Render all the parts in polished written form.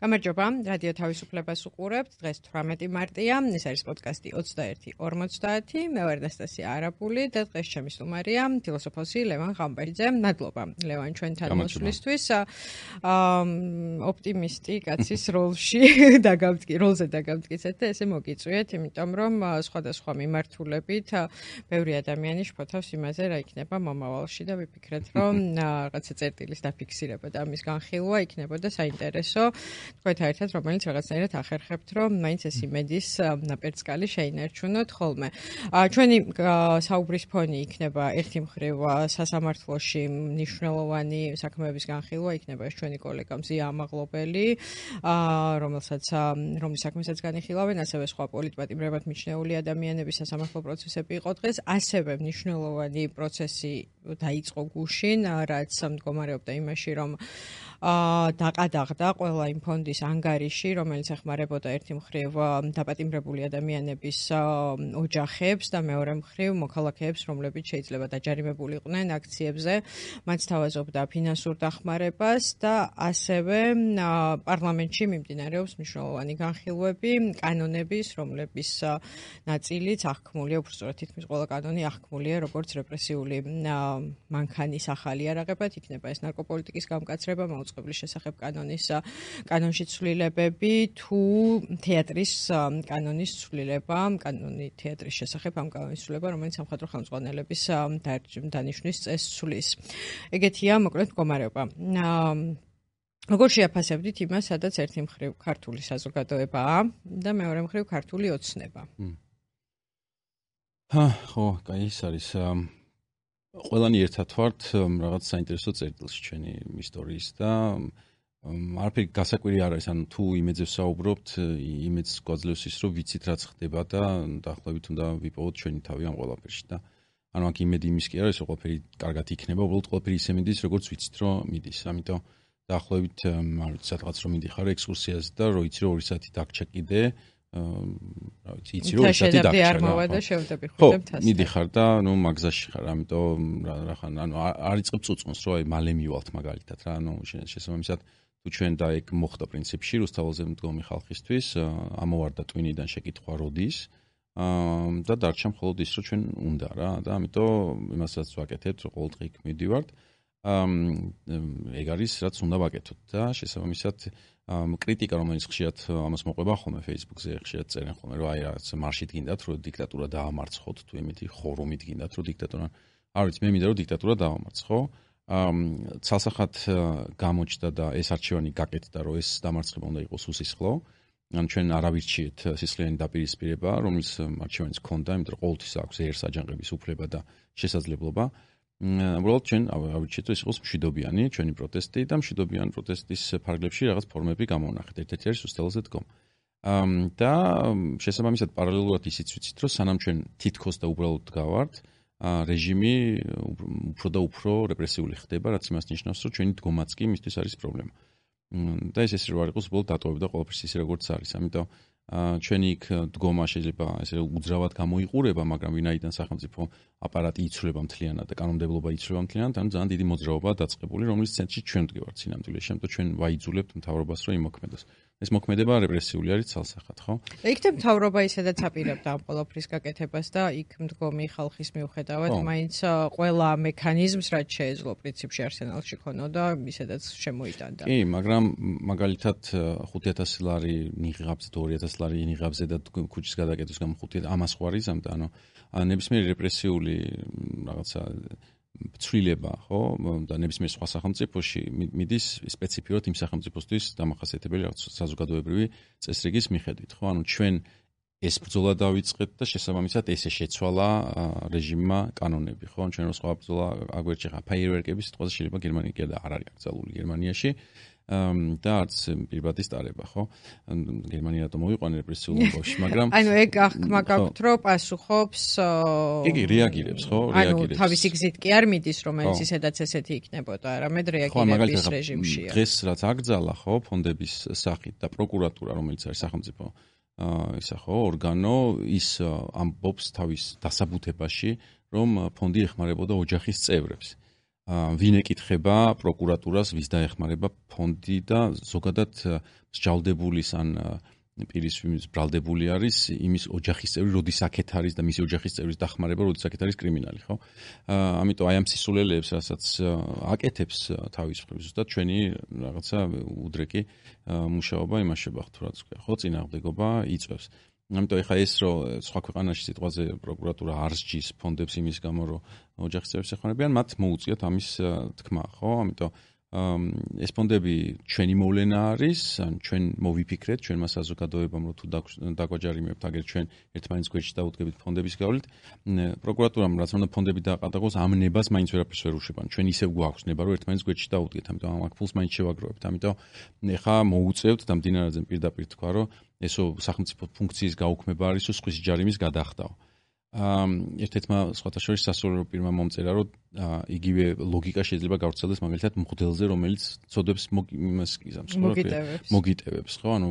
გამარჯობა, რადიო თავისუფლებას უყურებთ. დღეს 18 მარტია, ეს არის პოდკასტი 21:50. მე ვარ ანასტასია არაბული და დღეს ჩემი სტუმარია ფილოსოფოსი ლევან ღამბერიძე. მადლობა ლევან ჩვენთან მოსვლისთვის. ოპტიმისტი კაცის როლზე დაგავტკიცეთ და ესე მოგიწვიეთ, იმიტომ რომ სხვადასხვა მიმართულებით ბევრი ადამიანი შფოთავს იმაზე, რა იქნება მომავალში და ვიფიქრეთ, რომ რაღაცა წერტილის დაფიქსირება და ამის განხილვა იქნებოდა საინტერესო. თქვენთან ერთად, რომელიც რაღაცნაირად ახერხებთ, რომ მაინც ეს იმედის ნაპერწკალი შეინარჩუნოთ ხოლმე. ჩვენი საუბრის ფონი იქნება ერთი მხრივ სასამართლოში მნიშვნელოვანი საქმეების განხილვა, იქნება ეს ჩვენი კოლეგა მზია ამაღლობელი, რომლის საქმესაც განიხილავენ, ასევე სხვა პოლიტპატიმრებად მიჩნეული ადამიანების სასამართლო პროცესები იყო დღეს, ასევე მნიშვნელოვანი პროცესი დაიწყო გუშინ, რაც მდგომარეობდა იმაში, რომ დაყადაღდა ყველა იმ ფონდის ანგარიში, რომელიც ეხმარებოდა ერთი მხრივ დაპატიმრებული ადამიანების ოჯახებს და მეორე მხრივ მოქალაქეებს, რომლებიც შეიძლება დაჯარიმებულიყვნენ აქციებზე, მათ თავაზობდა ფინანსურ დახმარებას და ასევე პარლამენტში მიმდინარეობს მნიშვნელოვანი განხილვები კანონების, რომლების ნაწილიც აღქმულია, უბრალოდ თითქმის ყველა კანონი აღქმულია როგორც რეპრესიული მანქანის ახალი არაღებად, იქნება ეს ნარკოპოლიტიკის გამკაცრება, მაუწყებლის შესახებ კანონში ცვლილებები თუ თეატრის კანონის ცვლილება, კანონი თეატრის შესახებ ამ კანონის ცვლილება, რომელიც სამხატვრო ხელმძღვანელების დანიშვნის წესს ცვლის. ეგეთია მოკლედ მდგომარეობა. როგორ შეაფასებდით იმას, სადაც ერთი მხრივ ქართული საზოგადოებაა და მეორე მხრივ ქართული ოცნება? ხო, კაი, ეს არის ყველანი ერთად ვართ რაღაც საინტერესო წერტილში ჩვენი ისტორიის და არაფერი გასაკვირი არ არის, ანუ თუ იმედზე ვსაუბრობთ, იმედს გვაძლევს ის, რომ ვიცით რაც ხდება და დაახლოებით უნდა ვიპოვოთ ჩვენი თავი ამ ყველაფერში და ანუ აქ იმედი იმის კი არის, რომ ყველაფერი კარგად იქნება, უბრალოდ ყველაფერი ისე მიდის, როგორც ვიცით, რომ მიდის. ამიტომ დაახლოებით არ ვიცი, სადღაც რომ მიდიხარ ექსკურსიაზე და რო იცი, რომ 2 საათი დაგჭა კიდე, რა ვიცი, იცი, რომ 2 საათი დაგჭა. არ მოვა და შევდები ხვდებ თასთან. მიდიხარ და ნუ მაგზაში ხარ, ამიტომ რახან, ანუ არ იწყებ წუწუნს, რომ აი მალე მივალთ მაგალითად რა, ანუ შესაბამისად თუ ჩვენ და ეგ მოხდა პრინციპში რუსთაველზე მდგომი ხალხისთვის, ამოვარდა ტვინიდან შეკითხვა როდის და დარჩა მხოლოდ ის, რომ ჩვენ უნდა რა და ამიტომ იმასაც ვაკეთებთ, რომ ყოველდღე იქ მივდივართ. ეგ არის რაც უნდა ვაკეთოთ და შესაბამისად კრიტიკა, რომელიც ხშირად ამას მოყვება ხოლმე Facebook-ზე, ხშირად წერენ ხოლმე, რომ აი რაღაც მარშით გინდათ, რომ დიქტატურა დაამარცხოთ, თუ იმითი ხორუმით გინდათ, რომ დიქტატურა არ ვიცი, მე მინდა რომ დიქტატურა დაამარცხო. ცალსახად გამოჩნდა და ეს არჩევანი გაკეთდა, რომ ეს დამარცხება უნდა იყოს უსისხლო. ან ჩვენ არ ავირჩიეთ სისხლიანი დაპირისპირება, რომლის არჩევანის ჰქონდა, იმიტომ რომ ყოველთვის აქვს ერს აჯანყების უფლება და შესაძლებლობა. უბრალოდ ჩვენ ავირჩიეთ, რომ ეს იყოს მშვიდობიანი ჩვენი პროტესტი და მშვიდობიანი პროტესტის ფარგლებში რაღაც ფორმები გამოვნახეთ. ერთ-ერთი არის რუსთაველზე დგომა. და შესაბამისად პარალელურად ისიც ვიცით, რომ სანამ ჩვენ თითქოს და უბრალოდ გავართ, რეჟიმი უფრო და უფრო რეპრესიული ხდება, რაც იმას ნიშნავს, რომ ჩვენი დგომაც კი მისთვის არის პრობლემა. და ეს ისე რომ არ იყოს, უბრალოდ დატოვებდა ყველაფერს ისე როგორც არის. ამიტომ ჩვენი იქ დგომა შეიძლება ესე უძრავად გამოიყურება, მაგრამ ვინაიდან სახელმწიფო აპარატი იცვლება მთლიანად და კანონმდებლობა იცვლება მთლიანად, ანუ ძალიან დიდი მოძრაობაა დაწყებული, რომლის ცენტრში ჩვენ ვდგევართ სინამდვილეში. ამიტომ ჩვენ ვაიძულებთ მთავრობას, რომ იმოქმედოს. ეს მოქმედება რეპრესიული არის ცალსახად, ხო? იქნებ მთავრობა ისედაც აპირებდა ამ ყველაფრის გაკეთებას და იქ მდგომი ხალხის მიუხედავად, მაინც ყველა მექანიზმს, რაც შეეძლო პრინციპში არსენალში ქონოდა, ისედაც შემოიტანდა. კი, მაგრამ მაგალითად 5000 ლარი ნიღაბზე, 2000 ლარი ნიღაბზე და ქუჩის გადაკეთების გამო 5 ამას ხო არის ამდა, ანუ ნებისმიერი რეპრესიული რაღაცა ცვლილება, ხო, და ნებისმიერ სხვა სახელმწიფოში მიდის სპეციფიურად იმ სახელმწიფოსთვის დამახასიათებელი რაღაც საზოგადოებრივი წესრიგის მიხედვით, ხო, ანუ ჩვენ ეს ბრძოლა დავიწყეთ და შესაბამისად ესე შეცვალა რეჟიმმა კანონები, ხო, ჩვენ რო სხვა ბრძოლა აგვერჩი ხა ფაიერვერკების სიტყვაზე შეიძლება გერმანია კი არ არის აკრძალული გერმანიაში. და არც პირბადის ტარება, ხო? გერმანია რატომ მოიყვანა რეპრესიულ ომში, მაგრამ ანუ ეგ აღქმა გაქვთ, რომ პასუხობს იგი რეაგირებს, ხო? რეაგირებს. ანუ თავისი გზით კი არ მიდის, რომელიც ისედაც ესეთი იქნებოდა, არამედ რეაგირების რეჟიმშია. დღეს რაც აკრძალა, ხო, ფონდების სახით და პროკურატურა, რომელიც არის სახელმწიფო ისა ხო, ორგანო, ის ამბობს თავის დასაბუთებაში, რომ ფონდი ეხმარებოდა ოჯახის წევრებს. ვინ ეკითხება პროკურატურას, ვის დაეხმარება ფონდი და ზოგადად მსჯავრდებულის ან პირის ვინც ბრალდებული არის იმის ოჯახის წევრი, როდის აქეთ არის და მისი ოჯახის წევრის დახმარება, როდის აქეთ არის კრიმინალი, ხო? ამიტომ აი ამ სისულელეებს, რასაც აკეთებს თავის მხრივ, ზუსტად ჩვენი რაღაცა უდრეკი მუშაობა იმაშება ხთურად, ხო, წინააღმდეგობა იწევს. ამიტომ ეხა ეს რომ სხვა ქვეყანაში სიტყვაზე პროკურატურა არ სჯის ფონდებს იმის გამო რომ ოჯახის წევრებს ეხმარებიან, მათ მოუწიათ ამის თქმა, ხო? ამიტომ ეს ფონდები ჩვენი მოვლენა არის, ან ჩვენ მოვიფიქრეთ, ჩვენმა საზოგადოებამ რომ თუ დაგვაჯარიმებთ, აგერ ჩვენ ერთმანეთს გვერდში დაუდგებით ფონდების გავლით, პროკურატურამ რაც უნდა ფონდები დააყადაღოს, ამ ნებას მაინც ვერაფერს ვერ უშვებან. ჩვენ ისევ გვაქვს ნება რომ ერთმანეთს გვერდში დაუდგეთ, ამიტომ ამ აქ ფულს მაინც შევაგროვებთ. ამიტომ ეხა მოუწევთ და მდინარეზე პირდაპირ თქვა რომ ესო სახელმწიფო ფუნქციის გაუქმება არის, თუ სხვის ჯარიმის გადახდაო. ერთ-ერთმა სხვათა შორის სასურველო პირმა მომწერა, რომ იგივე ლოგიკა შეიძლება გავრცელდეს მაგალითად მღვდელზე, რომელიც წოდებს მოგიტევებს, ხო? ანუ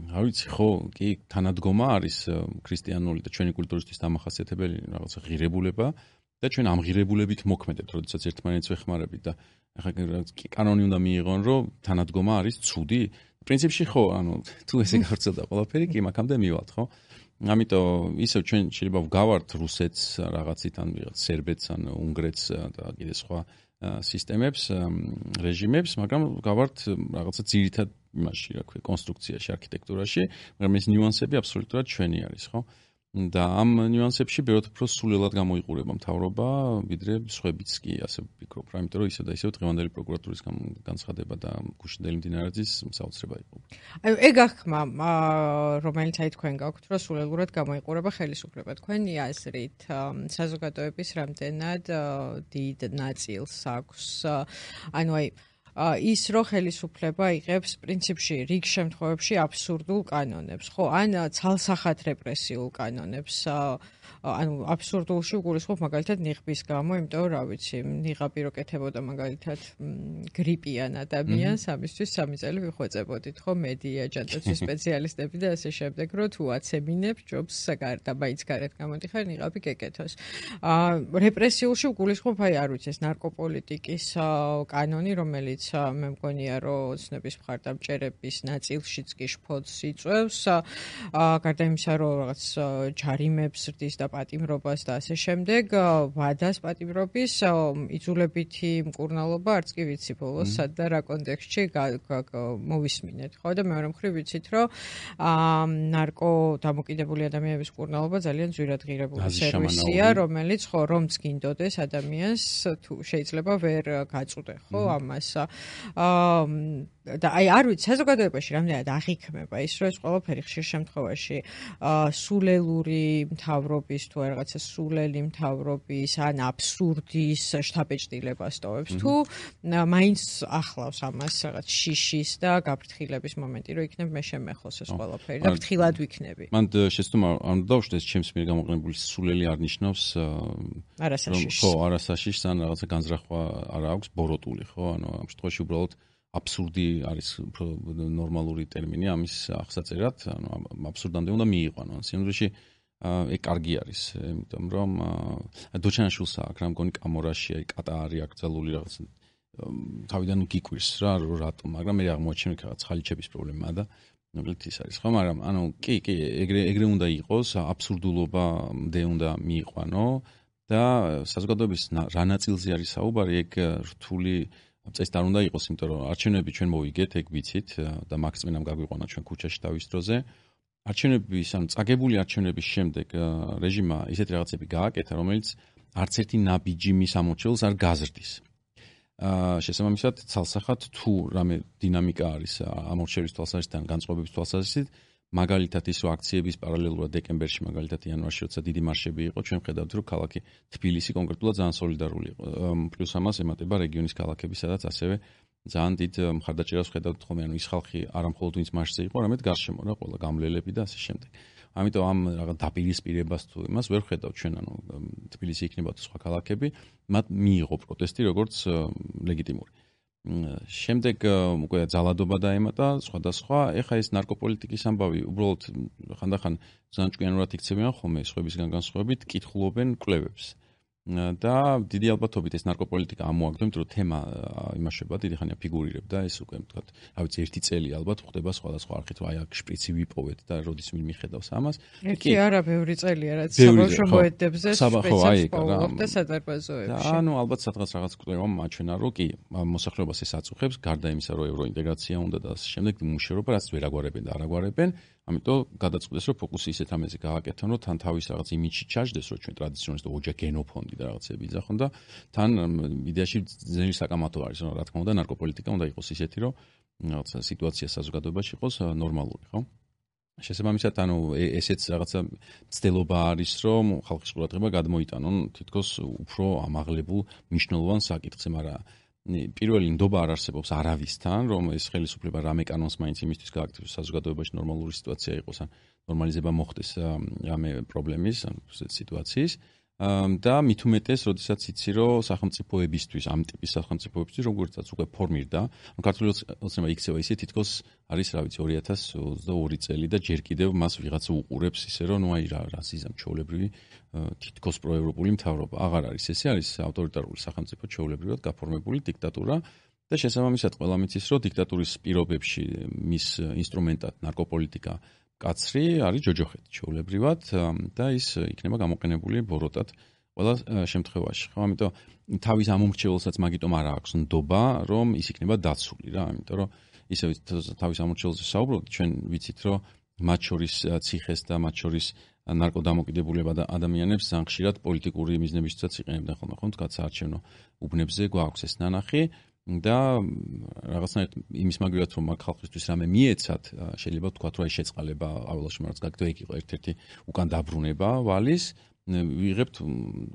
რა ვიცი, ხო, კი თანადგომა არის ქრისტიანული და ჩვენი კულტურისთვის დამახასიათებელი რაღაცა ღირებულება და ჩვენ ამ ღირებულებით მოქმედებთ, როდესაც ერთმანეთს ვეხმარებით და ახლა კანონი უნდა მიიღონ, რომ თანადგომა არის ცუდი. პრინციპში ხო, ანუ თუ ესე გავრცელდა ყველაფერი, კი მაგამდე მივალთ, ხო? ამიტომ ისევ ჩვენ შეიძლება ვგავართ რუსეთს რაღაცით ან ვიღაც სერბეთს ან უნგრეთს და კიდე სხვა სისტემებს, რეჟიმებს, მაგრამ ვგავართ რაღაცა ძირითად იმაში, რა ქვია, კონსტრუქციაში, არქიტექტურაში, მაგრამ ეს ნიუანსები აბსოლუტურად ჩვენი არის, ხო? და ამ ნიუანსებში ბევრად უფრო სულელად გამოიყურება მთავრობა, ვიდრე სხვებიც კი, ასე ვფიქრობ, რა, იმიტომ რომ ისევ და ისევ დღევანდელი პროკურატურის განცხადება და გუშინდელი მდინარეძის საოცრება იყო. აი, ეგ ახმა, რომელიც აი თქვენ გაქვთ, რომ სულელურად გამოიყურება ხელისუფლება. თქვენი აზრით, საზოგადოების რამდენად დიდ ნაწილს აქვს, ანუ აი ის რო ხელისუფლება იღებს პრინციპში რიგ შემთხვევებში აბსურდულ კანონებს, ხო? ან ცალსახად რეპრესიულ კანონებს. ანუ აბსურდულში უგულისხმობ მაგალითად ნიღბის გამო, იმიტომ რა ვიცი, ნიღაბი რო კეთებოდა მაგალითად გრიპიან ადამიანს, ამისთვის 3 წელი ვიხვეწებოდით, ხო, მედია, ჯანდაცვის სპეციალისტები და ასე შემდეგ, რომ თუ აცემინებ ჯობს და მაინც გარეთ გამოდიხარ, ნიღაბი გეკეთოს. რეპრესიულში უგულისხმობ, აი არ ვიცი, ეს ნარკოპოლიტიკის კანონი, რომელიც მე მგონია, რომ ოცნების მხარდამჭერების ნაწილშიც კი შფოთს იწვევს, გარდა იმისა, რომ რაღაც ჯარიმებს ზრდის და პატიმრობას და ასე შემდეგ, ვადას პატიმრობის იძულებითი მკურნალობა არც კი ვიცი ბოლოს სად და რა კონტექსტში მოვისმინეთ, ხო? და მეორე მხრივ ვიცით, რომ ნარკო დამოკიდებული ადამიანების მკურნალობა ძალიან ძვირად ღირებული სერვისია, რომელიც ხო რომც გინდოდეს ადამიანს თუ შეიძლება ვერ გაწუდე, ხო, ამას. და აი არ ვიცი, საზოგადოებაში რამდენად აღიქმება ის, რომ ეს ყველაფერი ხშირ შემთხვევაში სულელური მთავრობის თუ რაღაცა სულელი მთავრობის ან აბსურდის შთაბეჭდილებას ტოვებს, თუ მაინც ახლავს ამას რაღაც შიშის და გაფრთხილების მომენტი, რომ იქნებ მე შემეხოს ეს ყველაფერი და ფრთხილად ვიქნები. მან შეცდომა არ დავუშვდეს ჩემს მიერ გამოყენებული სულელი არ ნიშნავს არასაშიშს. ხო, არასაშიშს ან რაღაცა განზრახვა არ აქვს, ბოროტული, ხო? ანუ ამ შემთხვევაში უბრალოდ აბსურდი არის უფრო ნორმალური ტერმინი ამის აღსაწერად, ანუ აბსურდამდე უნდა მიიყვანო. სინამდვილეში ეგ კარგი არის, იმიტომ რომ დოჩანაშვილს აქვს რა მგონი კამორაში, აი კატა არის აკრძალული რაღაც თავიდან გიკვირს რა რატომ, მაგრამ მე აღმოაჩინე რაღაც ხალიჩების პრობლემაა და ნუ ის არის ხო, მაგრამ ანუ კი, ეგრე უნდა იყოს, აბსურდულობამდე უნდა მიიყვანო და საზოგადოების რა ნაწილზე არის საუბარი, ეგ რთული წესი არ უნდა იყოს, იმიტომ რომ არჩევნები ჩვენ მოვიგეთ, ეგ ვიცით და მაგწმენამ გაგვიყვანა ჩვენ ქუჩაში თავის დროზე. არჩევნების, ანუ წაგებული არჩევნების შემდეგ რეჟიმმა ისეთი რაღაცები გააკეთა, რომელიც არც ერთი ნაბიჯი მის ამორჩეულს არ გაზრდის. შესაბამისად, ცალსახად თუ რამე დინამიკა არის ამორჩევის თვალსაზრისით ან განწყობების თვალსაზრისით, მაგალითად ის რომ აქციების პარალელურად დეკემბერში, მაგალითად იანვარში, როცა დიდი მარშები იყო, ჩვენ ხედავთ, რომ ქალაქი თბილისი კონკრეტულად ძალიან სოლიდარული იყო. პლუს ამას ემატება რეგიონის ქალაქები, სადაც ასევე ძალიან დიდ მხარდაჭერას ხედავთ ხოლმე, ანუ ის ხალხი არა მხოლოდ ვინც მარშზე იყო, არამედ გარშემო რა, ყველა გამლელები და ასე შემდეგ. ამიტომ ამ რაღაც დაპირისპირებას თუ იმას ვერ ხედავთ ჩვენ, ანუ თბილისი იქნება თუ სხვა ქალაქები, მათ მიიღო პროტესტი როგორც ლეგიტიმური. შემდეგ უკვე ძალადობა დაემატა სხვადასხვა, ეხა ეს ნარკოპოლიტიკის ამბავი უბრალოდ ხანდახან ძალიან ჭკვიანურად იქცევიან ხოლმე სხვებისგან განსხვავებით, კითხულობენ კვლევებს. და დიდი ალბათობით ეს ნარკოპოლიტიკა ამოაგდო, იმიტომ რომ თემა იმაშება, დიდი ხანია ფიგურირებდა, ეს უკვე თქვათ, რა ვიცი, ერთი წელი ალბათ ხდება სხვადასხვა არხით, აი აქ შპრიცი ვიპოვეთ და როდის ვინ მიხედავს ამას. ერთი არა, ბევრი წელია, რაც საბავშვო მოედებზე შპრიცებს პოულობდა სადარბაზოებში. და ანუ ალბათ სადღაც რაღაც კვლევა მაჩვენა, რომ კი, მოსახლეობას ეს აწუხებს, გარდა იმისა, რომ ევროინტეგრაცია უნდა და ასე შემდეგ მუშაობა, რაც ვერ აგვარებენ და არ აგვარებენ. ამიტომ გადაწყვეტეს, რომ ფოკუსი ისეთ ამაზე გააკეთონ, რომ თან თავის რაღაც იმიჯი ჩაჯდეს, რომ ჩვენ ტრადიციონალისტ ოჯახ გენოფონდი და რაღაცები იძახონ და თან იდეაში ძნელი საკამათო არის, რომ რა თქმა უნდა ნარკოპოლიტიკა უნდა იყოს ისეთი, რომ რაღაცა სიტუაცია საზოგადოებაში იყოს ნორმალური, ხო? შესაბამისად, ანუ ესეც რაღაცა ცდილობა არის, რომ ხალხის ყურადღება გადმოიტანონ თითქოს უფრო ამაღლებულ მნიშვნელოვან საკითხზე, მაგრამ პირველი ნდობა არ არსებობს არავისთან, რომ ეს ხელისუფლება რამე კანონს მაინც იმისთვის გააკეთებს, საზოგადოებაში ნორმალური სიტუაცია იყოს, ან ნორმალიზება მოხდეს რამე პრობლემის, ან სიტუაციის. და მით უმეტეს, როდესაც იცი, რომ სახელმწიფოებისთვის, ამ ტიპის სახელმწიფოებისთვის, როგორცაც უკვე ფორმირდა, ქართული ოცნება იქცევა ისე თითქოს არის, რა ვიცი, 2022 წელი და ჯერ კიდევ მას ვიღაცა უყურებს ისე, რომ ნუ აი რა ზიზამ ჩაოლებრივი თითქოს პროევროპული მთავრობა. აღარ არის ესე, არის ავტორიტარული სახელმწიფო ჩაოლებრივად გაფორმებული დიქტატურა და შესაბამისად ყველა მიცის, რომ დიქტატურის პირობებში მის ინსტრუმენტად ნარკოპოლიტიკა კაცრი არის ჯოჯოხეთი ჩაოლებრივად და ის იქნება გამოყენებული ბოროტად ყველა შემთხვევაში. ხო, ამიტომ თავის ამომრჩეველსაც მაგიტომ არ აქვს ნდობა, რომ ის იქნება დაცული რა, ამიტომ რომ ისე თავის ამომრჩეველზე საუბრობთ, ჩვენ ვიცით, რომ მათ შორის ციხეს და მათ შორის ნარკოდამოკიდებულება და ადამიანებს ზანხშირად პოლიტიკური მიზნებისთვისაც იყენებდნენ ხოლმე, ხო, თქვა საარჩევნო უბნებზე გვაქვს ეს ნანახი. და რაღაცნაირად იმის მაგალითად რომ მაგ ხალხისთვის რამე მიეცათ, შეიძლება ვთქვათ, რომ აი შეწყალება აველაში რაც გაგდო ეგ იყო ერთ-ერთი უკან დაბრუნება ვალის, ვიღებთ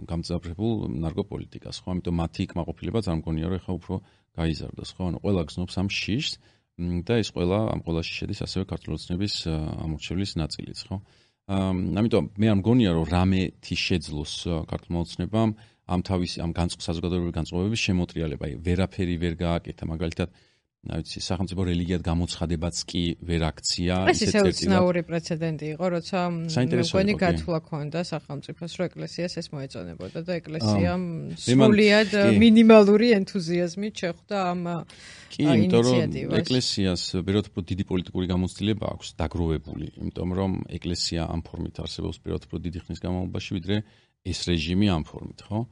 გამძაფრებულ ნარკოპოლიტიკას, ხო? ამიტომ მათი კმაყოფილება წარმგონია, რომ ეხა უფრო გაიზარდოს, ხო? ანუ ყველა გზნობს ამ შიშს და ეს ყველა ამ ყველაში შედის ასევე ქართული ოცნების ამორჩევლის ნაწილიც, ხო? ამიტომ მე არ მგონია, რომ რამეთი შეძლოს ქართულმა ოცნებამ ამ თავის ამ საზოგადოებრივი განწყობების შემოტრიალება, ვერაფერი ვერ გააკეთა, მაგალითად, რა ვიცი, სახელმწიფო რელიგიად გამოცხადებაც კი ვერ აქცია, ეს ისე უცნაური პრეცედენტი იყო, როცა მეგონი გათვლა ქონდა სახელმწიფოს, რომ ეკლესიას ეს მოეწონებოდა და ეკლესიამ სრულიად მინიმალური ენთუზიაზმით შეხვდა ამ კი, იმიტომ რომ ეკლესიას ბევრად უფრო დიდი პოლიტიკური გამოცდილება აქვს დაგროვებული, იმიტომ რომ ეკლესია ამ ფორმით არსებობს ბევრად უფრო დიდი ხნის განმავლობაში, ვიდრე ეს რეჟიმი ამ ფორმით, ხო?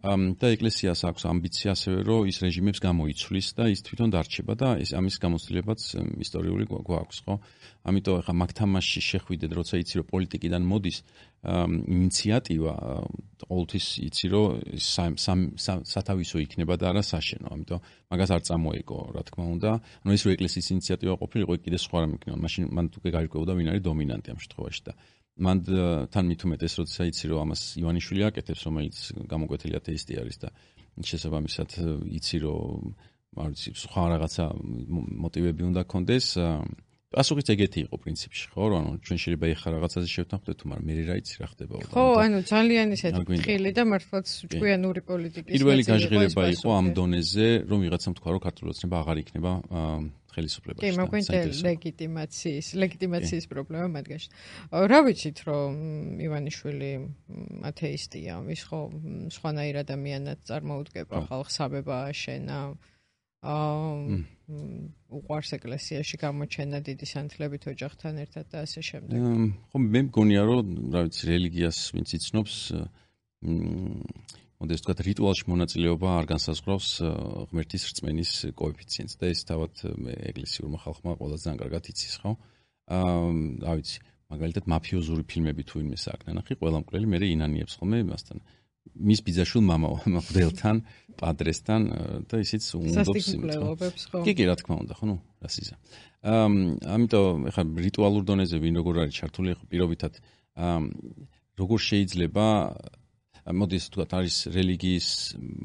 და ეკლესიას აქვს ამბიცია ასევე, რომ ის რეჟიმებს გამოიცვლის და ის თვითონ დარჩება და ეს ამის გამოცდილებაც ისტორიული გვაქვს, ხო? ამიტომ ახლა მაგ თამაშში შეხვიდეთ, როცა იცი, რომ პოლიტიკიდან მოდის ინიციატივა, ყოველთვის იცი, რომ სათავისო იქნება და არა საშენო, ამიტომ მაგას არ წამოეკო, რა თქმა უნდა. ანუ ეს რო ეკლესიის ინიციატივა ყოფილიყო, კიდე სხვა რამე იქნება, მაშინ მან უკვე გარკვეოდა ვინ არის დომინანტი ამ შემთხვევაში და მან თან მით უმეტეს, როცა იცი, რომ ამას ივანიშვილი აკეთებს, რომელიც გამოკვეთილი ათეისტი არის და შესაბამისად იცი, რომ არ ვიცი, სხვა რაღაცა მოტივები უნდა კონდეს. პასუხიც ეგეთი იყო პრინციპში, ხო, რომ ანუ ჩვენ შეიძლება ეხა რაღაცაზე შევთანხმდეთ, მაგრამ მე რა იცი რა ხდება. ხო, ანუ ძალიან ისეთი ხილი და მართლაც ჭკვიანური პოლიტიკის პირველი გაჟღერება იყო ამ დონეზე, რომ ვიღაცამ თქვა, რომ ქართული ოცნება აღარ იქნება ხელისუფლებაში. კი, მოგვინდა ლეგიტიმაციის პრობლემა მათგანში. რა ვიცით, რომ ივანიშვილი ათეისტია, ის ხო სხვანაირ ადამიანად წარმოუდგება ხალხს, აბება აშენა. უყვარს ეკლესიაში გამოჩენა დიდი სანთლებით ოჯახთან ერთად და ასე შემდეგ. ხო, მე მგონია, რომ რა ვიცი, რელიგიას ვინც იცნობს, მოდი ვთქვათ, რიტუალში მონაწილეობა არ განსაზღვრავს ღმერთის რწმენის კოეფიციენტს და ეს თავად ეკლესიურმა ხალხმა ყველაზე ძალიან კარგად იცის, ხო? რა ვიცი, მაგალითად მაფიოზური ფილმები თუ ვინმე საქმე ნახი, ყველა მკვლელი მე ინანიებს ხოლმე იმასთან. მის ბიძაშვილ მამაობელთან, პადრესთან და ისიც უნდობს იმით. კი, რა თქმა უნდა, ხო, ნუ რა სიზა. ამიტომ ეხლა რიტუალურ დონეზე ვინ როგორ არის ჩართული, ხო, პირობითად როგორ შეიძლება მოდი ისე ვთქვათ, არის რელიგიის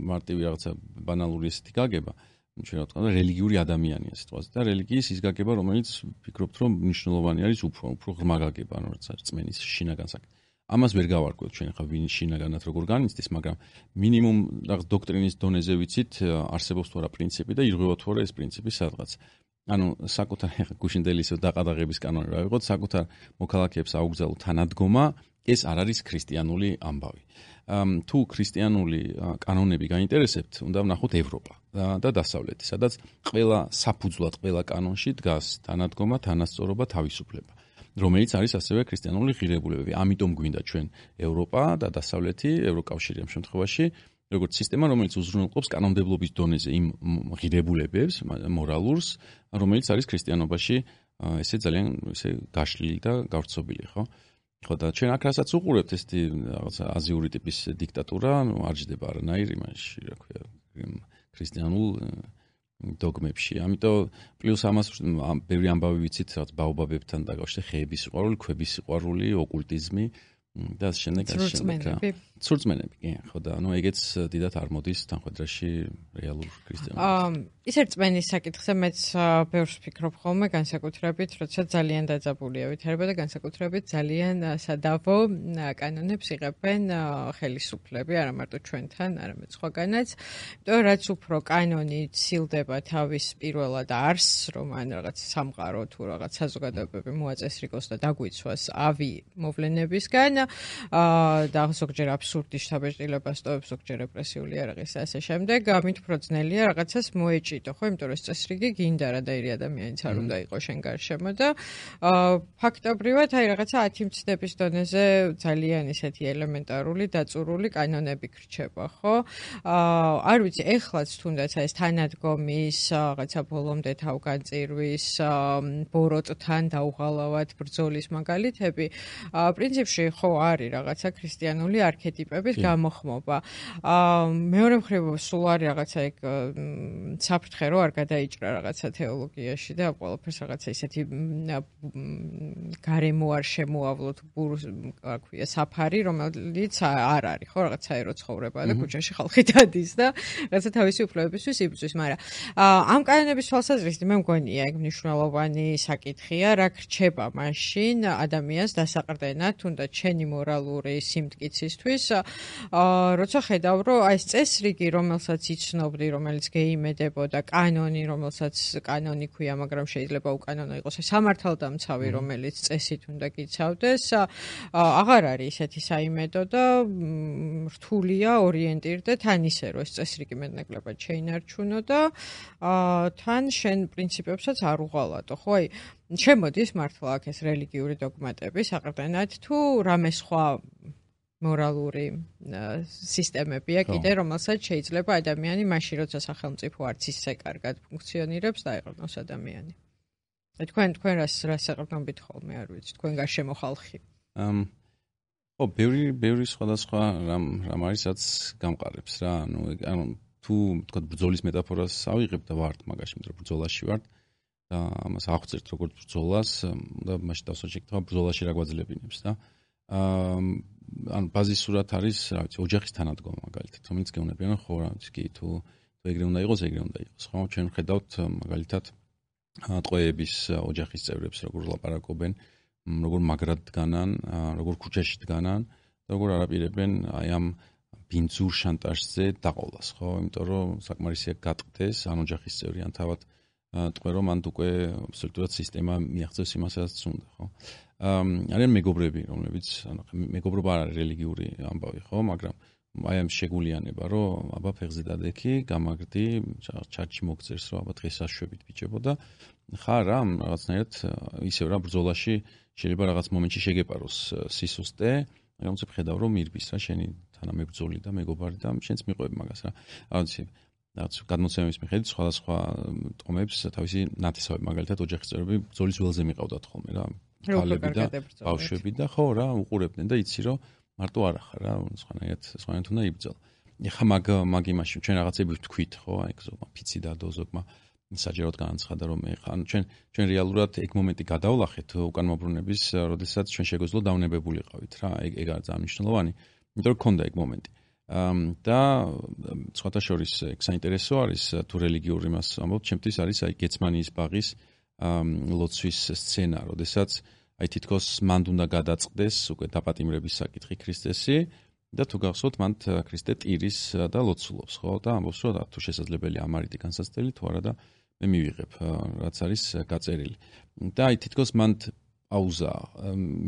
მარტივი რაღაცა ბანალური ესეთი გაგება, ჩვენ რა ვთქვათ, რელიგიური ადამიანია სიტყვაზე და რელიგიის ის გაგება, რომელიც ფიქრობთ, რომ მნიშვნელოვანი არის უფრო ღრმა გაგება, ანუ რაც არის რწმენის შინაგან საკითხი. ამას ვერ გავარკვევთ ჩვენ ხა ვინ შინაგანად როგორ განიცდის, მაგრამ მინიმუმ რაღაც დოქტრინის დონეზე ვიცით, არსებობს თუ არა პრინციპი და ირღვევა თუ არა ეს პრინციპი სადღაც. ანუ საკუთარ გუშინდელი ისო დაყადაღების კანონი რა ვიყოთ, საკუთარ მოქალაქეებს აუგზავნო თანადგომა, ეს არ არის ქრისტიანული ამბავი. თუ ქრისტიანული კანონები გაინტერესებთ, უნდა ვნახოთ ევროპა და დასავლეთი, სადაც ყველა საფუძვლად ყველა კანონში დგას თანადგომა, თანასწორობა, თავისუფლება, რომელიც არის ასევე ქრისტიანული ღირებულებები. ამიტომ გვინდა ჩვენ ევროპა და დასავლეთი, ევროკავშირი ამ შემთხვევაში, როგორც სისტემა, რომელიც უზრუნველყოფს კანონმდებლობის დონეზე იმ ღირებულებებს, მორალურს, რომელიც არის ქრისტიანობაში ესე ძალიან ესე გაშლილი და გავრცობილი, ხო? ხო და ჩვენ აქ რასაც უყურებთ ესეთი რაღაცა აზიური ტიპის დიქტატურა, არ ჯდება არანაირი მაშინ, რა ქვია, ქრისტიანულ დოგმებში. ამიტომ პლუს ამას ბევრი ამბავი ვიცით, რაც ბაობაბებთან დაკავშირებით, ხეების სიყვარული, ქვების სიყვარული, ოკულტიზმი და შემდეგ ცურწმენები, კი, ხო და ეგეც დიდად არ მოდის თანხმედრაში რეალურ ქრისტიანობას. ის რწმენის საკითხზე მეც ბევრს ვფიქრობ ხოლმე განსაკუთრებით, როცა ძალიან დაძაბულია ვითარება და განსაკუთრებით ძალიან სადავო კანონებს იღებენ ხელისუფლები, არა მარტო ჩვენთან, არამედ სხვაგანაც. იმიტომ რაც უფრო კანონი ცილდება თავის პირველად არსს, რომ ან რაღაც სამყარო თუ რაღაც საზოგადოებები მოაწესრიგოს და დაგვიცვას ავი მოვლენებისგან და ზოგჯერ აბსურდი შთაბეჭდილება სტოვებს, ზოგჯერ რეპრესიული იარაღის და ასე შემდეგ, ამით უფრო ძნელია რაღაცას მოეჭიდო, ხო, იმიტომ რომ წესრიგი გინდა რა და ერი ადამიანიც არ უნდა იყოს შენ გარშემო და ფაქტობრივად აი რაღაცა 10 მცდების დონეზე ძალიან ისეთი ელემენტარული დაწურული კანონები გრჩება, ხო? არ ვიცი, ეხლაც თუნდაც ეს თანადგომის რაღაცა ბოლომდე თავგანწირვის ბოროტთან დაუღალავად ბრძოლის მაგალითები, პრინციპში ხო არის რაღაცა ქრისტიანული არქეტიპების გამოხმობა. მეორე მხრივ სულ არის რაღაცა ეგ საფრთხე რო არ გადაიჭრა რაღაცა თეოლოგიაში და ყველაფერს რაღაცა ისეთი გარემო არ შემოავლოთ რა ქვია საფარი, რომელიც არ არის, ხო, რაღაც საერო ცხოვრება და ქუჩაში ხალხი დადის და რაღაცა თავისი უფლებებისთვის იბრძვის, მაგრამ ამ კანონების თვალსაზრისით მე მგონია ეგ მნიშვნელოვანი საკითხია, რა გრჩება მაშინ ადამიანს დასაყრდენად, თუნდაც ჩენი მორალური სიმტკიცისთვის, როცა ხედავ, რომ აი ეს წესრიგი, რომელსაც იცნობდი, რომელიც გეიმედებოდა, კანონი, რომელსაც კანონი ქვია, მაგრამ შეიძლება უკანონო იყოს, სამართალდამცავი, რომელიც წესით უნდა გიცავდეს, აღარ არის ისეთი საიმედო და რთულია ორიენტირდე თან ისე, რომ ეს წესრიგი მეტნაკლებად შეინარჩუნო და თან შენ პრინციპებსაც არ უღალატო, ხო, აი შემოდის მართლა აქ ეს რელიგიური დოგმატები საყრდენად თუ რამე სხვა მორალური სისტემებია კიდე, რომელსაც შეიძლება ადამიანი მაშინ, როცა სახელმწიფო არც ისე კარგად ფუნქციონირებს, დაეყრდნოს ადამიანი. თქვენ რას საყრდნობით ხოლმე არ ვიცი, თქვენ გარშემო ხალხი. ხო, ბევრი სხვადასხვა რამ არისაც გამყარებს რა, ანუ თუ თქვა ბრძოლის მეტაფორას ავიღებ და ვართ მაგაში, რომ ბრძოლაში ვართ და ამას აღწერთ როგორც ბრძოლას და მაშინ დავსვათ შეკითხვა ბრძოლაში რა გვაძლებინებს და ანუ ბაზისურად არის, რა ვიცი, ოჯახის თანადგომა მაგალითად, რომელიც გეუბნებიან, ხო, რა ვიცი, კი, თუ ეგრე უნდა იყოს, ეგრე უნდა იყოს, ხო, ჩვენ ვხედავთ მაგალითად ტყვეების ოჯახის წევრებს, როგორ ლაპარაკობენ, როგორ მაგრად დგანან, როგორ ქუჩაში დგანან და როგორ არაპირებენ აი ამ ბინძურ შანტაჟზე დაყოლას, ხო, იმიტომ რომ საკმარისია გატყდეს ან ოჯახის წევრი ან თავად ტყვე რომ მანდ უკვე აბსოლუტურად სისტემა მიაღწევს იმასაც უნდა, ხო? არიან მეგობრები, რომლებიც, ანუ მეგობრობა არ არის რელიგიური ამბავი, ხო, მაგრამ აი ამ შეგულიანება, რომ აბა ფეხზე დადექი, გამაგრდი, ჩარჩი მოგწერს, რომ აბა დღეს აშვებით ბიჭებო და ხარ რა, რაღაცნაირად ისევ რა ბრძოლაში შეიძლება რაღაც მომენტში შეგეპაროს სისუსტე, მაგრამ უცებ ხედავ რომ მირბის რა შენი თანამებრძოლი და მეგობარი და შენც მიყვები მაგას რა. რაც გადმოცემების მიხედვით სხვადასხვა ტომებს თავისი ნათესავები მაგალითად ოჯახის წევრები ბრძოლის ველზე მიყავდათ ხოლმე რა. ქალები და ბავშვები და ხო რა უყურებდნენ და იცი რომ მარტო არ ახარ რა სხვანაირად უნდა იბრძოლო. ეხა მაგ იმაში ჩვენ რაღაცები ვთქვით ხო აი ზოგმა ფიცი და დოზოგმა საჯაროდ განაცხადა რომ ეხა ჩვენ რეალურად ეგ მომენტი გადავლახეთ უკანმობრუნების როდესაც ჩვენ შეგვეძლო დავნებებულიყავით რა ეგ არის ძალიან მნიშვნელოვანი იმიტომ რომ ქონდა ეგ მომენტი და სხვათა შორის ეგ საინტერესო არის თუ რელიგიური მას ამბობთ ჩემთვის არის აი გეცმანიის ბაღის ლოცვის სცენა როდესაც აი თითქოს მანდ უნდა გადაწყდეს უკვე დაპატიმრების საკითხი ქრისტესი და თუ გახსოვთ მან ქრისტე ტირის და ლოცულობს ხო და ამბობს რომ თუ შესაძლებელია ამარიტი განსაცდელი თუ არა და მე მივიღებ რაც არის გაწერილი და აი თითქოს მან პაუზა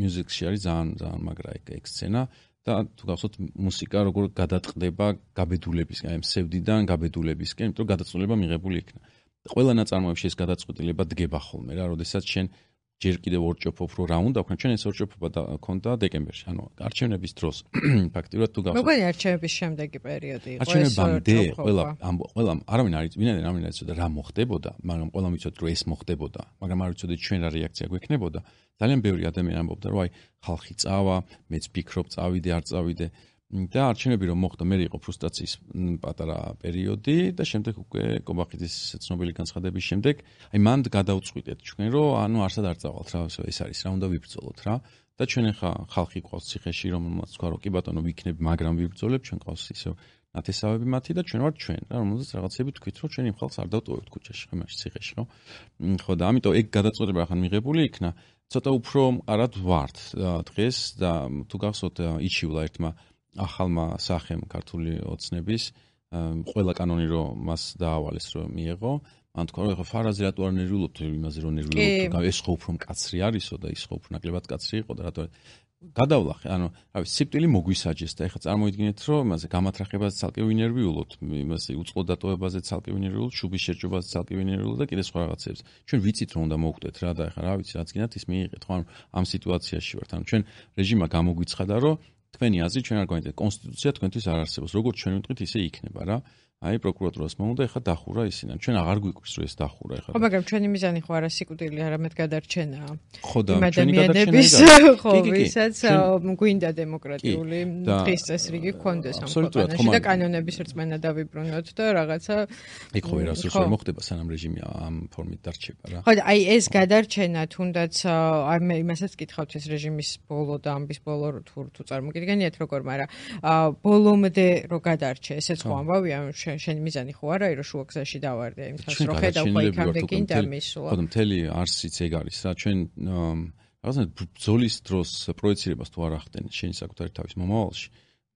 მუსიკში არის ძალიან მაგრა ეგ სცენა და თუ გახსოვთ მუსიკა როგორ გადაწყდება გაბედულებისკენ, აი მსევდიდან გაბედულებისკენ, იმიტომ რომ გადაწყვეტილება მიღებული იქნა. ყველა ნაწარმოებში ეს გადაწყვეტილება დგება ხოლმე რა, როდესაც შენ ჯერ კიდევ ორჭოფობ რა უნდა ვქნა, ჩვენ ეს ორჭოფობა ქონდა დეკემბერში, ანუ არჩევნების დროს. ფაქტიურად თუ გახსოვთ. მოგონი არჩევნების შემდეგი პერიოდი იყო ეს არჩევნებამდე ყველა არავინ არ იცოდა რა მოხდებოდა, მაგრამ ყველამ იცოდა რომ ეს მოხდებოდა, მაგრამ არ იცოდა ჩვენ რა რეაქცია გვექნებოდა. ძალიან ბევრი ადამიანი ამბობდა რომ აი ხალხი წავა, მეც ფიქრობ წავიდე, არ წავიდე. და არჩევნები რომ მოხდა, მე იყო ფრუსტრაციის პატარა პერიოდი და შემდეგ უკვე კობახიძის ცნობილი განცხადების შემდეგ, აი მანდ გადავწყვიტეთ ჩვენ რომ ანუ არსად არ წავალთ რა, ეს არის რა, უნდა ვიბრძოლოთ რა და ჩვენ ახლა ხალხი ყავს ციხეში, რომელმაც თქვა რომ კი ბატონო ვიქნებ, მაგრამ ვიბრძოლებ, ჩვენ ყავს ისევ ნათესავები მათი და ჩვენ ვართ ჩვენ რა, რომელზეც რაღაცები თქვით რომ ჩვენ იმ ხალხს არ დავტოვებთ ქუჩაში, ხო, მაშინ ციხეში, ხო? ხო და ამიტომ ეგ გადაწყვეტილება ახლა მიღებული იქნა, ცოტა უფრო მყარად ვართ დღეს და თუ გახსოვთ იჩივლა ერთმა ახალმა სახემ ქართული ოცნების ყველა კანონი რომ მას დაავალეს რომ მიეღო, მან თქვა რომ ეხლა ფარაზე რატო არ ნერვიულობთ იმაზე რომ ნერვიულობთ, ეს ხო უფრო მკაცრი არისო და ის ხო უფრო ნაკლებად კაცრი იყო და რატო გადავლახე, ანუ რავი, სიკვდილი მოგვისაჯეს და ეხლა წარმოიდგინეთ რომ იმაზე გამათრახებაზე ცალკე ვინერვიულობთ, იმაზე უწყლოდ დატოვებაზე ცალკე ვინერვიულობთ, შუბის შერჯობაზე ცალკე ვინერვიულობთ და კიდე სხვა რაღაცებს. ჩვენ ვიცით რომ უნდა მოვხდეთ რა და ეხლა რა ვიცი, რაც გინდათ ის მიიღეთ, ხო, ამ სიტუაციაში ვართ. ანუ ჩვენ რეჟიმმა გამოგვიცხადა რომ თქვენი აზრი ჩვენ არ გვაინტერესებს, კონსტიტუცია თქვენთვის არ არსებობს. როგორც ჩვენ ვიტყვით, ისე იქნება რა. აი პროკურატურას მომუნდა ეხლა დახურა ისინი. ჩვენ აღარ გვიკვირს რომ ეს დახურა ეხლა. ხო, მაგრამ ჩვენი მიზანი ხო არა სიკვდილი, არამედ გადარჩენაა. ხო და ჩვენი ადამიანების ხო, ვისაც გვინდა დემოკრატიული დღის წესრიგი გქონდეს ამ ქვეყანაში და კანონების რწმენა დავიბრუნოთ და რაღაცა იქ ხო ვერასდროს ვერ მოხდება სანამ რეჟიმი ამ ფორმით დარჩება რა. ხო და აი ეს გადარჩენა თუნდაც აი მე იმასაც კითხავთ ეს რეჟიმის ბოლო და ამბის ბოლო თუ წარმოგიდგენიათ როგორ, მაგრამ ბოლომდე რო გადარჩე, ესეც ხო ამბავია, შენი მიზანი ხო არა, რომ შუა გზაში დავარდე იმას, რომ ხედავ ხო იქამდე გინდა მისვლა. ხო და მთელი არსიც ეგ არის რა, ჩვენ რაღაცნაირად ბრძოლის დროს პროექცირებას თუ არ ახდენთ შენი საკუთარი თავის მომავალში,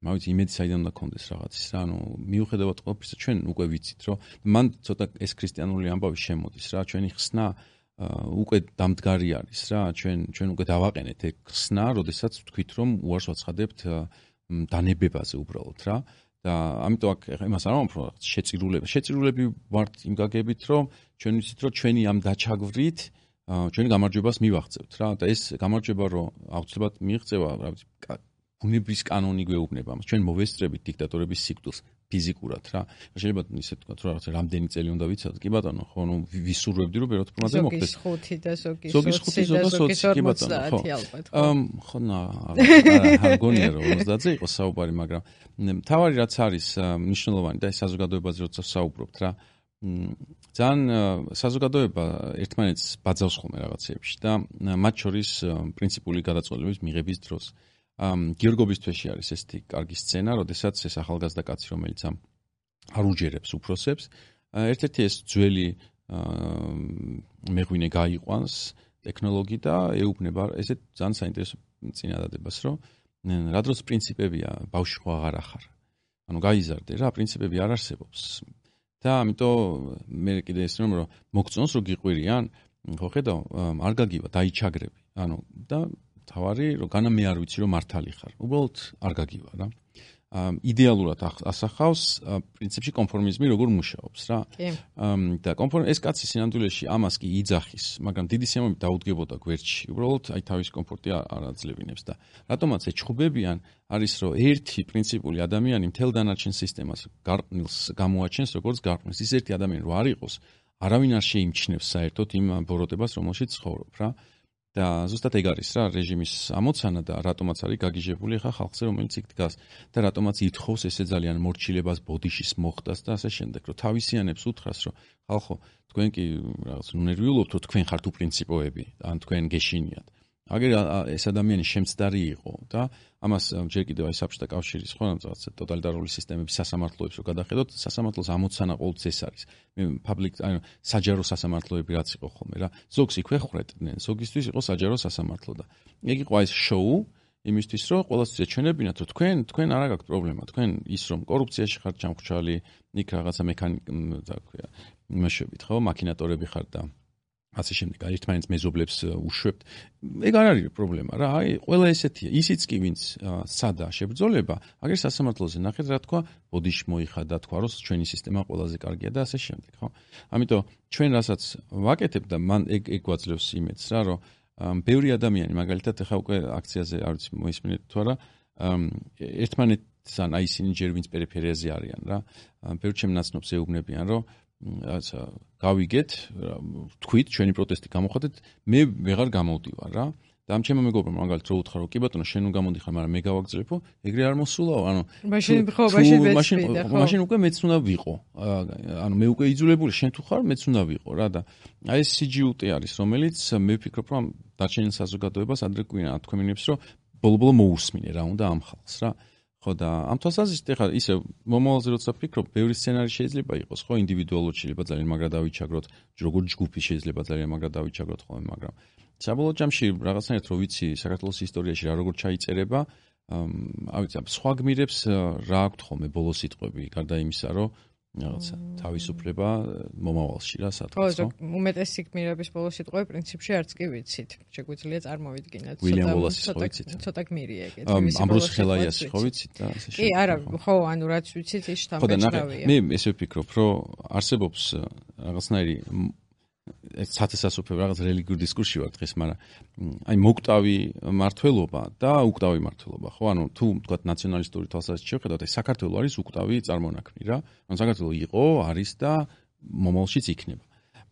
მავით იმედი საიდან უნდა გქონდეს რაღაცის რა, ანუ მიუხედავად ყველაფრისა ჩვენ უკვე ვიცით რომ მან ცოტა ეს ქრისტიანული ამბავი შემოდის რა, ჩვენი ხსნა უკვე დამდგარი არის რა, ჩვენ უკვე დავაყენეთ ეგ ხსნა, როდესაც ვთქვით რომ უარს ვაცხადებთ დანებებაზე უბრალოდ რა. და ამიტომ აქ იმას არ ვამბობ, რომ შეწირულები ვართ იმ გაგებით, რომ ჩვენ ვიცით, რომ ჩვენი ამ დაჩაგვრით ჩვენი გამარჯვებას მივაღწევთ რა და ეს გამარჯვება რომ აუცილებლად მიიღწევა, რა ვიცი, ბუნების კანონი გვეუბნება მას. ჩვენ მოვესწრებით დიქტატორების სიკვდილს ფიზიკურად რა. შეიძლება ისე თქვა, რომ რაღაცა რამდენი წელი უნდა ვიცოდეთ, კი ბატონო, ხო, ნუ ვისურვებდი რომ ბეროთ პრომაზე მოხდეს. ზოგის 5 და ზოგის 20, კი ბატონო, ხო. ხო, არ გონია რომ 50-ზე იყოს საუბარი, მაგრამ თავარი რაც არის მნიშვნელოვანი და ეს საზოგადოებაზე როცა საუბრობთ რა, ძალიან საზოგადოება ერთმანეთს ბაძავს ხოლმე რაღაცეებში და მათ შორის პრინციპული გადაწყვეტილების მიღების დროს. გიორგობის თვეში არის ესეთი კარგი სცენა, როდესაც ეს ახალგაზრდა კაცი, რომელიც არ უჯერებს უფროსებს, ერთ-ერთი ეს ძველი მეღვინე გაიყვანს ტექნოლოგი და ეუბნება ესეთ ძალიან საინტერესო წინადადებას, რომ რა დროს პრინციპებია, ბავშვი ხო აღარ ახარ. ანუ გაიზარდე რა, პრინციპები არ არსებობს. და ამიტომ მე კიდე ესწრებ რომ მოგწონს რომ გიყვირიან, ხო ხედავ, არ გაგივა, დაიჩაგრები. ანუ და თავარი რომ განა მე არ ვიცი რომ მართალი ხარ. უბრალოდ არ გაგივა რა. იდეალურად ასახავს პრინციპში კონფორმიზმი როგორ მუშაობს რა. და ეს კაცი სინამდვილეში ამას კი იძახის, მაგრამ დიდი სიამოვნებით დაუდგებოდა გვერდში. უბრალოდ აი თავის კომფორტი არ აძლევინებს და რატომაც ეჩხუბებიან არის რომ ერთი პრინციპული ადამიანი მთელ დანარჩენ სისტემას გარყვნილს გამოაჩენს როგორც გარყვნილს. ის ერთი ადამიანი რო არ იყოს, არავინ არ შეიმჩნევს საერთოდ იმ ბოროტებას, რომელშიც ცხოვრობ რა. და ზუსტად ეგ არის რა რეჟიმის ამოცანა და რატომაც არის გაგიჟებული ხა ხალხზე რომელიც იქ დგას და რატომაც ითხოვს ესე ძალიან მორჩილებას ბოდიშის მოხდას და ასე შემდეგ რომ თავისიანებს უთხრას რომ ხალხო თქვენ კი რაღაც ნერვიულობთ რომ თქვენ ხართ უპრინციპოები ან თქვენ გეშინიათ აგერ ეს ადამიანი შემცდარი იყო და ამას ჯერ კიდევ აი საბჭოთა კავშირის ხო რაღაც ტოტალიტარული სისტემების სასამართლოებს რო გადახედოთ სასამართლოს ამოცანა ყოველთვის ეს არის მე პაბლიკ ანუ საჯარო სასამართლოები რაც იყო ხოლმე რა ზოგს იქვეხრედნენ ზოგისთვის იყო საჯარო სასამართლო და ეგ იყო ეს შოუ იმისთვის რომ ყველასთვის ეჩვენებინათ რომ თქვენ არ აქვს პრობლემა თქვენ ის რომ კორუფციაში ხართ ჩამხჩალი იქ რაღაცა მექანიკა და ქვია იმაშობით ხო მაკინატორები ხართ და ასე შემდეგ, ერთმანეთს მეზობლებს უშვებთ. ეგ არ არის პრობლემა რა, ყველა ესეთია. ისიც კი ვინც სადა შებრძოლება, აგერ სასამართლოზე ნახეთ რა თქვა, ბოდიში მოიხადა, თქვა რომ ჩვენი სისტემა ყველაზე კარგია და ასე შემდეგ, ხო? ამიტომ ჩვენ რასაც ვაკეთებ და მან ეგ გვაძლევს იმედს რა, რომ ბევრი ადამიანი მაგალითად ახლა უკვე აქციაზე არ ვიცი მოისმინეთ თუ არა, ერთმანეთთან აი ისინი ჯერ ვინც პერიფერიაზე არიან რა, ბევრ ჩემ ნაცნობს ეუბნებიან, რომ რაცა გავიგეთ, თქვით, ჩვენი პროტესტი გამოხატეთ, მე ვეღარ გამოვდივარ რა. და ამ ჩემო მეგობრებმა მაგალითად რო უთხრა, რომ კი ბატონო, შენ უგამოდიხარ, მაგრამ მე გავაგზავნებო, ეგრე არ მოსულაო, ანუ მაშინ უკვე მეც უნდა ვიყო. ანუ მე უკვე იძულებული, შენ თუ ხარ, მეც უნდა ვიყო რა და აი ეს CGUT არის, რომელიც მე ვფიქრობ, რომ დარჩენილ საზოგადოებას ადრე გვიან თქვენებს, რომ ბოლო-ბოლო მოусმინე რა უნდა ამ ხალხს რა. ხო და ამ თვალსაზრისით ეხლა ისე მომავალზე როცა ვფიქრობ, ბევრი სცენარი შეიძლება იყოს, ხო, ინდივიდუალურად შეიძლება ძალიან მაგრამ დავიჩაგროთ, როგორც ჯგუფი შეიძლება ძალიან მაგრამ დავიჩაგროთ ხოლმე, მაგრამ საბოლოო ჯამში რაღაცნაირად რო ვიცი საქართველოს ისტორიაში რა როგორ ჩაიწერება, არ ვიცი, სხვა გმირებს რა აქვთ ხოლმე ბოლო სიტყვები, გარდა იმისა, რომ რაღაცა თავისუფლება მომავალში რა სადღაც ხო უმეტესი გმირების ბოლო სიტყვები პრინციპში არც კი ვიცით შეგვიძლია წარმოვიდგინოთ ცოტა გმირია ეგეთ ამბროს ხელაიასი ხო ვიცით და ასე კი არა ხო ანუ რაც ვიცით ის შთამბეჭდავია მე ესე ვფიქრობ რომ არსებობს რაღაცნაირი სათესასופე რაღაც რელიგიურ დისკურსში ვარ დღეს, მაგრამ აი მოკვდავი მართლობა და უკვდავი მართლობა, ხო? ანუ თუ ვთქვათ ნაციონალისტური თვალსაზრისით შევხედავთ, აი საქართველო არის უკვდავი წარმონაქმნი რა. ანუ საქართველო იყო, არის და მომავალშიც იქნება.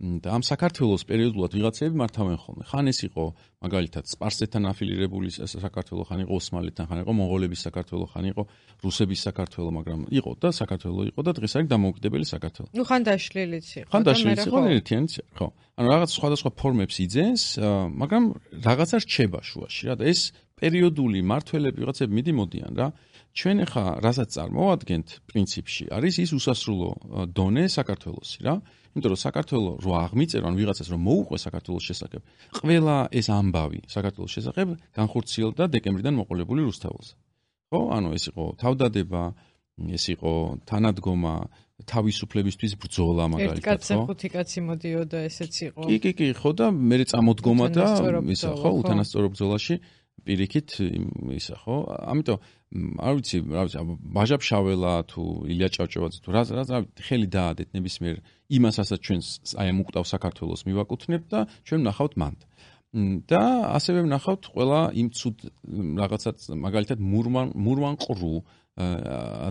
და ამ საქართველოს პერიოდულად ვიღაცები მართავენ ხოლმე. ხან ეს იყო მაგალითად სპარსეთთან აფილირებული საქართველო, ხან იყო ოსმალეთთან, ხან იყო მონღოლების საქართველო, ხან იყო რუსების საქართველო, მაგრამ იყო და საქართველო იყო და დღეს არის დამოუკიდებელი საქართველო. ნუ ხან დაშლილიც იყო. ხან დაშლილიც იყო ერთიანიც, ხო. ანუ რაღაც სხვადასხვა ფორმებს იძენს, მაგრამ რაღაცა რჩება შუაში რა და ეს პერიოდული მართველები ვიღაცები მიდიმოდიან რა. ჩვენ ახლა რასაც წარმოვადგენთ პრინციპში არის ის უსასრულო დონე საქართველოსი რა. იმიტომ რომ საქართველო რო აღმიწერო ან ვიღაცას რომ მოუყვე საქართველოს შესახებ, ყველა ეს ამბავი საქართველოს შესახებ განხორციელდა დეკემბრიდან მოყოლებული რუსთაველზე. ხო? ანუ ეს იყო თავდადება, ეს იყო თანადგომა, თავისუფლებისთვის ბრძოლა მაგალითად, ხო? ერთ კაცზე ხუთი კაცი მოდიოდა, ესეც იყო. კი, ხო და მე წამოდგომა და ისა ხო, უთანასწორო ბრძოლაში პირიქით ისა ხო? ამიტომ არ ვიცი, ბაჟაფშაველა თუ ილია ჭავჭავაძე თუ რა ხელი დაადეთ ნებისმიერ იმასაც ჩვენ აი ამ უკვდავ საქართველოს მივაკუთვნებთ და ჩვენ ვნახავთ მანდ. და ასევე ვნახავთ ყველა იმ ცუდ რაღაცას მაგალითად მურვან ყრუ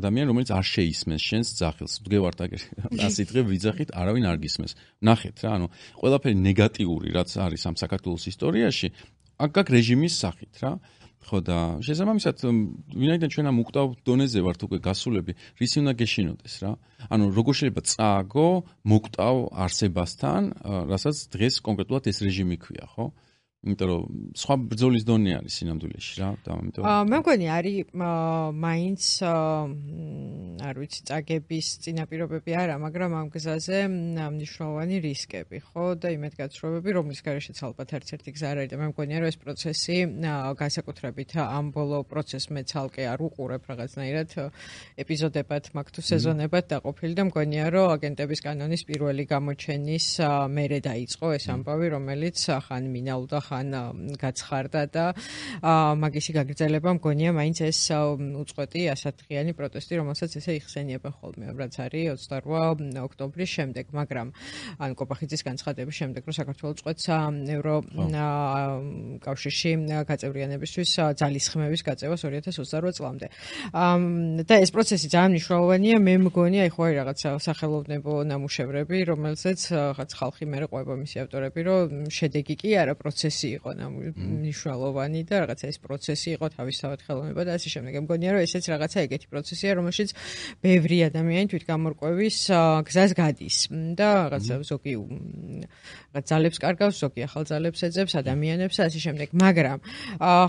ადამიან რომელიც არ შეისმენს შენს ძახილს. ვდგევართ აგერ 100 დღე ვიძახით, არავინ არ გისმენს. ნახეთ რა, ანუ ყველაფერი ნეგატიური რაც არის ამ საქართველოს ისტორიაში აქ რეჟიმის სახით რა. ხო და შესაბამისად ვინაიდან ჩვენ ამ უკვდავ დონეზე ვართ უკვე გასულები, რისი უნდა გეშინოდეს რა. ანუ როგორ შეიძლება წააგო მოკვდავ არსებასთან, რასაც დღეს კონკრეტულად ეს რეჟიმი ქვია, ხო? იმიტომ რომ სხვა ბრძოლის დონე არის სინამდვილეში რა და ამიტომ მე მგონი არის მაინც არ ვიცი წაგების წინაპირობები არა, მაგრამ ამ გზაზე მნიშვნელოვანი რისკები, ხო და იმედგაცრუებები, რომლის გარეშეც ალბათ ერთ-ერთი გზა არის და მე მგონია რომ ეს პროცესი განსაკუთრებით ამ ბოლო პროცესს მე ცალკე არ უყურებ რაღაცნაირად ეპიზოდებად, მაგ თუ სეზონებად დაყოფილი და მგონია რომ აგენტების კანონის პირველი გამოჩენის მერე დაიწყო ეს ამბავი, რომელიც ხან მინაულდა ხან გაცხარდა და მაგისი გაგრძელება მგონია მაინც ეს უწყვეტი ასათღიანი პროტესტი, რომელსაც ესე იხსენიებენ ხოლმე, რაც არის 28 ოქტომბრის შემდეგ, მაგრამ ან კოპახიძის განცხადების შემდეგ, რომ საქართველოს წყვეტს ევროკავშირში გაწევრიანებისთვის ძალისხმევის გაწევას 2028 წლამდე. და ეს პროცესი ძალიან მნიშვნელოვანია, მე მგონია, აი ხო არის რაღაცა სახელოვნებო ნამუშევრები, რომელზეც რაღაც ხალხი მე ყვება მისი ავტორები, რომ შედეგი კი არა პროცესი იყო მნიშვნელოვანი და რაღაცა ეს პროცესი იყო თავისთავად ხელოვნება და ასე შემდეგ. მგონია რომ ესეც რაღაცა ეგეთი პროცესია, რომელშიც ბევრი ადამიანი თვითგამორკვევის გზას გადის და რაღაცა ზოგი ძალებს კარგავს, ზოგი ახალ ძალებს ეძებს ადამიანებს და ასე შემდეგ. მაგრამ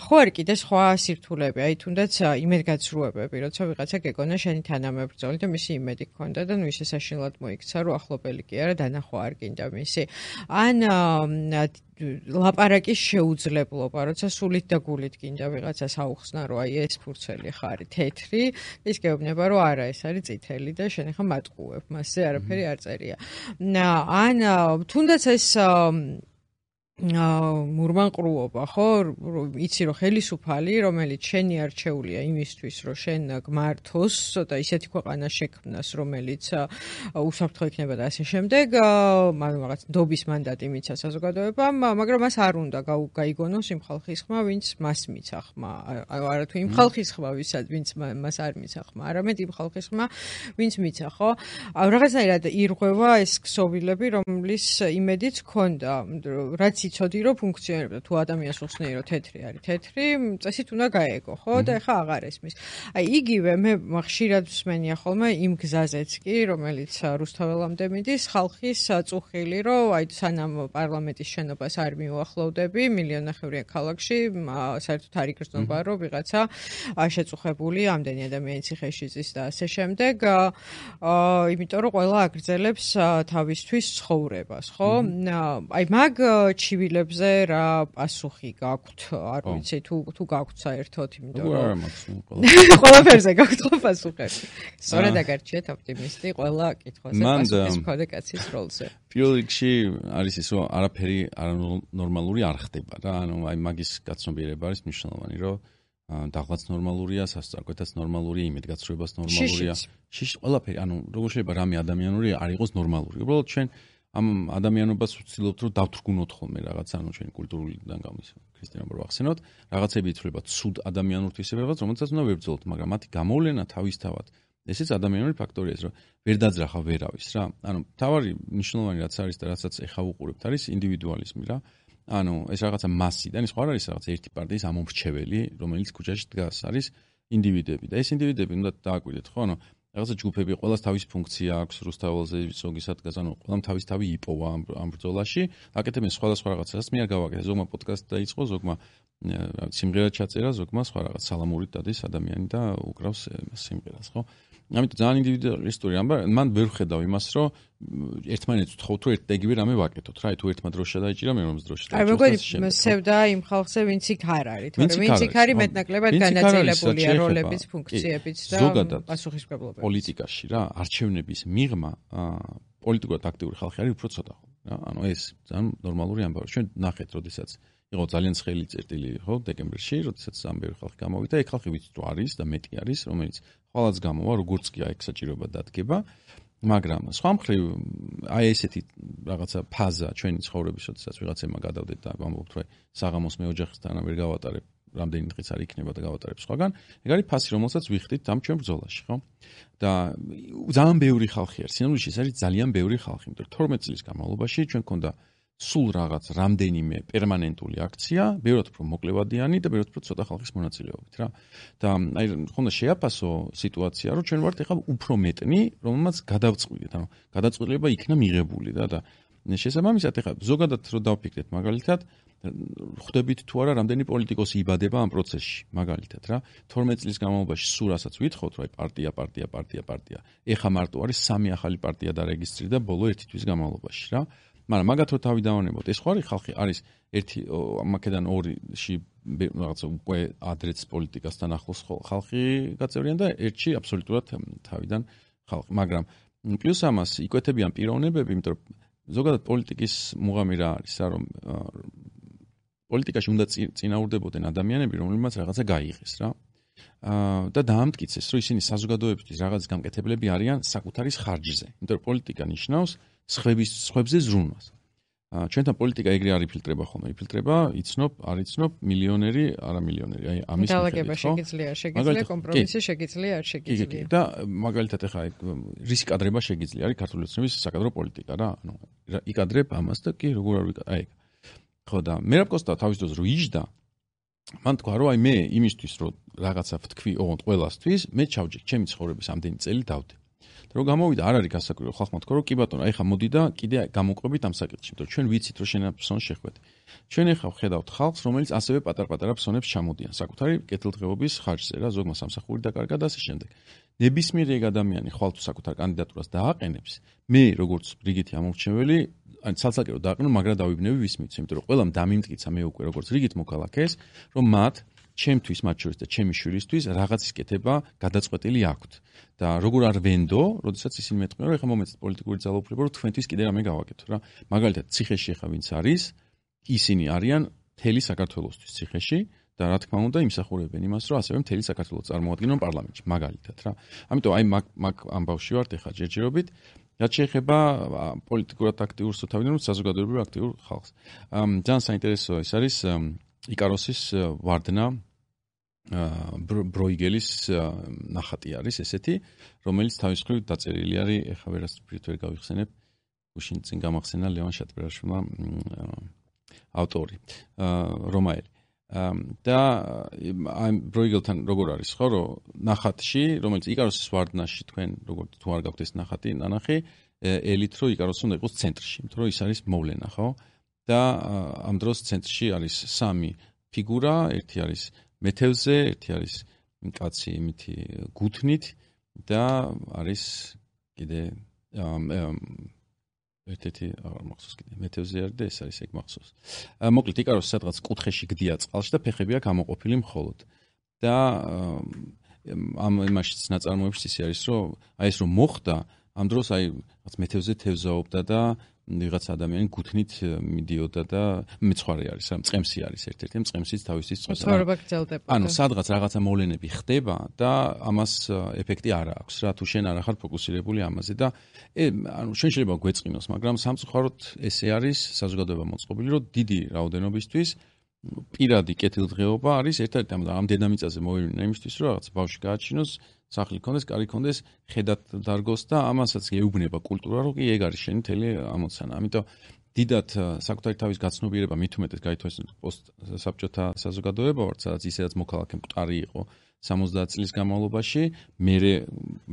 ხო არის კიდე სხვა სირთულეები, აი თუნდაც იმედგაცრუებები, როცა ვიღაცა გეკონა შენი თანამებრძოლი და მისი იმედი გქონდა და ნუ ისე საშინლად მოიქცა, რომ ახლობელი კი არა, დანახვა არ გინდა მისი. ან ლაპარაკის შეუძლებლობა, როცა სულით და გულით გინდა ვიღაცას აუხსნა, რომ აი ეს ფურცელი ხარი თეთრი, ის გეუბნება, რომ არა, ეს არის წითელი და შენ ახლა მატყუებ, მასზე არაფერი არ წერია. ან თუნდაც ეს მურმანყრუობა, ხო? იცი რომ ხელისუფალი, რომელიც შენი არჩეულია იმისთვის, რომ შენ გმართოს და ისეთი ქვეყანა შექმნას, რომელიც უსაფრთხო იქნება და ასე შემდეგ, რაღაც ნდობის მანდატი მიცა საზოგადოებამ, მაგრამ მას არ უნდა გაიგონოს იმ ხალხის ხმა, ვინც მას მიცა ხმა. არა თუ იმ ხალხის ხმა, ვინც მას არ მიცა ხმა, არამედ იმ ხალხის ხმა, ვინც მიცა, ხო? რაღაცნაირად ირღვევა ეს ქსოვილები, რომლის იმედიც ჰქონდა, რაც იცოდი რომ ფუნქციონირებდა თუ ადამიანს უხსნეი რომ თეთრი არის თეთრი წესით უნდა გაეგო ხო და ეხა აღარ ესმის აი იგივე მე ხშირად მსმენია ხოლმე იმ გზაზეც კი რომელიც რუსთაველამდე მიდის ხალხის წუხილი რომ აი სანამ პარლამენტის შენობას არ მიუახლოვდები მილიონნახევრიან ქალაქში საერთოდ არ იგრძნობა რომ ვიღაცა შეწუხებული ამდენი ადამიანი ციხეში ზის და ასე შემდეგ იმიტომ რომ ყველა აგრძელებს თავისთვის ცხოვრებას ხო აი მაგ ჩივილებზე რა პასუხი გაქვთ? არ ვიცი თუ გაქვთ საერთოდ, იმიტომ რომ ყველაფერზე გაქვთ ხო პასუხები. სწორად აგარჩიეთ ოპტიმისტი ყველა კითხვაზე პასუხის მქონე კაცის როლზე. პირველ რიგში არის ის რომ არაფერი არანორმალური არ ხდება რა, ანუ აი მაგის გაცნობიერება არის მნიშვნელოვანი, რომ დაღლაც ნორმალურია, სასწრაფოთაც ნორმალურია, იმედგაცრუებას ნორმალურია. შიში ყველაფერი, ანუ როგორ შეიძლება რამე ადამიანური არ იყოს ნორმალური. უბრალოდ ჩვენ ამ ადამიანობას ვცდილობთ რომ დავთრგუნოთ ხოლმე რაღაც ანუ ჩვენი კულტურიდან გამის ქრისტიანობა რო ახსენოთ რაღაცები ითვლება ცუდ ადამიანურ თვისებებას რომელსაც უნდა ვებრძოლოთ მაგრამ მათი გამოვლენა თავისთავად ესეც ადამიანური ფაქტორია ეს რომ ვერ დაძრახა ვერავის რა ანუ თავარი მნიშვნელოვანი რაც არის და რასაც ეხა უყურებთ არის ინდივიდუალიზმი რა ანუ ეს რაღაცა მასიდან ის ხო არ არის რაღაც ერთი პარტიის ამომრჩეველი რომელიც ქუჩაში დგას არის ინდივიდები და ეს ინდივიდები უნდა დააკვირდეთ ხო ანუ რაღაცა ჯგუფები ყველას თავის ფუნქცია აქვს რუსთაველზე ზოგისად ანუ ყველამ თავი იპოვა ამ ბრძოლაში აკეთებენ სხვადასხვა რაღაცას მე არ გავაკეთე ზოგმა პოდკასტი დაიწყო ზოგმა სიმღერა ჩაწერა ზოგმა სხვა რაღაც სალამურით დადის ადამიანი და უკრავს სიმღერას ხო ამიტომ ძალიან ინდივიდუალისტური მან ვერ ხედავ იმას რომ ერთმანეთს ვთხოვთ რომ ერთდაიგივე რამე ვაკეთოთ რა თუ ერთმა დროში დაიჭირა მე რომის დროში აი მეგონი სევდა იმ ხალხზე ვინც იქ არ არის თორემ ვინც იქ არის მეტნაკლებად განაწილებულია როლების ფუნქციებიც და პასუხისმგებლობებით პოლიტიკაში რა არჩევნების მიღმა პოლიტიკურად აქტიური ხალხი არის უფრო ცოტა ხო რა ანუ ეს ძალიან ნორმალური ამბავი ჩვენ ნახეთ როდესაც იყო ძალიან ცხელი წერტილი ხო დეკემბერში როდესაც ამ ბევრი ხალხი გამოვიდა ეგ ხალხი ვიცით რომ არის და მეტი არის რომელიც ხვალაც გამოვა როგორც კი აი საჭიროება დადგება მაგრამ სხვა მხრივ აი ესეთი რაღაცა ფაზა ჩვენი ცხოვრების როდესაც ვიღაცებმა გადავდეთ და ამბობთ რომ საღამოს მე ოჯახისთან ვერ გავატარებ რამდენი დღის არ იქნება და გავატარებ სხვაგან ეგ არის ფასი რომელსაც ვიხდით ამ ჩვენ ბრძოლაში ხო და ძალიან ბევრი ხალხი არის სინამდვილეში ეს არის ძალიან ბევრი ხალხი იმიტომ 12 წლის განმავლობაში ჩვენ გქონდა სულ რაღაც რამდენიმე პერმანენტული აქცია, ბევრად უფრო მოკლევადიანი და ბევრად უფრო ცოტა ხალხის მონაწილეობით რა. და აი ხონდა შეაფასო სიტუაცია, რომ ჩვენ ვართ ეხლა უფრო მეტნი, რომელმაც გადავწყვიტეთ, ანუ გადაწყვეტილება იქნა მიღებული და შესაბამისად ეხლა ზოგადად რო დავფიქრეთ მაგალითად ხვდებით თუ არა რამდენი პოლიტიკოსი იბადება ამ პროცესში მაგალითად რა 12 წლის განმავლობაში სულ რასაც ვითხოვთ რომ აი პარტია ეხლა მარტო არის 3 ახალი პარტია დარეგისტრირდა ბოლო 1 თვის განმავლობაში რა მაგრამ მაგათ რო თავი დავანებოთ ეს ხო არის ხალხი არის ერთი მაკედან 2-ში რაღაცა უკვე ადრეც პოლიტიკასთან ახლოს ხალხი გაწევრიან და ერთში აბსოლუტურად თავიდან ხალხი მაგრამ პლუს ამას იკვეთებიან პიროვნებები იმიტომ რომ ზოგადად პოლიტიკის მუღამი რა არის რომ პოლიტიკაში უნდა წინაურდებოდნენ ადამიანები რომლებმაც რაღაცა გაიღეს რა და დაამტკიცეს რომ ისინი საზოგადოებისთვის რაღაც გამკეთებლები არიან საკუთარის ხარჯზე იმიტომ რომ პოლიტიკა ნიშნავს სხვებზე ზრუნვას ჩვენთან პოლიტიკა ეგრე არ იფილტრება ხოლმე იფილტრება იცნობ არ იცნობ მილიონერი არა მილიონერი აი ამის დაალაგება შეგიძლია კომპრომისი შეგიძლია არ შეგიძლია და მაგალითად ახლა რისკადრება შეგიძლია არის ქართული ოცნების საკადრო პოლიტიკა რა ანუ იკადრებ ამას და კი როგორ არ ვიკადრებ აი ხო და მერაბ კოსტა თავის დროს რო იჯდა მან თქვა რომ აი მე იმისთვის რომ რაღაცა ვთქვი ოღონდ ყველასთვის მე ჩავჯერ ჩემი ცხოვრების ამდენი წელი დავდე და რომ გამოვიდა არ არის გასაკვირი ხალხმა თქვა რომ კი ბატონო აი ხა მოდი და კიდე გამოყვებით ამ საკითხში იმიტომ რომ ჩვენ ვიცით რომ შენ ფსონს შეხვედე ჩვენ ახლა ვხედავთ ხალხს რომელიც ასევე პატარ-პატარა ფსონებს ჩამოდიან საკუთარი კეთილდღეობის ხარჯზე რა ზოგმა სამსახური დაკარგა და ასე შემდეგ ნებისმიერი ეგ ადამიანი ხვალ თუ საკუთარ კანდიდატურას დააყენებს მე როგორც რიგითი ამორჩეველი ან ცალსაკერო დააყენო მაგრამ დავიბნევი ვის მიც იმიტომ რომ ყველამ დამიმტკიცა მე უკვე როგორც რიგით მოქალაქეს რომ მათ ჩემთვის მათ შორის და ჩემი შვილისთვის რაღაცის კეთება გადაწყვეტილი აქვთ და როგორ არ ვენდო, როდესაც ისინი მეტყვიან რომ ეხლა მომეცეთ პოლიტიკური ძალაუფლება რომ თქვენთვის კიდე რამე გავაკეთო რა მაგალითად ციხეში ეხლა ვინც არის ისინი არიან მთელი საქართველოსთვის ციხეში და რა თქმა უნდა იმსახურებენ იმას, რომ ასევე მთელი საქართველოს წარმოადგენენ პარლამენტში, მაგალითად რა. ამიტომ აი მაგ ამბავში ვართ ახლა ჯერჯერობით, რაც შეეხება პოლიტიკურად აქტიურს თუ თავიდან საზოგადოებრივ აქტიურ ხალხს. ძალიან საინტერესო ეს არის იკაროსის ვარდნა ბროიგელის ნახატი არის ესეთი, რომელიც თავის მხრივ დაწერილი არის, ეხლა ვერასდროს ვერ გავიხსენებ, გუშინ წინ გამახსენა ლევან შატბერაშვილმა ავტორი, რომაელი. და აი ბროიგელთან როგორ არის ხო, რომ ნახატში, რომელიც იკაროსის ვარდნაში თქვენ როგორ თუ არ გაქვთ ეს ნახატი, ნანახი, ელით რომ იკაროსი უნდა იყოს ცენტრში, იმიტომ რომ ის არის მოვლენა, ხო? და ამ დროს ცენტრში არის სამი ფიგურა, ერთი არის მეთევზე, ერთი არის კაცი იმითი გუთნით და არის კიდე ერთ-ერთი აღარ მახსოვს კიდე მეთევზე არის და ეს არის ეგ მახსოვს. მოკლედ იკაროსი სადღაც კუთხეში გდია წყალში და ფეხები აქვს ამოყოფილი მხოლოდ. და ამ იმაშიც ნაწარმოებში ისე არის, რომ აი ეს რომ მოხდა, ამ დროს აი რაღაც მეთევზე თევზაობდა და ვიღაც ადამიანი გუთნით მიდიოდა და მეცხვარე არის, რა მწყემსი არის ერთ-ერთი, მწყემსიც თავისი წვეწა. ცხოვრება გრძელდება. ანუ სადღაც რაღაცა მოვლენები ხდება და ამას ეფექტი არ აქვს რა, თუ შენ არ ახარ ფოკუსირებული ამაზე და ანუ შენ შეიძლება გვეწყინოს, მაგრამ სამწუხაროდ ესე არის საზოგადოება მოწყობილი, რომ დიდი რაოდენობისთვის პირადი კეთილდღეობა არის ერთ-ერთი ამ დედამიწაზე მოვიდნენ იმისთვის, რომ რაღაც ბავშვი გააჩინოს, სახლი ქონდეს, კარი ქონდეს, ხედად დარგოს და ამასაც ეუბნება კულტურა, რომ კი ეგ არის შენი მთელი ამოცანა. ამიტომ დიდად საკუთარი თავის გაცნობიერება მით უმეტეს გაითვალისწინეთ პოსტსაბჭოთა საზოგადოება ვართ, სადაც ისედაც მოქალაქე მკვდარი იყო 70 წლის განმავლობაში, მერე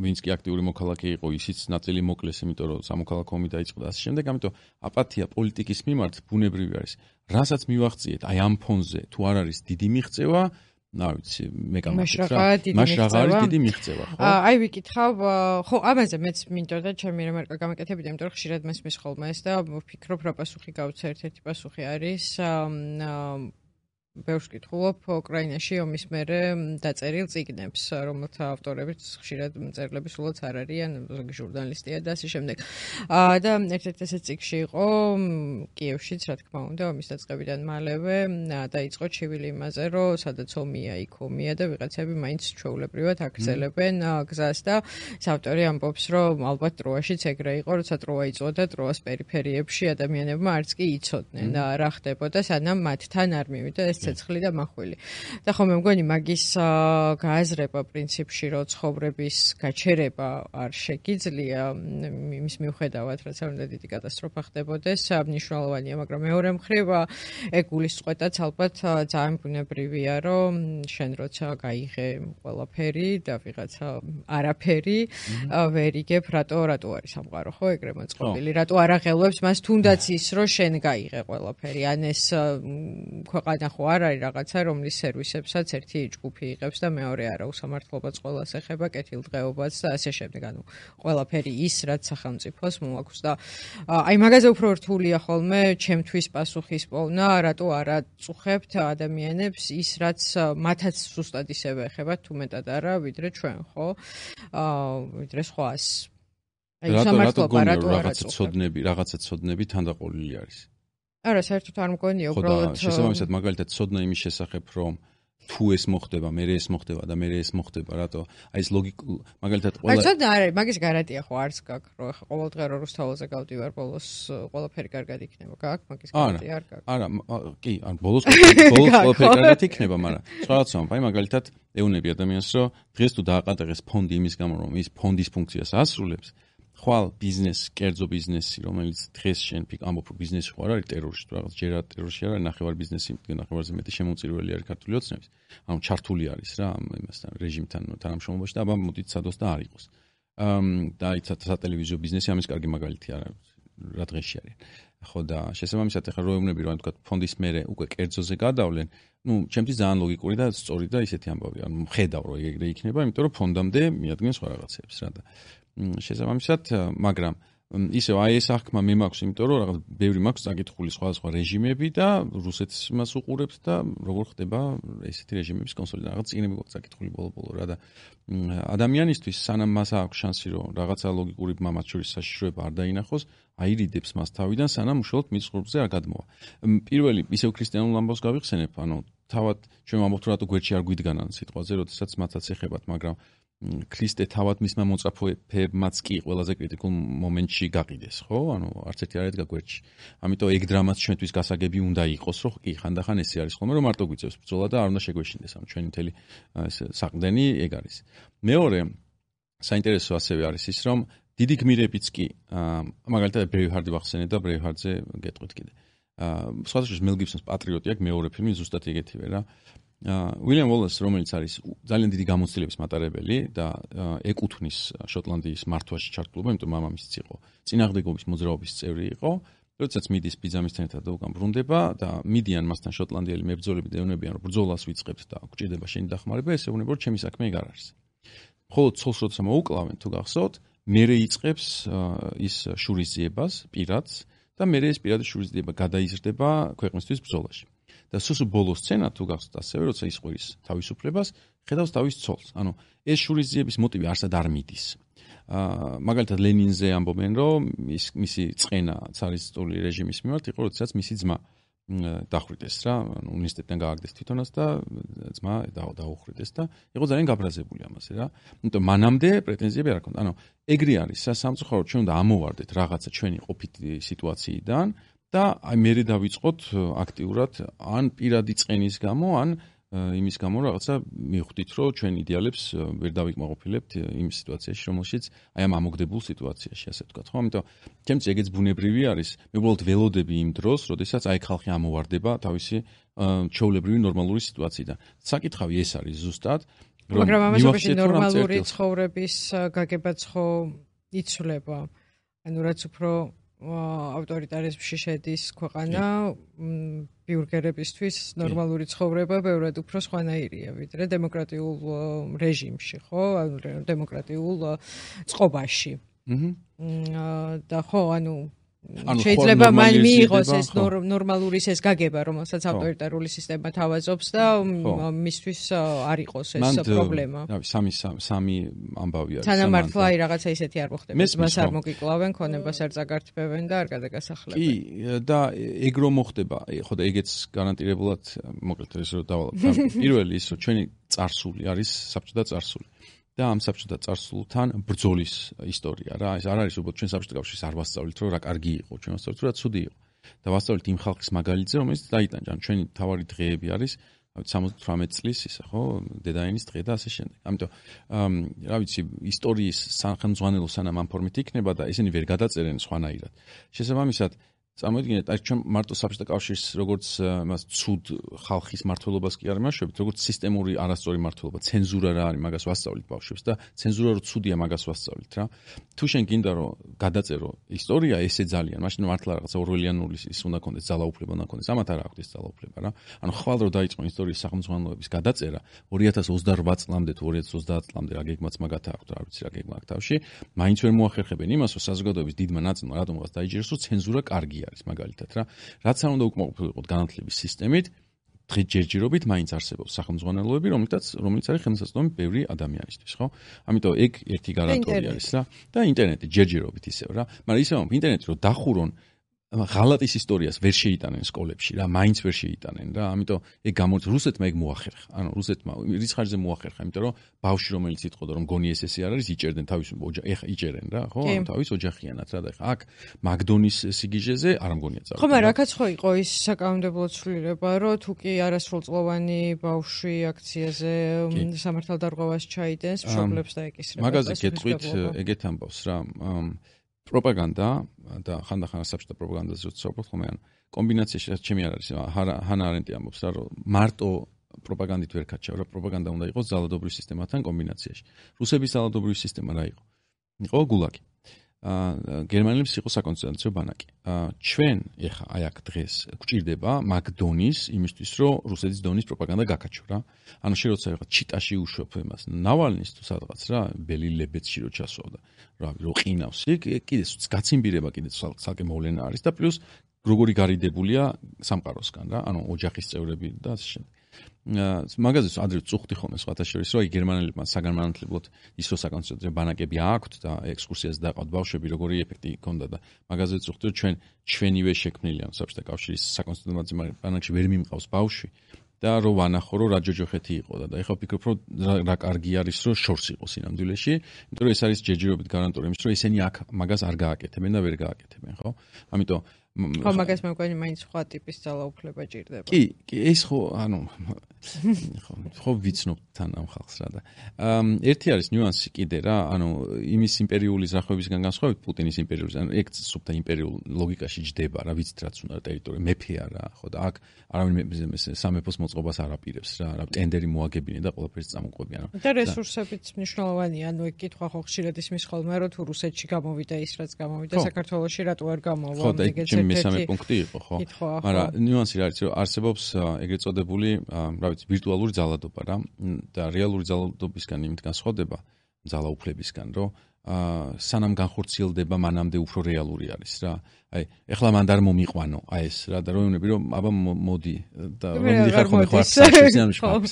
ვინც კი აქტიური მოქალაქე იყო, ისიც ნაწილი მოკლეს, იმიტომ რომ სამოქალაქო ომი დაიწყო და ასე შემდეგ. ამიტომ აპათია პოლიტიკის მიმართ ბუნებრივი არის. რასაც მივახციეთ, აი ამ ფონზე თუ არ არის დიდი მიღწევა, არ ვიცი, მე გამახსენე რა. მაშინ რა არის დიდი მიღწევა, ხო? აი ვიკითხავ, ხო, ამაზე მეც მინდოდა ჩემი რემარკა გამეკეთებინა, იმიტომ რომ ხშირად მესმის ხოლმე ეს და ვფიქრობ, რა პასუხი გავცე, ერთ-ერთი პასუხი არის ბევრს კითხულობ უკრაინაში ომის მერე დაწერილ წიგნებს, რომელთა ავტორებიც ხშირად მწერლები სულაც არ არიან, ზოგი ჟურნალისტია და ასე შემდეგ. და ერთ-ერთი ეს წიგნში იყო კიევშიც, რა თქმა უნდა, ომის დაწყებიდან მალევე დაიწყო ჩივილი იმაზე, რომ სადაც ომია, იქ ომია და ვიღაცები მაინც ჩვეულებრივად აგრძელებენ გზას და ავტორი ამბობს, რომ ალბათ ტროაშიც ეგრე იყო, როცა ტროა იწოდა, ტროას პერიფერიებში ადამიანებმა არც კი იცოდნენ რა ხდებოდა, სანამ მათთან არ მივიდა ეს ცეცხლი და მახვილი. და ხომ მე მგონი მაგის გააზრება პრინციპში, რომ ცხოვრების გაჩერება არ შეგიძლია იმის მიუხედავად, რაც არ უნდა დიდი კატასტროფა ხდებოდეს, მნიშვნელოვანია, მაგრამ მეორე მხრივ ეგ გულისწყეთაც ალბათ ძალიან ბუნებრივია, რომ შენ როცა გაიღე ყველაფერი და ვიღაცა არაფერი, ვერ იგებ რატო არის სამყარო, ხო, ეგრე მოწყობილი, რატო არ აღელვებს მას თუნდაც ის, რომ შენ გაიღე ყველაფერი, ან ეს ქვეყანა ხო არ არის რაღაცა, რომლის სერვისებსაც ერთი ჯგუფი იღებს და მეორე არა, უსამართლობაც ყველას ეხება, კეთილდღეობაც და ასე შემდეგ. ანუ ყველაფერი ის, რაც სახელმწიფოს მოაქვს და აი მაგაზე უფრო რთულია ხოლმე ჩემთვის პასუხის პოვნა, რატო არ აწუხებთ ადამიანებს ის, რაც მათაც ზუსტად ისევე ეხებათ, თუ მეტად არა, ვიდრე ჩვენ, ხო? ვიდრე სხვას. აი სამართლობა რატო არ აწუხებთ? რაღაცა ცოდნები თანდაყოლილი არის. არა, საერთოდ არ მგონია, უბრალოდ შესაბამისად მაგალითად ცოდნა იმის შესახებ, რომ თუ ეს მოხდება, მე ეს მოხდება და მე ეს მოხდება, რატო? აი ეს ლოგიკა მაგალითად ყველა აი ცოდნა არის, მაგის გარანტია ხო არც გაქვს, რომ ახლა ყოველდღე რუსთაველზე გავდივარ, ბოლოს ყველაფერი კარგად იქნება. გაქვს მაგის გარანტია არ გაქვს. არა, კი, ან ბოლოს ყველაფერი კარგად იქნება, მაგრამ სხვა რაცაა, აი მაგალითად ეუნები ადამიანს, რომ დღეს თუ დააყატაღეს ფონდი იმის გამო, რომ ის ფონდის ფუნქციას ასრულებს, ხვალ ბიზნესი, კერძო ბიზნესი, რომელიც დღეს შენ ამბობ, რომ ბიზნესი ხო არ არის ტერორში, რაღაც ჯერა ტერორში არა, ნახევარ ბიზნესი, ნახევარზე მეტი შემოწირველი არის ქართული ოცნების. ანუ ჩართული არის რა იმასთან, რეჟიმთან თანამშრომლობაში და აბა მოდით სადოს და არ იყოს. და აი სატელევიზიო ბიზნესი ამის კარგი მაგალითი არა, რა დღეში არის. ხო და შესაბამისად ახლა რო ეუბნები რომ თქვა ფონდის მერე უკვე კერძოზე გადავლენ, ну, ჩემთვის ძალიან ლოგიკური და სწორი და ისეთი ამბავია. ანუ ხედავ რომ ეგრე იქნება, იმიტომ რომ ფონდამდე მიადგენს სხვა რაღაცებს რა და შესაბამისად, მაგრამ ისევ აი ეს აღქმა მე მაქვს, იმიტომ რომ რაღაც ბევრი მაქვს წაკითხული სხვადასხვა რეჟიმები და რუსეთს იმას უყურებს და როგორ ხდება ესეთი რეჟიმების კონსოლიდაცია. რაღაც წიგნები გვაქვს წაკითხული ბოლო-ბოლო რა და ადამიანისთვის სანამ მას აქვს შანსი რომ რაღაცა ლოგიკური მამაც შორის საშიშროება არ დაინახოს, აირიდებს მას თავიდან სანამ უშუალოდ მის ხურბზე არ გადმოვა. პირველი ისევ ქრისტიანულ ამბავს გავიხსენებ, ანუ თავად ჩვენ ვამბობთ რომ რატო გვერდში არ გვიდგანან სიტყვაზე, როდესაც მათაც ეხებათ, მაგრამ ქრისტე თავად მისმა მოწაფეებმაც კი ყველაზე კრიტიკულ მომენტში გაყიდეს, ხო? ანუ არც ერთი არ ედგა გვერდში. ამიტომ ეგ დრამაც ჩვენთვის გასაგები უნდა იყოს, რომ კი ხანდახან ესე არის ხოლმე, რომ მარტო გვიწევს ბრძოლა და არ უნდა შეგვეშინდეს. ანუ ჩვენი მთელი საყრდენი ეგ არის. მეორე საინტერესო ასევე არის ის, რომ დიდი გმირებიც კი, მაგალითად ბრეივჰარდი ვახსენე და ბრეივჰარდზე გეტყვით კიდე. სხვადასხვა მელ გიბსონის პატრიოტი აქვს მეორე ფილმი ზუსტად ეგეთივე რა. უილიამ უოლეს, რომელიც არის ძალიან დიდი გამოცდილების მატარებელი და ეკუთვნის შოტლანდიის მართვაში ჩართულობა, იმიტომ მამამისიც იყო წინააღმდეგობის მოძრაობის წევრი იყო. როდესაც მიდის ბიძამისთან ერთად და უკან ბრუნდება და მიდიან მასთან შოტლანდიელი მებრძოლები და ეუბნებიან, რომ ბრძოლას ვიწყებთ და გვჭირდება შენი დახმარება, ეს ეუბნება, რომ ჩემი საქმე ეგ არ არის. მხოლოდ ცოლს როცა მოუკლავენ, თუ გახსოვთ, მერე იწყებს ის შურისძიებას პირადს და მერე ეს პირადი შურისძიება გადაიზრდება ქვეყნისთვის ბრძოლაში. და სულ ბოლოს სცენა თუ გახსოვთ ასევე, როცა ისყვის თავისუფლებას, ხედავს თავის ცოლს. ანუ ეს შურისძიების მოტივი არსად არ მიდის. მაგალითად ლენინზე ამბობენ, რომ მისი წყენა ცარისტული რეჟიმის მიმართ იყო, როდესაც მისი ძმა დახვრიტეს რა, ანუ უნივერსიტეტიდან გააგდეს თვითონაც და ძმა დაუხვრიტეს და იყო ძალიან გაბრაზებული ამაზე რა. იმიტომ მანამდე პრეტენზიები არ ჰქონდა. ანუ ეგრე არის სამწუხაროდ ჩვენ უნდა ამოვარდეთ რაღაცა ჩვენი ყოფითი სიტუაციიდან და აი მერე დავიწყოთ აქტიურად ან პირადი წყენის გამო, ან იმის გამო რაღაცა მივხვდით, რომ ჩვენ იდეალებს ვერ დავიკმაყოფილებთ იმ სიტუაციაში, რომელშიც აი ამ ამოგდებულ სიტუაციაში, ასე ვთქვათ, ხო? ამიტომ ჩემთვის ეგეც ბუნებრივი არის. მე უბრალოდ ველოდები იმ დროს, როდესაც აი ხალხი ამოვარდება თავისი ჩვეულებრივი ნორმალური სიტუაციიდან. საკითხავი ეს არის ზუსტად, რომ მაგრამ ამასობაში ნორმალური ცხოვრების გაგებაც ხო იცვლება. ანუ რაც უფრო ავტორიტარიზმში შედის ქვეყანა, ბიურგერებისთვის ნორმალური ცხოვრება ბევრად უფრო სხვანაირია, ვიდრე დემოკრატიულ რეჟიმში, ხო? ანუ დემოკრატიულ წყობაში. და ხო, ანუ შეიძლება მან მიიღოს ეს ნორმალური ეს გაგება, რომელსაც ავტორიტარული სისტემა თავაზობს და მისთვის არ იყოს ეს პრობლემა. სამი ამბავი არის. თანამართლა აი რაღაცა ისეთი არ მოხდება. მას არ მოგიკლავენ, ქონებას არ წაგართმევენ და არ გადაგასახლებენ. კი, და ეგ რომ მოხდება, ხო და ეგეც გარანტირებულად მოკლედ ეს რომ დავალავ. პირველი ის რომ ჩვენი წარსული არის საბჭოთა წარსული. და ამ საბჭოთა წარსულთან ბრძოლის ისტორია რა. ეს არ არის უბრალოდ ჩვენ საბჭოთა კავშირის არ ვასწავლით, რომ რა კარგი იყო, ჩვენ ვასწავლით, რომ რა ცუდი იყო. და ვასწავლით იმ ხალხის მაგალითზე, რომელიც დაიტანჯა. ჩვენი თავარი დღეები არის 78 წლის ისა, ხო, დედაენის დღე და ასე შემდეგ. ამიტომ რა ვიცი, ისტორიის სახელმძღვანელო სანამ ამ ფორმით იქნება და ესენი ვერ გადაწერენ სხვანაირად. შესაბამისად წარმოიდგინეთ, აი ჩვენ მარტო საბჭოთა კავშირის როგორც მას ცუდ ხალხის მართლობას კი არ იმაშობთ, როგორც სისტემური არასწორი მართლობა, ცენზურა რა არის, მაგას ვასწავლით ბავშვებს და ცენზურა რო ცუდია, მაგას ვასწავლით რა. თუ შენ გინდა რომ გადაწერო ისტორია, ესე ძალიან, მაშინ მართლა რაღაცა ორველიანული ის უნდა კონდეს, ძალაუფლება უნდა კონდეს, ამათ არ აქვს ეს ძალაუფლება რა. ანუ ხვალ რო დაიწყო ისტორიის სახელმძღვანელოების გადაწერა 2028 წლამდე თუ 2030 წლამდე რა გეგმაც მაგათა აქვს, არ ვიცი რა გეგმა აქვს თავში, მაინც ვერ მოახერხებენ იმას, რომ საზოგადოების დიდმა ნაწილმა რატომღაც დაიჯეროს, რომ ცენზურა კარგია. მაგალითად რა, რაც არ უნდა უკმაყოფილიყოთ განათლების სისტემით, ჯერჯერობით მაინც არსებობს სახელმძღვანელოები, რომელიც არის ხელმისაწვდომი ბევრი ადამიანისთვის, ხო? ამიტომ ეგ ერთი გარანტია არის რა და ინტერნეტი ჯერჯერობით ისევ რა, მაგრამ ისევ ინტერნეტი რომ დახურონ ღალატის ისტორიას ვერ შეიტანენ სკოლებში რა, მაინც ვერ შეიტანენ რა. ამიტომ ეგ რუსეთმა ეგ მოახერხა. ანუ რუსეთმა რის ხარჯზე მოახერხა, იმიტომ რომ ბავშვი რომელიც იტყოდა რომ გონი ესე არ არის, იჭერდნენ თავის ეხა იჭერენ რა, ხო? ანუ თავის ოჯახიანად რა და ეხა აქ მაგდონის სიგიჟეზე არ მგონია წავიდა. ხო, მაგრამ აქაც ხო იყო ის საკანონმდებლო ცვლილება, რომ თუ კი არასრულწლოვანი ბავშვი აქციაზე სამართალდარღვევას ჩაიდენს, მშობლებს დაეკისრება. მაგაზე გეტყვით ეგეთ ამბავს რა. პროპაგანდა და ხანდახან საბჭოთა პროპაგანდაზე როცა ვსაუბრობ ხოლმე, ანუ კომბინაციაში ჩემი არ არის, ჰანა არენტი ამბობს რა, რომ მარტო პროპაგანდით ვერ კაჩავ რა, პროპაგანდა უნდა იყოს ძალადობრივ სისტემათან კომბინაციაში. რუსების ძალადობრივი სისტემა რა იყო? იყო გულაგი. გერმანელებს იყო საკონსტიტუციო ბანაკი. ჩვენ ეხა აი აქ დღეს გვჭირდება მაგ დონის იმისთვის, რომ რუსეთის დონის პროპაგანდა გაკაჩო რა. ანუ შე როცა ეხა ჩიტაში უშვებ იმას, ნავალნის თუ სადღაც რა, ბელი-ლებეცში რო ჩასვავდა. რო ყინავს იქ, კიდე გაციმბირება კიდე ცალკე მოვლენა არის და პლუს როგორი გარიდებულია სამყაროსგან რა, ანუ ოჯახის წევრები და ასე შემდეგ. მაგაზეც ადრე წუხდი ხოლმე სხვათა შორის, რომ აი გერმანელებმა საგანმანათლებლოდ ის რო საკონსტიტუციო ბანაკები აქვთ და ექსკურსიას დაყავთ ბავშვები, როგორი ეფექტი ჰქონდა და მაგაზეც წუხდი, რომ ჩვენივე შექმნილი ამ საბჭოთა კავშირის საკონსტიტუციო ბანაკში ვერ მიმყავს ბავშვი და რო ვანახო, რომ რა ჯოჯოხეთი იყო და ეხლა ვფიქრობ, რომ რა კარგი არის, რომ შორს იყოს სინამდვილეში, იმიტომ რომ ეს არის ჯერჯერობით გარანტია იმის, რომ ესენი აქ მაგას არ გააკეთებენ და ვერ გააკეთებენ, ხო? ამიტომ ხო, მაგას მე მგონი მაინც სხვა ტიპის ძალაუფლება ჭირდება. კი, ეს ხო, ანუ ხო ვიცნობ თან ამ ხალხს რა და ერთი არის ნიუანსი კიდე რა, ანუ იმის იმპერიული ზრახვებისგან განსხვავებით პუტინის იმპერიული, ანუ ეგ სუფთა იმპერიულ ლოგიკაში ჯდება რა, ვიცით რაც უნდა ტერიტორია, მეფეა რა, ხო და აქ არავინ სამეფოს მოწყობას არ აპირებს რა, ტენდერი მოაგებინე და ყველაფერს წამოყვებიან. და რესურსებიც მნიშვნელოვანია, ანუ ეგ კითხვა ხო ხშირად ისმის ხოლმე, რომ თუ რუსეთში გამოვიდა ის რაც გამოვიდა, საქართველოში რატო არ გამოვა, ეგეც მესამე პუნქტი იყო, ხო? მაგრამ ნიუანსი რა არის, რომ არსებობს ეგრეთ წოდებული, რა ვიცი, ვირტუალური ძალადობა რა და რეალური ძალადობისგან იმით განსხვავდება ძალაუფლებისგან, რომ სანამ განხორციელდება, მანამდე უფრო რეალური არის რა. აი, ეხლა მანდ არ მომიყვანო, აი ეს რა და რომ ვნები, რომ აბა მოდი და რომ მიხარ ხოლმე ხო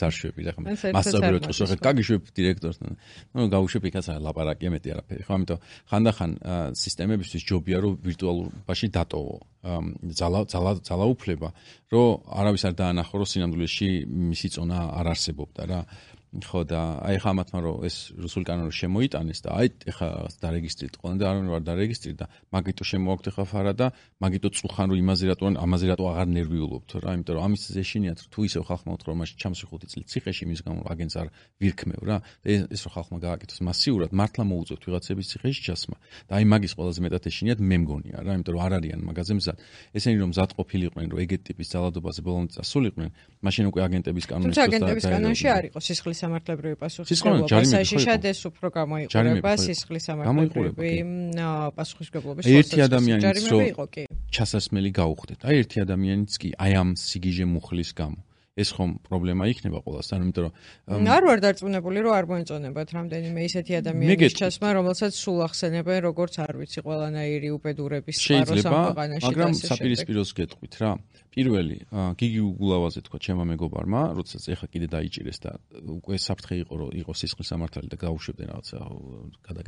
არშვები რა, მასწავლებლად ყოს ხო გაგიშვებ დირექტორთან. ნუ გავუშვებ იქაც ლაპარაკია მეტი არაფერი, ხო? ამიტომ ხანდახან სისტემებისთვის ჯობია რომ ვირტუალურობაში დატოვო ძალაუფლება, რომ არავის არ დაანახო, რომ სინამდვილეში მისი წონა არ არსებობდა რა. ხო და აი ხა ამათმა რომ ეს რუსული კანონი შემოიტანეს და აი ეხა დარეგისტრირეთ ყველანი და არავინ არ დარეგისტრირდა, მაგიტო შემოაქვთ ეხა ფარა და მაგიტო წუხან რომ იმაზე რატო აღარ ნერვიულობთ რა, იმიტომ რომ ამის ზეშინიათ თუ ისევ ხალხმა უთხრა რომ მაშინ ჩამსვი 5 წელი ციხეში იმის გამო აგენს არ ვირქმევ რა და ეს რომ ხალხმა გააკეთოს მასიურად მართლა მოუწევთ ვიღაცების ციხეში ჩასმა და აი მაგის ყველაზე მეტად ეშინიათ მე მგონია რა, იმიტომ რომ არ არიან მაგაზე მზად. ესენი რომ მზად ყოფილიყვნენ რომ ეგეთ ტიპის ძალადობაზე ბოლომდე წასულიყვნენ, მაშინ უკვე აგენტების კანონის თუმცა აგენტების კანონში არ იყო სისხლის სამართლებრივი პასუხისმგებლობა, საშიშად ეს უფრო გამოიყურება სისხლის სამართლებრივი პასუხისმგებლობის ერთი ადამიანიც რო ჩასასმელი გაუხდეთ. აი ერთი ადამიანიც კი აი ამ სიგიჟე მუხლის გამო ეს ხომ პრობლემა იქნება ყველასთან, იმიტომ რომ არ ვარ დარწმუნებული რომ არ მოეწონებათ რამდენიმე ისეთი ადამიანის ჩასმა, რომელსაც სულ ახსენებენ როგორც არ ვიცი ყველანაირი უბედურების წყარო სამყაროში. მაგრამ საპირისპიროს გეტყვით რა. პირველი გიგი უგულავაძე თქვა ჩემმა მეგობარმა, როდესაც ეხა კიდე დაიჭირეს და უკვე საფრთხე იყო რომ იყოს სისხლის სამართალი და გაუშვებდნენ რაღაცა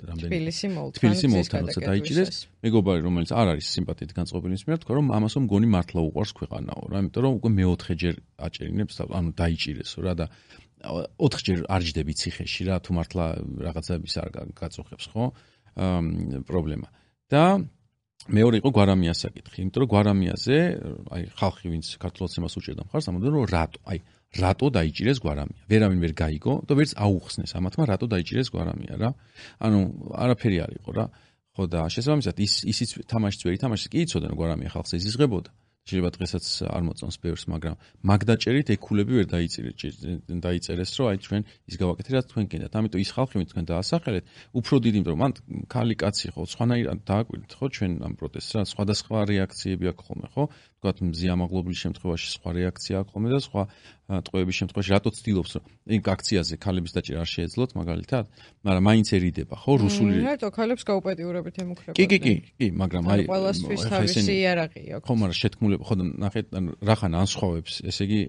რამდენი თბილისი მოლთან როცა დაიჭირეს, მეგობარი რომელიც არ არის სიმპათიით განწყობილი ის მიერ თქვა რომ ამასო მგონი მართლა უყვარს ქვეყანაო რა, იმიტომ რომ უკვე მეოთხეჯერ აჭერინებს, ანუ დაიჭირესო რა და 4ჯერ არ ჯდები ციხეში რა, თუ მართლა რაღაცების არ გაწუხებს ხო პრობლემა. და მეორე იყო გვარამიას საკითხი, იმიტომ რომ გვარამიაზე, აი ხალხი ვინც ქართულად იმას უჭერდა მხარს, ამბობდა რომ რატო დაიჭირეს გვარამია. ვერავინ ვერ გაიგო და ვერც აუხსნეს ამათმა რატო დაიჭირეს გვარამია რა. ანუ არაფერი არ იყო რა. ხო და შესაბამისად ისიც თამაშიც ვერ ითამაშეს, კი იცოდნენ გვარამია ხალხს იზღებოდა. შეიძლება დღესაც არ მოწონს ბევრს, მაგრამ მაგ დაჭერით ეკულები ვერ დაიწერეს, რომ აი ჩვენ ის გავაკეთეთ, რაც თქვენ გინდათ. ამიტომ ის ხალხი, ვინც თქვენ დაასახელეთ, უფრო დიდი, იმიტომ რომ მან ქალი კაცი ხო, სხვანაირად დააკვირდით ხო ჩვენ ამ პროტესტს რა, სხვადასხვა რეაქციები აქვს ხოლმე, ხო? თქვათ მზიამაღლობლის შემთხვევაში სხვა რეაქცია აქვს ხოლმე და სხვა ტყვეების შემთხვევაში რატო ცდილობს რომ იმ აქციაზე ქალების დაჭერა არ შეეძლოთ მაგალითად, მაგრამ მაინც ერიდება ხო რუსული რატო ქალებს გაუპატიურებით ემუქრებოდნენ? კი, მაგრამ აი ყველასთვის თავისი იარაღი აქვს. ხო, მაგრამ შეთქმულება ხო ნახეთ, რახან ანსხვავებს, ესე იგი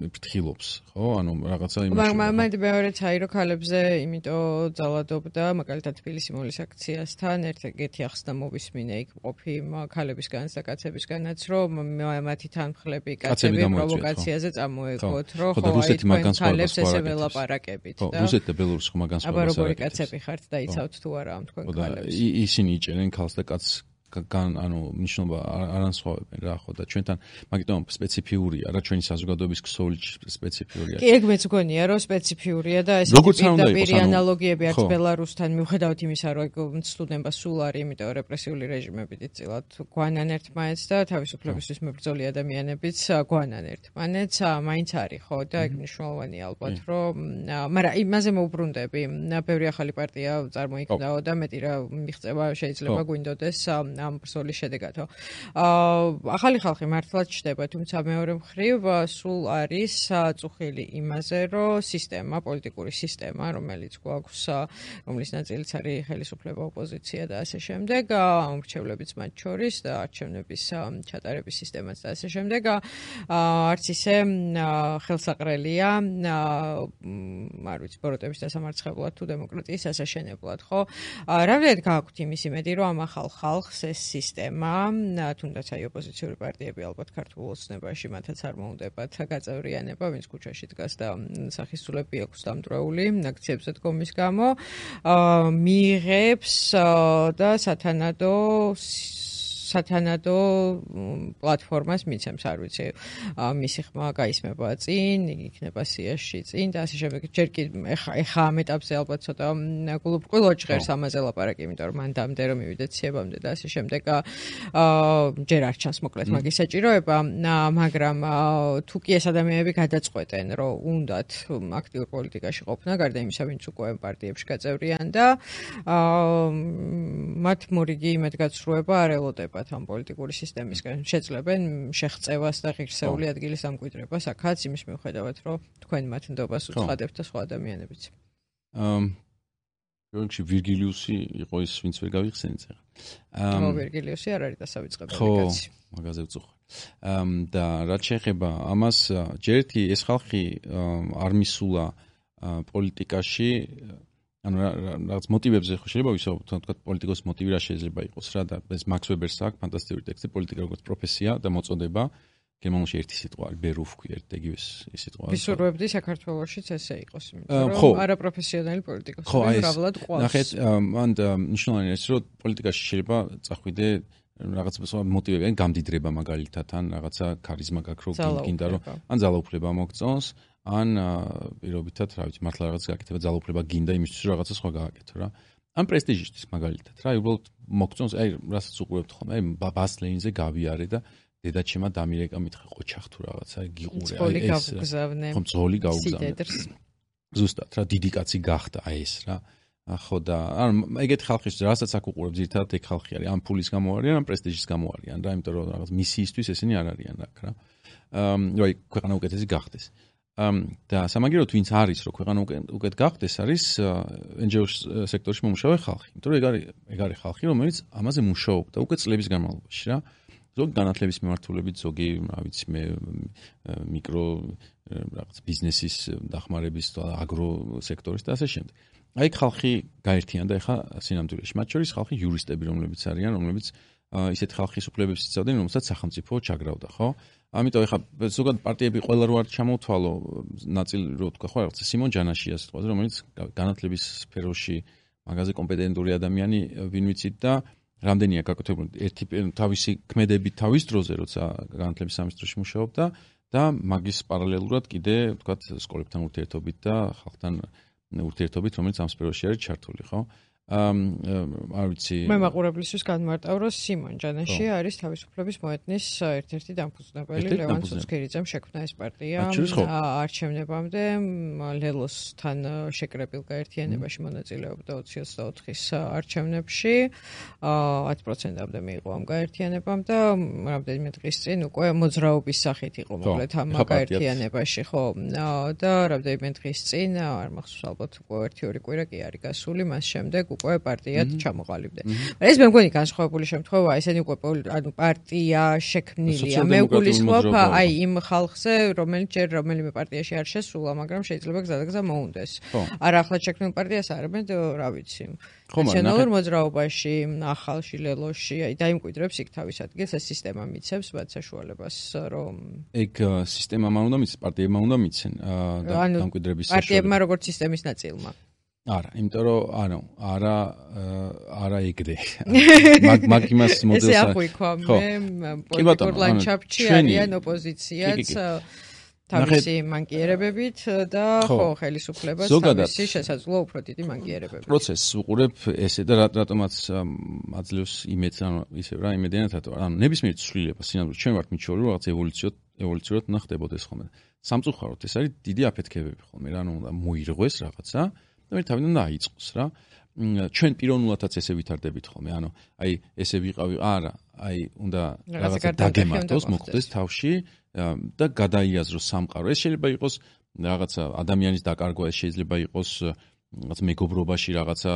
ფრთხილობს, ხო? ანუ რაღაცა იმაში. მაგრამ მეორეც აი რომ ქალებზე იმიტომ ძალადობდა, მაგალითად თბილისი მოლის აქციასთან ერთ-ერთი ახსნა მოვისმინე იქ ყოფი ქალებისგანაც და კაცებისგანაც, რომ მათი თანმხლები კაცები პროვოკაციაზე წამოეგოთ, რომ ხო აი თქვენ ქალებს ესე ველაპარაკებით და რუსეთი და ბელორუსი ხომ მაგას აბა როგორი კაცები ხართ და იცავთ თუ არა ამ თქვენ ქალებს. ისინი იჭერენ ქალს და კაცს ანუ ნიშნობა არ ანსხვავებენ რა ხო და ჩვენთან მაგიტომ სპეციფიურია რა ჩვენი საზოგადოების ქსოვილი სპეციფიურია. კი, ეგ მეც გონია რომ სპეციფიურია და ეს პირდაპირ ანალოგიები არც ბელარუსთან მიუხედავად იმისა რომ სტუდენტობა სულ არის, იმიტომ რეპრესიული რეჟიმები დიდწილად გვანან ერთმანეთს და თავისუფლებისთვის მებრძოლი ადამიანებიც გვანან ერთმანეთს, მაინც არის ხო და ეგ მნიშვნელოვანია ალბათ რომ მაგრამ იმაზე მოუბრუნდები, ბევრი ახალი პარტია წარმოიქმნაო და მეტი რა მიღწევა შეიძლება გვინდოდეს ამ ბრძოლის შედეგადო. ახალი ხალხი მართლაც ჩდება, თუმცა მეორე მხრივ სულ არის წუხილი იმაზე, რომ სისტემა, პოლიტიკური სისტემა, რომელიც გვაქვს, რომლის ნაწილიც არის ხელისუფლება, ოპოზიცია და ასე შემდეგ, ამორჩევლებიც მათ შორის და არჩევნების ჩატარების სისტემაც და ასე შემდეგ, არც ისე ხელსაყრელია, არ ვიცი, ბოროტების დასამარცხებლად თუ დემოკრატიის ასაშენებლად, ხო? რამდენად გააქვთ იმის იმედი, რომ ამ ახალ ხალხს ეს სისტემა, თუნდაც აი ოპოზიციური პარტიები ალბათ ქართულ ოცნებაში მათაც არ მოუნდებათ გაწევრიანება, ვინც ქუჩაში დგას და სახისწულები აქვს დამტვრეული აქციებზე დგომის გამო, მიიღებს და სათანადო პლატფორმას მიცემს, არ ვიცი, მისი ხმა გაისმება წინ, იგი იქნება სიაში წინ და ასე შემდეგ. ჯერ კი ეხა ამ ეტაპზე ალბათ ცოტა გულუბრყვილო ჭღერს ამაზე ლაპარაკი, იმიტომ რომ მან დამდე რომ მივიდეთ სიებამდე და ასე შემდეგ. ჯერ არ ჩანს მოკლედ მაგის საჭიროება, მაგრამ თუ კი ეს ადამიანები გადაწყვეტენ, რომ უნდათ აქტიურ პოლიტიკაში ყოფნა, გარდა იმისა, ვინც უკვე პარტიებში გაწევრიანდა, მათ მორიგი იმედგაცრუება არ ელოდებათ ამ პოლიტიკური სისტემისგან. შეძლებენ შეღწევას და ღირსეული ადგილის ამკვიდრებას, აქაც იმის მიუხედავად, რომ თქვენ მათ ნდობას უცხადებთ და სხვა ადამიანებიც. პროექტში ვირგილიუსი იყო ის, ვინც ვერ გავიხსენეთ ახლა. ვირგილიუსი არ არის დასავიწყებელი კაცი. კაცი. მაგაზე ვწუხარ. და რაც შეეხება ამას, ჯერ ერთი ეს ხალხი არ მისულა პოლიტიკაში, ანუ რაღაც მოტივებზე ხო შეიძლება ვისაუბროთ, თქვა პოლიტიკოს მოტივი რა შეიძლება იყოს რა და ეს მაქს ვებერს აქვს ფანტასტიკური ტექსტი პოლიტიკა როგორც პროფესია და მოწოდება. გერმანულში ერთი სიტყვა არის ბერუფ ქვია, ერთეგივე სიტყვა. ვისურვებდი საქართველოშიც ესე იყოს, იმიტომ რომ არაპროფესიონალი პოლიტიკოსები მრავლად ყავს. ნახეთ, მან მნიშვნელოვანი ის რომ პოლიტიკაში შეიძლება წახვიდე რაღაცა მოტივები, ან გამდიდრება მაგალითად, ან რაღაცა ქარიზმა გაქრო გინდა რომ ან ძალაუფლება მოგწონს, ან პირობითად, რა ვიცი, მართლა რაღაც გაკეთება ძალაუფლება გინდა იმისთვის რომ რაღაცა სხვა გააკეთო რა. ან პრესტიჟისთვის მაგალითად, რა, უბრალოდ მოგწონს, აი, რასაც უყურებთ ხოლმე, აი, ბას ლეინზე გავიარე და დედაჩემა დამირეკა მითხე ყოჩახ თუ რაღაცა გიყურე, აი ეს ხომ ძოლი გაუგზავნე. ზუსტად, რა დიდი კაცი გახდა აი ეს რა. ხო და ანუ ეგეთ ხალხის რასაც აქ უყურებ ძირთადად ეგ ხალხი არის, ან ფულის გამო არიან, ან პრესტიჟის გამო არიან რა, იმიტომ რომ რაღაც მისიისთვის ესენი არ არიან აქ რა. აი, ქვეყანა უკეთესი გახდეს. და სამაგიეროდ ვინც არის რომ ქვეყანა უკეთ გახდეს არის NGO სექტორში მომუშავე ხალხი. იმიტომ რომ ეგ არის ხალხი, რომელიც ამაზე მუშაობდა უკვე წლების განმავლობაში რა. ზოგი განათლების მიმართულებით, ზოგი, რა ვიცი, მიკრო რაღაც ბიზნესის დახმარების და აგრო სექტორის და ასე შემდეგ. აი ხალხი გაერთიანდა ეხა სინამდვილეში. მათ შორის ხალხი იურისტები, რომლებიც არიან, რომლებიც ისეთ ხალხის უფლებებს იცავდნენ, რომელსაც სახელმწიფო ჩაგრავდა, ხო? ამიტომ ეხა ზოგადად პარტიები ყველა რო არ ჩამოთვალო, ნაწილი რო თქვა, ხო, რაღაც სიმონ ჯანაშიას თქვაზე, რომელიც განათლების სფეროში მაგაზე კომპეტენტური ადამიანი ვინ ვიცით და რამდენია გაკეთებული ერთი თავისი ქმედები თავის დროზე, როცა განათლების სამინისტროში მუშაობდა და მაგის პარალელურად კიდე, ვთქვათ, სკოლებთან ურთიერთობით და ხალხთან ურთიერთობით, რომელიც ამ სფეროში არის ჩართული, ხო? არ ვიცი. მე მაყურებლისთვის განმარტავ, რომ სიმონ ჯანაში არის თავისუფლების მოედნის ერთ-ერთი დამფუძნებელი, ლევან ცუცქირიძემ შექმნა ეს პარტია არჩევნებამდე, ლელოსთან შეკრებილ გაერთიანებაში მონაწილეობდა 2024-ის არჩევნებში, 10%-ამდე მიიღო ამ გაერთიანებამ და რამდენიმე დღის წინ უკვე მოძრაობის სახით იყო მოკლედ ამ გაერთიანებაში, ხო? და რამდენიმე დღის წინ, არ მახსოვს ალბათ უკვე 1-2 კვირა კი არის გასული, მას შემდეგ უკვე პარტიად ჩამოყალიბდა. ეს მე მგონი განსხვავებული შემთხვევაა, ესენი უკვე ანუ პარტია შექმნილია. მე გულისხმობ აი იმ ხალხზე, რომელიც ჯერ რომელიმე პარტიაში არ შესულა, მაგრამ შეიძლება გზადაგზა მოუნდეს. არ ახლად შექმნილ პარტიას არამედ, რა ვიცი, ნაციონალურ მოძრაობაში, ახალში, ლელოში, აი დაიმკვიდრებს იქ თავის ადგილს, ეს სისტემა მიცემს მათ საშუალებას, რომ ეგ სისტემამ უნდა მიცეს, პარტიებმა უნდა მიცენ დამკვიდრების საშუალება. პარტიებმა როგორც სისტემის ნაწილმა. არა, იმიტომ რომ არა ეგრე. მაგ იმას მოდელს ესე აღვიქვა მე პოლიტიკურ ლანდშაფტში არიან ოპოზიციაც თავისი მანკიერებებით და ხო ხელისუფლებას თავისი შესაძლო უფრო დიდი მანკიერებებით. პროცესს უყურებ ესე და რატომაც აძლევს იმედს ანუ ისევ რა იმედიანად ანუ ნებისმიერ ცვლილება სინამდვილეში ჩვენ ვართ მიჩვეული რომ რაღაც ევოლუციურად უნდა ხდებოდეს ხოლმე. სამწუხაროდ ეს არის დიდი აფეთქებები ხოლმე რა ანუ უნდა მოირღვეს რაღაცა და მე თავიდან უნდა აიწყოს რა. ჩვენ პიროვნულადაც ესე ვითარდებით ხოლმე ანუ აი ესე ვიყავი არა აი უნდა რაღაცა დაგემართოს მოხდეს თავში და გადაიაზროს სამყარო. ეს შეიძლება იყოს რაღაცა ადამიანის დაკარგვა, ეს შეიძლება იყოს რაღაც მეგობრობაში რაღაცა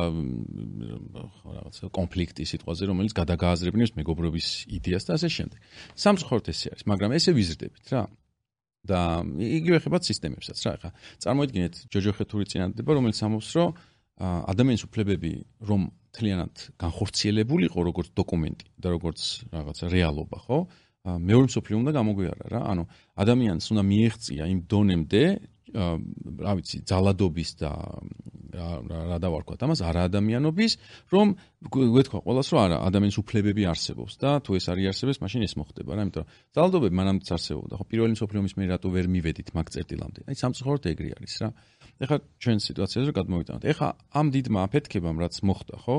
კონფლიქტი სიტყვაზე, რომელიც გადაგააზრებინებს მეგობრობის იდეას და ასე შემდეგ. სამწუხაროდ ესე არის, მაგრამ ესე ვიზრდებით რა. და იგივე ხებათ სისტემებსაც რა. ხა წარმოიდგინეთ ჯოჯო ხეთური წინადადება, რომელიც ამბობს, რომ ადამიანის უფლებები რომ მთლიანად განხორციელებულიყო როგორც დოკუმენტი და როგორც რაღაცა რეალობა, ხო? მეორე მსოფლიო უნდა გამოგვიარა რა. ანუ ადამიანს უნდა მიეღწია იმ დონემდე, რა ვიცი, ძალადობის და რა დავარქვათ ამას, არაადამიანობის, რომ გვეთქვა ყველას, რომ არა, ადამიანის უფლებები არსებობს და თუ ეს არ იარსებებს, მაშინ ეს მოხდება რა. იმიტომ რომ ძალადობები მანამდეც არსებობდა, ხო, პირველი მსოფლიო ომის მერე რატო ვერ მივედით მაგ წერტილამდე? აი სამწუხაროდ ეგრე არის რა. ეხლა ჩვენ სიტუაციაზე რომ გადმოვიტანოთ. ეხლა ამ დიდმა აფეთქებამ რაც მოხდა, ხო?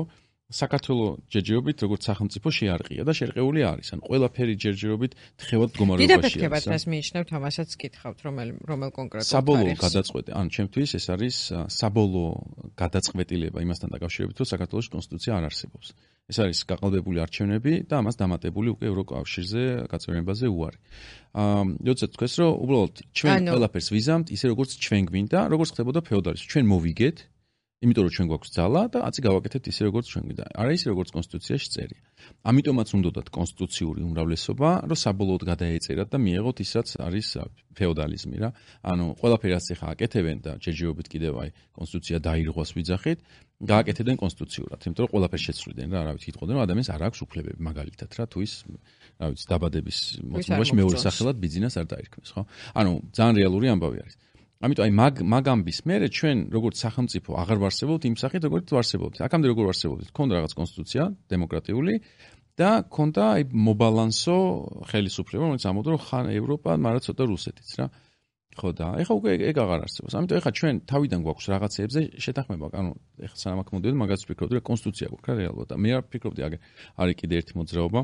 საქართველოს ჯერჯერობით როგორც სახელმწიფო შეარყია და შერყეული არის. ან ყველაფერი ჯერჯერობით თხევად მდგომარეობაში არის. დიდაფეთქებად მას მიიჩნევთ, ამასაც გითხავთ, რომელ კონკრეტულ თარიღს. საბოლოო გადაწყვეტი, ან ჩემთვის ეს არის საბოლოო გადაწყვეტილება იმასთან დაკავშირებით, რომ საქართველოს კონსტიტუცია არ არსებობს. ეს არის გაყალბებული არჩევნები და ამას დამატებული უკვე ევროკავშირზე გაწევრიანებაზე უარი. როდესაც თქვეს, რომ უბრალოდ ჩვენ ყველაფერს ვიზამთ, ისე როგორც ჩვენ გვინდა, როგორც ხდებოდა ფეოდალიზმში. ჩვენ მოვიგეთ იმიტომ რომ ჩვენ გვაქვს ძალა და აცი გავაკეთებთ ისე როგორც ჩვენ გვინდა. არა ისე როგორც კონსტიტუციაში წერია. ამიტომაც უნდათ კონსტიტუციური უმრავლესობა, რომ საბოლოოდ გადაეწერათ და მიეღოთ ის რაც არის ფეოდალიზმი რა. ანუ ყველაფერი რაც ახლა აკეთებენ და ჯერჯერობით კიდევ აი კონსტიტუცია დაირღვას ვიძახით, გააკეთებდნენ კონსტიტუციურად, იმიტომ რომ ყველაფერს შეცვლიდნენ რა, რა ვიცი, იტყოდნენ რომ ადამიანს არ აქვს უფლებები მაგალითად რა, თუ ის რა ვიცი, დაბადების მოწმობაში მეორე სახელად ბიზნეს არ დაირქმეს, ხო? ანუ ძალიან რეალური ამბავი არის. ამიტომ აი მაგ ამბის მერე ჩვენ როგორც სახელმწიფო აღარ ვარსებობთ იმ სახით როგორც ვარსებობთ. აქამდე როგორ ვარსებობთ? ქონდა რაღაც კონსტიტუცია დემოკრატიული და ქონდა აი მობალანსო ხელისუფლება, რომელიც ამბობდა რომ ხან ევროპა, მაგრამ ცოტა რუსეთიც რა. ხო და ეხლა უკვე ეგ აღარ არსებობს. ამიტომ ეხლა ჩვენ თავიდან გვაქვს რაღაცეებზე შეთანხმება. ანუ ეხლა სანამ აქ მოდიოდი, მაგაც ვფიქრობდი რომ კონსტიტუცია გვაქვს რა რეალურად. და მე არ ვფიქრობდი არის კიდე ერთი მოძრაობა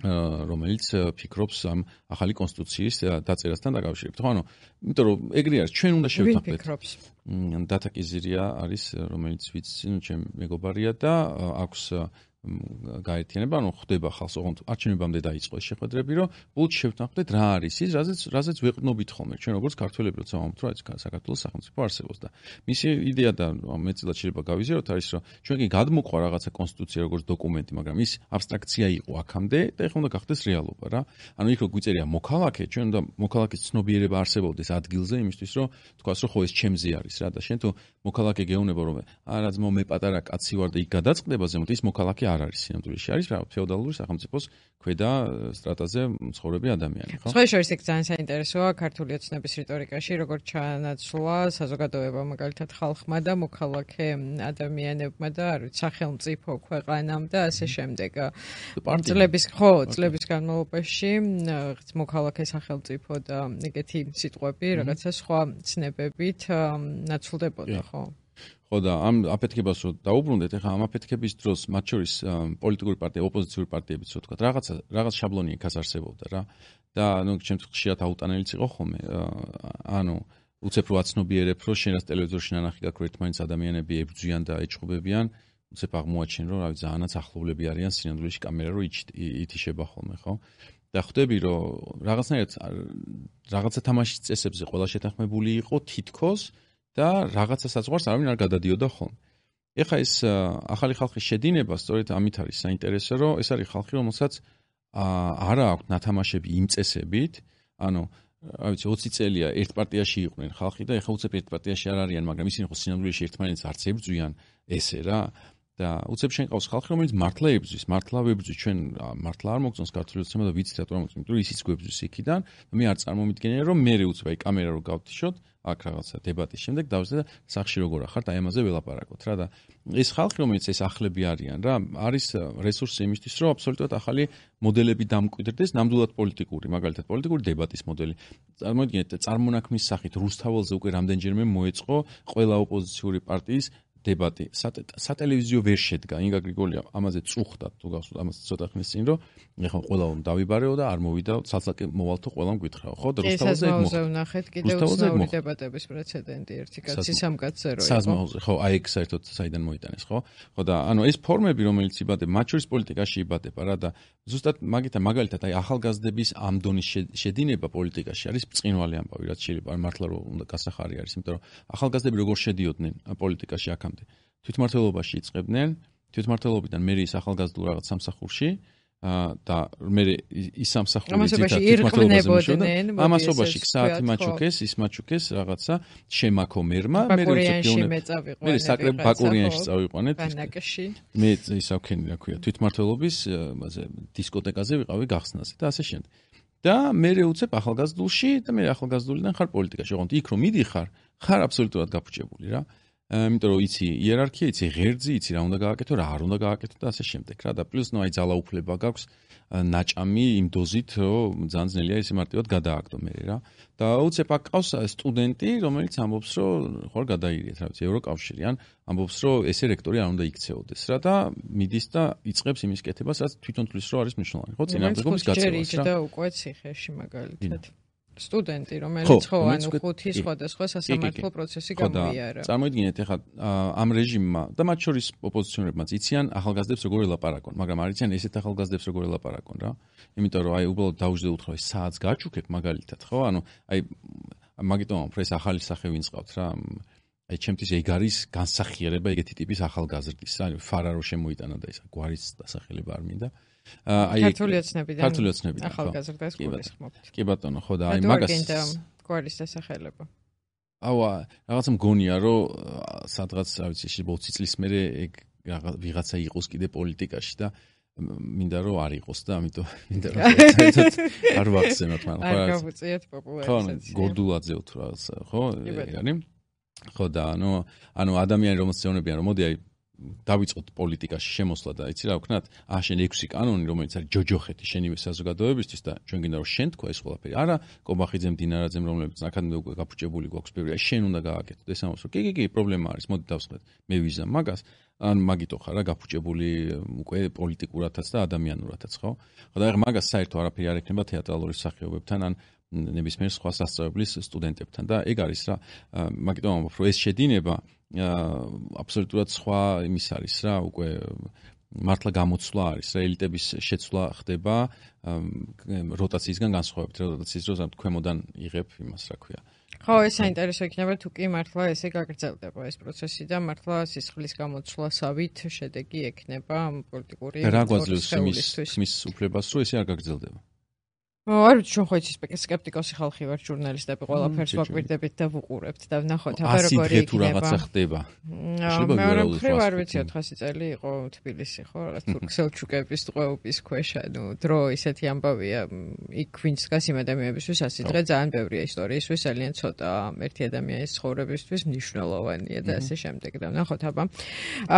რომელიც ფიქრობს ამ ახალი კონსტიტუციის დაწერასთან დაკავშირებით. ხო, ანუ, იმიტომ რომ ეგრე არის, ჩვენ უნდა შევთანხმდეთ. დათა კიზირია არის, რომელიც ვიცი, ჩემ მეგობარია და აქვს გაერთიანება, ანუ ხდება ხალხს, ოღონდ არჩევნებამდე დაიწყო ეს შეხვედრები, რომ ბოლოს შევთანხმდეთ რა არის ის, რაზეც ვეყრდნობით ხოლმე ჩვენ როგორც ქართველები, როცა ვამბობთ, რომ საქართველოს სახელმწიფო არსებობს და მისი იდეა და მეცილად შეიძლება გავიზიაროთ არის, რომ ჩვენ კი გადმოყვა რაღაცა კონსტიტუცია როგორც დოკუმენტი, მაგრამ ის აბსტრაქცია იყო აქამდე და ეხლა უნდა გახდეს რეალობა რა. ანუ იქ რო გვიწერია მოქალაქე, ჩვენ უნდა მოქალაქის ცნობიერება არსებობდეს ადგილზე იმისთვის, რომ თქვას, რომ ხო ეს ჩემზე არის რა და შენ თუ მოქალაქე გეუბნება, რომ არა ძმო მე პატარა კაცი ვარ და იქ გადაწყდება ზემოთ ის მოქალაქე არ არის სინამდვილეში არის რა ფეოდალური სახელმწიფოს ქვედა სტრატაზე მცხოვრები ადამიანი ხო? სხვა შორის ეგ ძალიან საინტერესოა ქართული ოცნების რიტორიკაში როგორც ჩანაცვლა საზოგადოება მაგალითად ხალხმა და მოქალაქე ადამიანებმა და არ ვიცი სახელმწიფო ქვეყანამ და ასე შემდეგ. წლების განმავლობაში მოქალაქე სახელმწიფო და ეგეთი სიტყვები რაღაცა სხვა ცნებებით ნაცვლდებოდა ხო? ხო და ამ აფეთქებას რო დაუბრუნდეთ, ეხლა ამ აფეთქების დროს მათ შორის პოლიტიკური პარტია, ოპოზიციური პარტიებიც რო თქვა, რაღაც შაბლონი იქ არსებობდა რა. და ანუ ჩემთვის ხშირად აუტანელიც იყო ხოლმე. ანუ უცებ რო აცნობიერებ, რომ შენ რას ტელევიზორში ნანახი გაქვს, ერთმანეთს ადამიანები ებრძვიან და ეჭყობებიან, უცებ აღმოაჩენ, რომ რა ვიცი, ძალიანაც ახლობლები არიან სინამდვილეში კამერა რო ითიშება ხოლმე, ხო? და ხვდები, რომ რაღაცნაირად რაღაცა თამაშის წესებზე ყველა შეთანხმებული იყო თითქოს და რაღაცა საზღვარს არავინ არ გადადიოდა ხოლმე. ეხლა ეს ახალი ხალხის შედინება სწორედ ამით არის საინტერესო, რომ ეს არის ხალხი, რომელსაც არა აქვს ნათამაშები იმ წესებით, ანუ რა ვიცი 20 წელია ერთ პარტიაში იყვნენ ხალხი და ეხლა უცებ ერთ პარტიაში არ არიან, მაგრამ ისინი ხო სინამდვილეში ერთმანეთს არც ებრძვიან ესე რა. და უცებ შენ ყავს ხალხი, რომელიც მართლა ვებრძვის, ჩვენ მართლა არ მოგწონს ქართული ოცნება და ვიცით რატომ არ მოგწონს, იმიტომ რომ ისიც გვებრძვის იქიდან, მე არ წარმომიდგენია რომ მე უცებ აი კამერა რო გავთიშოთ, აქ რაღაცა დებატის შემდეგ დავზრდე და სახში როგორ ახართ, აი ამაზე ველაპარაკოთ რა და ეს ხალხი, რომელიც ეს ახლები არიან რა, არის რესურსი იმისთვის, რომ აბსოლუტურად ახალი მოდელები დამკვიდრდეს, ნამდვილად პოლიტიკური, მაგალითად პოლიტიკური დებატის მოდელი. წარმოიდგინეთ, წარმონაქმნის სახით რუსთაველზე უკვე რამდენჯერმე მოეწყო ყველა ოპოზიციური პარტიის დებატი. სატელევიზიო ვერ შედგა. ინგა გრიგოლია ამაზე წუხდა თუ გახსოვთ ამას ცოტა ხნის წინ რომ ეხლა ყველამ დავიბარეო და არ მოვიდა ცალსაკე მოვალთო ყველამ გვითხრაო. ხო და რუსთაველზე ნახეთ კიდევ უცნაური დებატების პრეცედენტი ერთი კაცი სამკაცზე რო იყო. საზმაოზე ხო აი ეგ საერთოდ საიდან მოიტანეს ხო? ხო და ანუ ეს ფორმები რომელიც იბადება მათ შორის პოლიტიკაში იბადება რა და ზუსტად მაგალითად აი ახალგაზრდების ამ დონის შედინება პოლიტიკაში არის ბრწყინვალე ამბავი რაც შეიძლება მართლა რომ უნდა გასახარი არის იმიტომ რომ ახალგაზრდები როგორ შედიოდნენ პოლიტიკაში აქამდე თვითმმართველობაში იწყებდნენ თვითმმართველობიდან მე ის ახალგაზრდულ რაღაც სამსახურში და მე ის სამსახური თვითმმართველობაზე ამასობაში საათი მაჩუკეს ის მაჩუკეს რაღაცა შემაქო მერმა მე საკრებ ბაკურიანში წავიყვანეთ მე ისავქენი რა ქვია თვითმმართველობის დისკოტეკაზე ვიყავი გახსნაზე და ასე შემდეგ და მე უცებ ახალგაზრდულში და მე ახალგაზრდულიდან ხარ პოლიტიკაში ოღონდ იქ რომ მიდიხარ ხარ აბსოლუტურად გაფუჭებული რა იმიტომ რომ იცი იერარქია, იცი ღერძი, იცი რა უნდა გააკეთო, რა არ უნდა გააკეთო და ასე შემდეგ რა და პლუს ნუ აი ძალაუფლება გაქვს ნაჭამი იმ დოზით, რომ ძალიან ძნელია ისე მარტივად გადააგდო მე რა. და უცებ აქ ყავს სტუდენტი, რომელიც ამბობს, რომ ხوار გადაირიეთ, რა ვიცი, ევროკავშირი ან ამბობს, რომ ესე რექტორი არ უნდა იქცეოდეს რა და მიდის და იწყებს იმის კეთებას, რაც თვითონ თulis რომ არის მნიშვნელოვანი. ხო, წინააღმდეგობის გაწევას რა. და უკვე ციხეში მაგალითად. სტუდენტი, რომელიც ხო ანუ ხუთი სხვადასხვა სასამართლო პროცესი გამოიარა. წარმოიდგინეთ ეხლა ამ რეჟიმმა და მათ შორის ოპოზიციონერებმაც იციან ახალგაზრდებს როგორ ელაპარაკონ, მაგრამ არ იციან ესეთ ახალგაზრდებს როგორ ელაპარაკონ რა. იმიტომ რომ აი უბრალოდ დაუждე უთხრა საათს გაჩუქებ მაგალითად, ხო? ანუ აი მაგიტომ უფრო ეს ახალი სახე ვინც ყავთ რა. აი ჩემთვის ეგ არის განსახიერება ეგეთი ტიპის ახალგაზრდის, ანუ ფარა რო შემოიტანა და ეს გვარის დასახელება არ მინდა. ქართული ოცნებიდან ახალგაზრდას გულისხმობთ. კი ბატონო, ხო და აი მაგას გვარის დასახელება. აუა, რაღაცა მგონია, რომ სადღაც, რა ვიცი, 20 წლის მერე ეგ ვიღაცა იყოს კიდე პოლიტიკაში და მინდა რომ არ იყოს და ამიტომ მინდა რომ საერთოდ არ ვახსენოთ მან ხო. არ გავუწიეთ პოპულარიზაცია. ხო, გორდულად ზევთ რაღაცა, ხო? ეგარი. ხო და ანუ ადამიანი რომელსაც ეუბნებიან რომ მოდი აი დავიწყოთ პოლიტიკაში შემოსვლა და იცი რა ვქნათ? შენ 6 კანონი რომელიც არის ჯოჯოხეთი შენივე საზოგადოებისთვის და ჩვენ გინდა რომ შენ თქვა ეს ყველაფერი. არა, კობახიძემ, დინარაძემ რომლებიც აქამდე უკვე გაფუჭებული გვაქვს ბევრი, აი შენ უნდა გააკეთო. ეს ამბობს რომ კი, პრობლემა არის. მოდი დავსხდეთ. მე ვიზამ მაგას. ან მაგიტო ხარ რა გაფუჭებული უკვე პოლიტიკურათაც და ადამიანურათაც, ხო? ხო და ეხლა მაგას საერთოდ არაფერი არ ექნება თეატრალური სახეობებთან ან ნებისმიერ სხვა სასწავლებლის სტუდენტებთან და ეგ არის რა. მაგიტომ ამბობ რომ ეს შედინება აბსოლუტურად სხვა იმის არის რა, უკვე მართლა გამოცვლა არის რა, ელიტების შეცვლა ხდება როტაციისგან განსხვავებით, როტაციის დროს ქვემოდან იღებ იმას რა ქვია. ხო, ეს საინტერესო იქნება თუ კი მართლა ესე გაგრძელდება ეს პროცესი და მართლა სისხლის გამოცვლასავით შედეგი ექნება პოლიტიკური რა გვაძლევს იმის უფლებას რომ ესე არ გაგრძელდება. არ ვიცი, ჩვენ ხო იცის სკეპტიკოსი ხალხი ვარ, ჟურნალისტები, ყველაფერს ვაკვირდებით და ვუყურებთ და ვნახოთ, აბა როგორი იქნება. თუ რაღაცა ხდება. მე არ ვიცი 400 წელი იყო თბილისი, ხო, რაღაც თურქ-სელჩუკების ტყვეობის ქვეშ, ანუ დრო ისეთი ამბავია, იქ ვინც დგას იმ ადამიანებისთვის ასი დღე ძალიან ბევრია ისტორიისთვის, ძალიან ცოტა ერთი ადამიანის ცხოვრებისთვის მნიშვნელოვანია და ასე შემდეგ და ვნახოთ, აბა.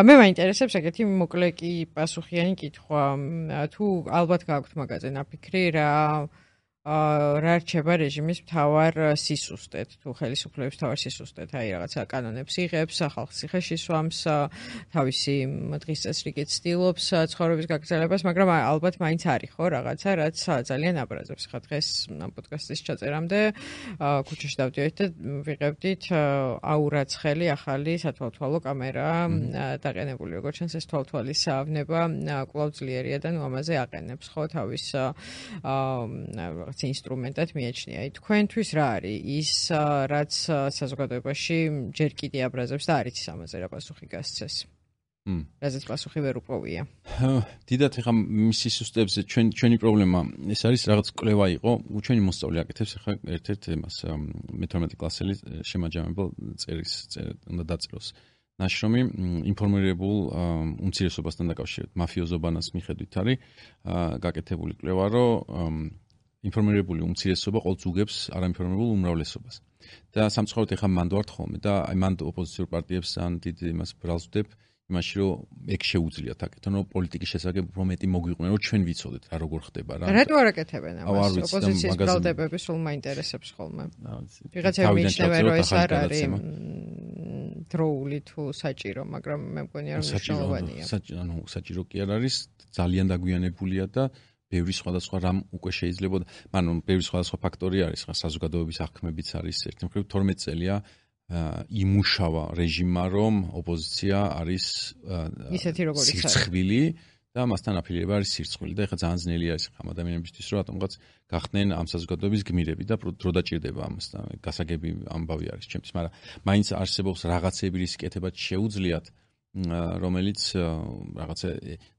მე მაინტერესებს ეგეთი მოკლე კი პასუხიანი კითხვა, თუ ალბათ გაქვთ მაგაზე ნაფიქრი რა რა რჩება რეჟიმის მთავარ სისუსტედ თუ ხელისუფლების მთავარ სისუსტედ აი რაღაცა კანონებს იღებს ხალხს ციხეში სვამს თავისი დღის წესრიგით ცდილობს ცხოვრების გაგრძელებას მაგრამ ალბათ მაინც არის ხო რაღაცა რაც ძალიან აბრაზებს ხა დღეს ამ პოდკასტის ჩაწერამდე ქუჩაში დავდივით და ვიღებდით აურაცხელი ახალი სათვალთვალო კამერა დაყენებული როგორც ჩანს ეს თვალთვალის ავნება კვლავ ძლიერია და ნუ ამაზე აყენებს ხო თავის ინსტრუმენტად მიაჩნია. თქვენთვის რა არის ის რაც საზოგადოებაში ჯერ კიდე აბრაზებს და არ იცის ამაზე რა პასუხი გასცეს. რაზეც პასუხი ვერ უპოვია. დიდათ ეხა მის სისტემებზე ჩვენი პრობლემა ეს არის რაღაც კვლევა იყო, ჩვენი მოსწავლე აკეთებს ეხა ერთ-ერთ იმას მე-12 კლასელი შემაჯამებელ წერის უნდა დაწეროს ნაშრომი ინფორმირებულ უმცირესობასთან დაკავშირებით მაფიოზობანას მიხედვით არის გაკეთებული კვლევა, რომ ინფორმირებული უმცირესობა ყოველთვის უგებს არაინფორმირებულ უმრავლესობას. და სამწუხაროდ ეხლა მანდ ვართ ხოლმე და აი მანდ ოპოზიციურ პარტიებს ან დიდ იმას ბრალს ვდებ იმაში რომ ეგ შეუძლიათ აკეთონ რომ პოლიტიკის შესახებ უფრო მეტი მოგვიყვნენ რომ ჩვენ ვიცოდეთ რა როგორ ხდება რა. რატო არ აკეთებენ ამას ოპოზიციის ბრალდებები სულ მაინტერესებს ხოლმე. ვიღაცები მიიჩნევენ რომ ეს არ არის დროული თუ საჭირო, მაგრამ მე მგონია რომ მნიშვნელოვანია. ანუ საჭირო კი არ არის, ძალიან დაგვიანებულია და ბევრი სხვადასხვა რამ უკვე შეიძლება, ანუ ბევრი სხვადასხვა ფაქტორი არის, ხა საზოგადოების აღქმებიც არის ერთი მხრივ 12 წელია იმუშავა რეჟიმმა, რომ ოპოზიცია არის ისეთი როგორიც არის. სირცხვილი და მასთან აფილირება არის სირცხვილი და ეხლა ძალიან ძნელი არის ხა ადამიანებისთვის, რომ რატომღაც გახდნენ ამ საზოგადოების გმირები და დრო დაჭირდება ამასთან. გასაგები ამბავი არის ჩემთვის, მაგრამ მაინც არსებობს რაღაცები, რის კეთებაც შეუძლიათ რომელიც რაღაცა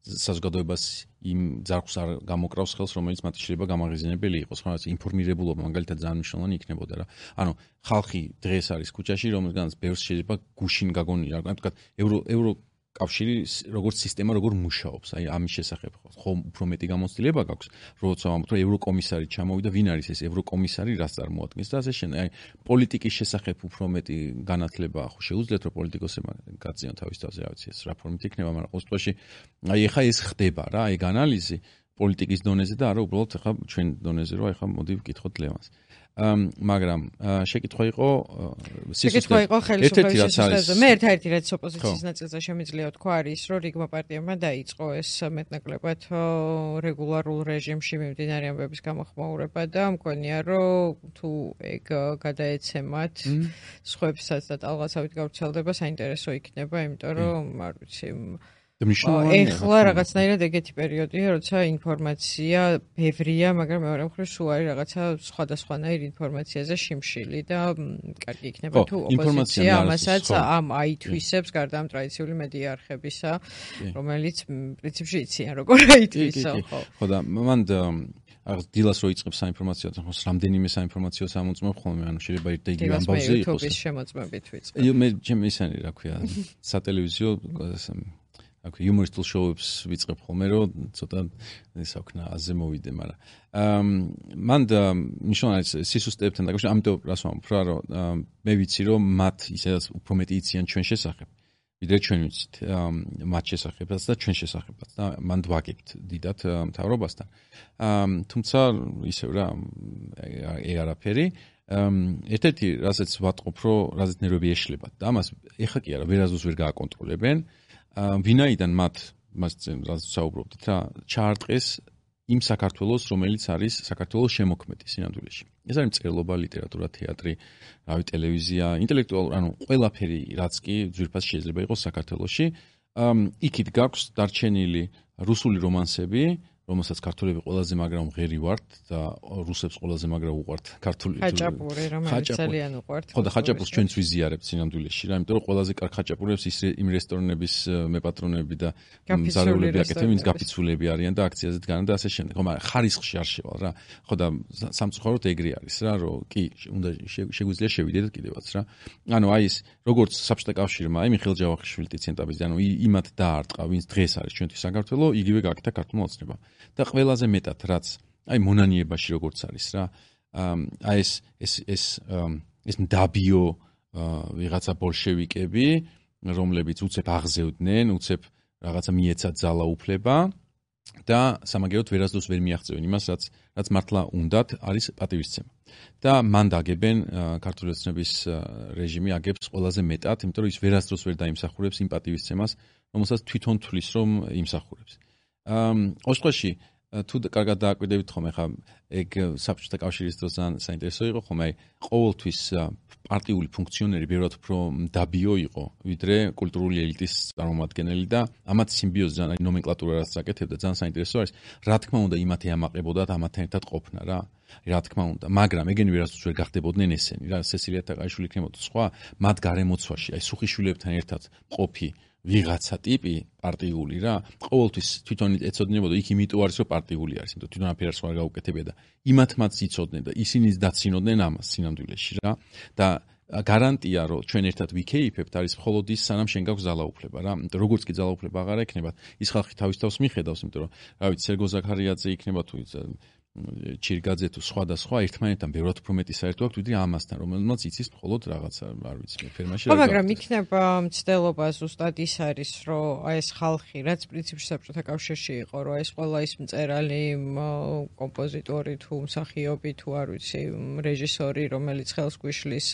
საზოგადოებას იმ ძარღვს არ გამოკრავს ხელს, რომელიც მათ შეიძლება გამაღიზიანებელი იყოს, რაღაც ინფორმირებულობა მაგალითად ძალიან მნიშვნელოვანი იქნებოდა რა. ანუ ხალხი დღეს არის ქუჩაში, რომელგანაც ბევრს შეიძლება გუშინ გაგონია, რა ვთქვათ, ევროკავშირი როგორც სისტემა როგორ მუშაობს, აი ამის შესახებ ხო უფრო მეტი გამოცდილება გაქვს, როცა ვამბობთ, რომ ევროკომისარი ჩამოვიდა, ვინ არის ეს ევროკომისარი, რას წარმოადგენს და ასე შემდეგ. აი პოლიტიკის შესახებ უფრო მეტი განათლება ხო შეუძლიათ, რომ პოლიტიკოსებმა გაწიონ თავის თავზე, რა ვიცი, ეს რა ფორმით იქნება, მაგრამ ყოველ შემთხვევაში აი ეხა ეს ხდება რა, ეგ ანალიზი პოლიტიკის დონეზე და არა უბრალოდ ეხა ჩვენ დონეზე, რომ ეხა მოდი ვკითხოთ ლევანს. მაგრამ შეკითხვა იყო ხელისუფლების სისტემაზე. მე ერთ-ერთი რაც ოპოზიციის ნაწილზე შემიძლია ვთქვა არის, რომ რიგმა პარტიებმა დაიწყო ეს მეტნაკლებად რეგულარულ რეჟიმში მიმდინარე ამბების გამოხმაურება და მგონია, რომ თუ ეგ გადაეცემათ სხვებსაც და ტალღაცავით გავრცელდება, საინტერესო იქნება, იმიტომ რომ არ ვიცი ეხლა რაღაცნაირად ეგეთი პერიოდია, როცა ინფორმაცია ბევრია, მაგრამ მეორე მხრივ სულ არის რაღაცა სხვადასხვანაირ ინფორმაციაზე შიმშილი და კარგი იქნება თუ ოპოზიცია ამასაც აითვისებს გარდა ამ ტრადიციული მედია არხებისა, რომელიც პრინციპში იციან როგორ აითვისო, ხო. ხო და მან დილას რო იწყებს საინფორმაციო, ხოს რამდენიმე საინფორმაციო სამოწმობ ხოლმე, ანუ შეიძლება ერთ და იგივე ამბავზე იყოს. YouTube-ის შემოწმებით ვიწყებ. მე ჩემ ისანი რა ქვია, სატელევიზიო აკვი იუმორისტულ შოუებს ვიწყებ ხოლმე, რომ ცოტა ისე ვქნა აზე მოვიდე, მაგრამ მან მნიშვნელოვანი სისუსტეებთან დაკავშირებით, ამიტომ რას ვამბობ რა, რომ მე ვიცი, რომ მათ ისედაც უფრო მეტი იციან ჩვენ შესახებ, ვიდრე ჩვენ ვიცით მათ შესახებაც და ჩვენ შესახებაც და მან ვაგებთ დიდად მთავრობასთან. თუმცა ისევ რა, ეგ არაფერი. ერთ-ერთი რასაც ვატყობ, რომ რაზეც ნერვები ეშლებათ და ამას ეხა კი არა, ვერასდროს ვერ გააკონტროლებენ. ვინაიდან მას რაც საუბრობდით რა ჩაარტყეს იმ საქართველოს რომელიც არის საქართველოს შემოქმედი სინამდვილეში. ეს არის მწერლობა, ლიტერატურა, თეატრი, რავი, ტელევიზია, ინტელექტუალური, ანუ ყველაფერი რაც კი ძვირფას შეიძლება იყოს საქართველოში. იქით გაქვს დარჩენილი რუსული რომანსები, რომელსაც ქართველები ყველაზე მაგრა მღერი ვართ და რუსებს ყველაზე მაგრა უყვართ ქართული ხაჭაპური, რომელიც ძალიან უყვართ. ხო და ხაჭაპურს ჩვენც ვიზიარებთ სინამდვილეში რა, იმიტომ რომ ყველაზე კარგ ხაჭაპურებს იმ რესტორნების მეპატრონები და მზარეულები აკეთებენ, ვინც გაფიცულები არიან და აქციაზე დგანან და ასე შემდეგ. ხო, მაგრამ ხარისხში არ შევალ რა. ხო და სამწუხაროდ ეგრე არის რა, რომ კი უნდა შეგვიძლია შევიდეთ კიდევაც რა. ანუ აი ეს როგორც საბჭოთა კავშირმა, აი მიხეილ ჯავახიშვილი, ტიცენტაბიძე, ანუ იმათ დაარტყა, ვინც დღეს არის ჩვენთვის საქართველო, იგივე გააკეთა ქართულმა ოცნებამ. და ყველაზე მეტად რაც აი მონანიებაში როგორც არის რა აი ეს მდაბიო ვიღაცა ბოლშევიკები რომლებიც უცებ აღზევდნენ უცებ რაღაცა მიეცათ ძალაუფლება და სამაგეროდ ვერასდროს ვერ მიაღწევენ იმას რაც მართლა უნდათ არის პატივისცემა და მან დაგებენ ქართული ოცნების რეჟიმი აგებს ყველაზე მეტად იმიტომ რომ ის ვერასდროს ვერ დაიმსახურებს იმ პატივისცემას რომელსაც თვითონ თვლის რომ იმსახურებს ოსტოში თუ კარგად დააკვირდებით ხომ ახლა ეგ საბჭოთა კავშირის დროს ძალიან საინტერესო იყო ხომ აი ყოველთვის პარტიული ფუნქციონერი ბევრად უფრო დაბიო იყო ვიდრე კულტურული ელიტის წარმომადგენელი და ამათ სიმბიოზი ძალიან ნომენკლატურა რაც აკეთებდა ძალიან საინტერესო არის რა თქმა უნდა იმათი ამაყებოდათ ამათთან ერთად ყოფნა რა თქმა უნდა მაგრამ ეგენი ვერასდროს ვერ გახდებოდნენ ესენი რა სესილია თაყაიშვილი იქნებოდა სხვა მათ გარემოცვაში აი სუხიშვილებთან ერთად ყოფი ვიღაცა ტიპი პარტიული რა ყოველთვის თვითონ ეცოდინებოდა იქ იმიტომ არის რომ პარტიული არის იმიტომ თვითონ აფერს არ გაუკეთებია და იმათ მათ იცოდნენ და ისინიც დაცინოდნენ ამას სინამდვილეში რა და გარანტია რომ ჩვენ ერთად ვიქეიფებთ არის მხოლოდ ის სანამ შენ გაქვს ძალაუფლება რა. იმიტომ როგორც კი ძალაუფლება აღარ ექნება, ის ხალხი თავის თავს მიხედავს, იმიტომ რომ რა ვიცი, სერგო ზაქარიაძე იქნება თუ ჩირგაძე თუ სხვა და სხვა ერთმანეთთან ბევრად უფრო მეტი საერთო აქვს ვიდრე ამასთან, რომელმაც იცის მხოლოდ რაღაცა, არ ვიცი, ფერმაში რა. მაგრამ იქნება მცდელობა ზუსტად ის არის, რომ ეს ხალხი, რაც პრინციპში საბჭოთა კავშირში იყო, რომ ეს ყველა ის მწერალი, კომპოზიტორი თუ მსახიობი თუ არ ვიცი, რეჟისორი, რომელიც ხელს გვიშლის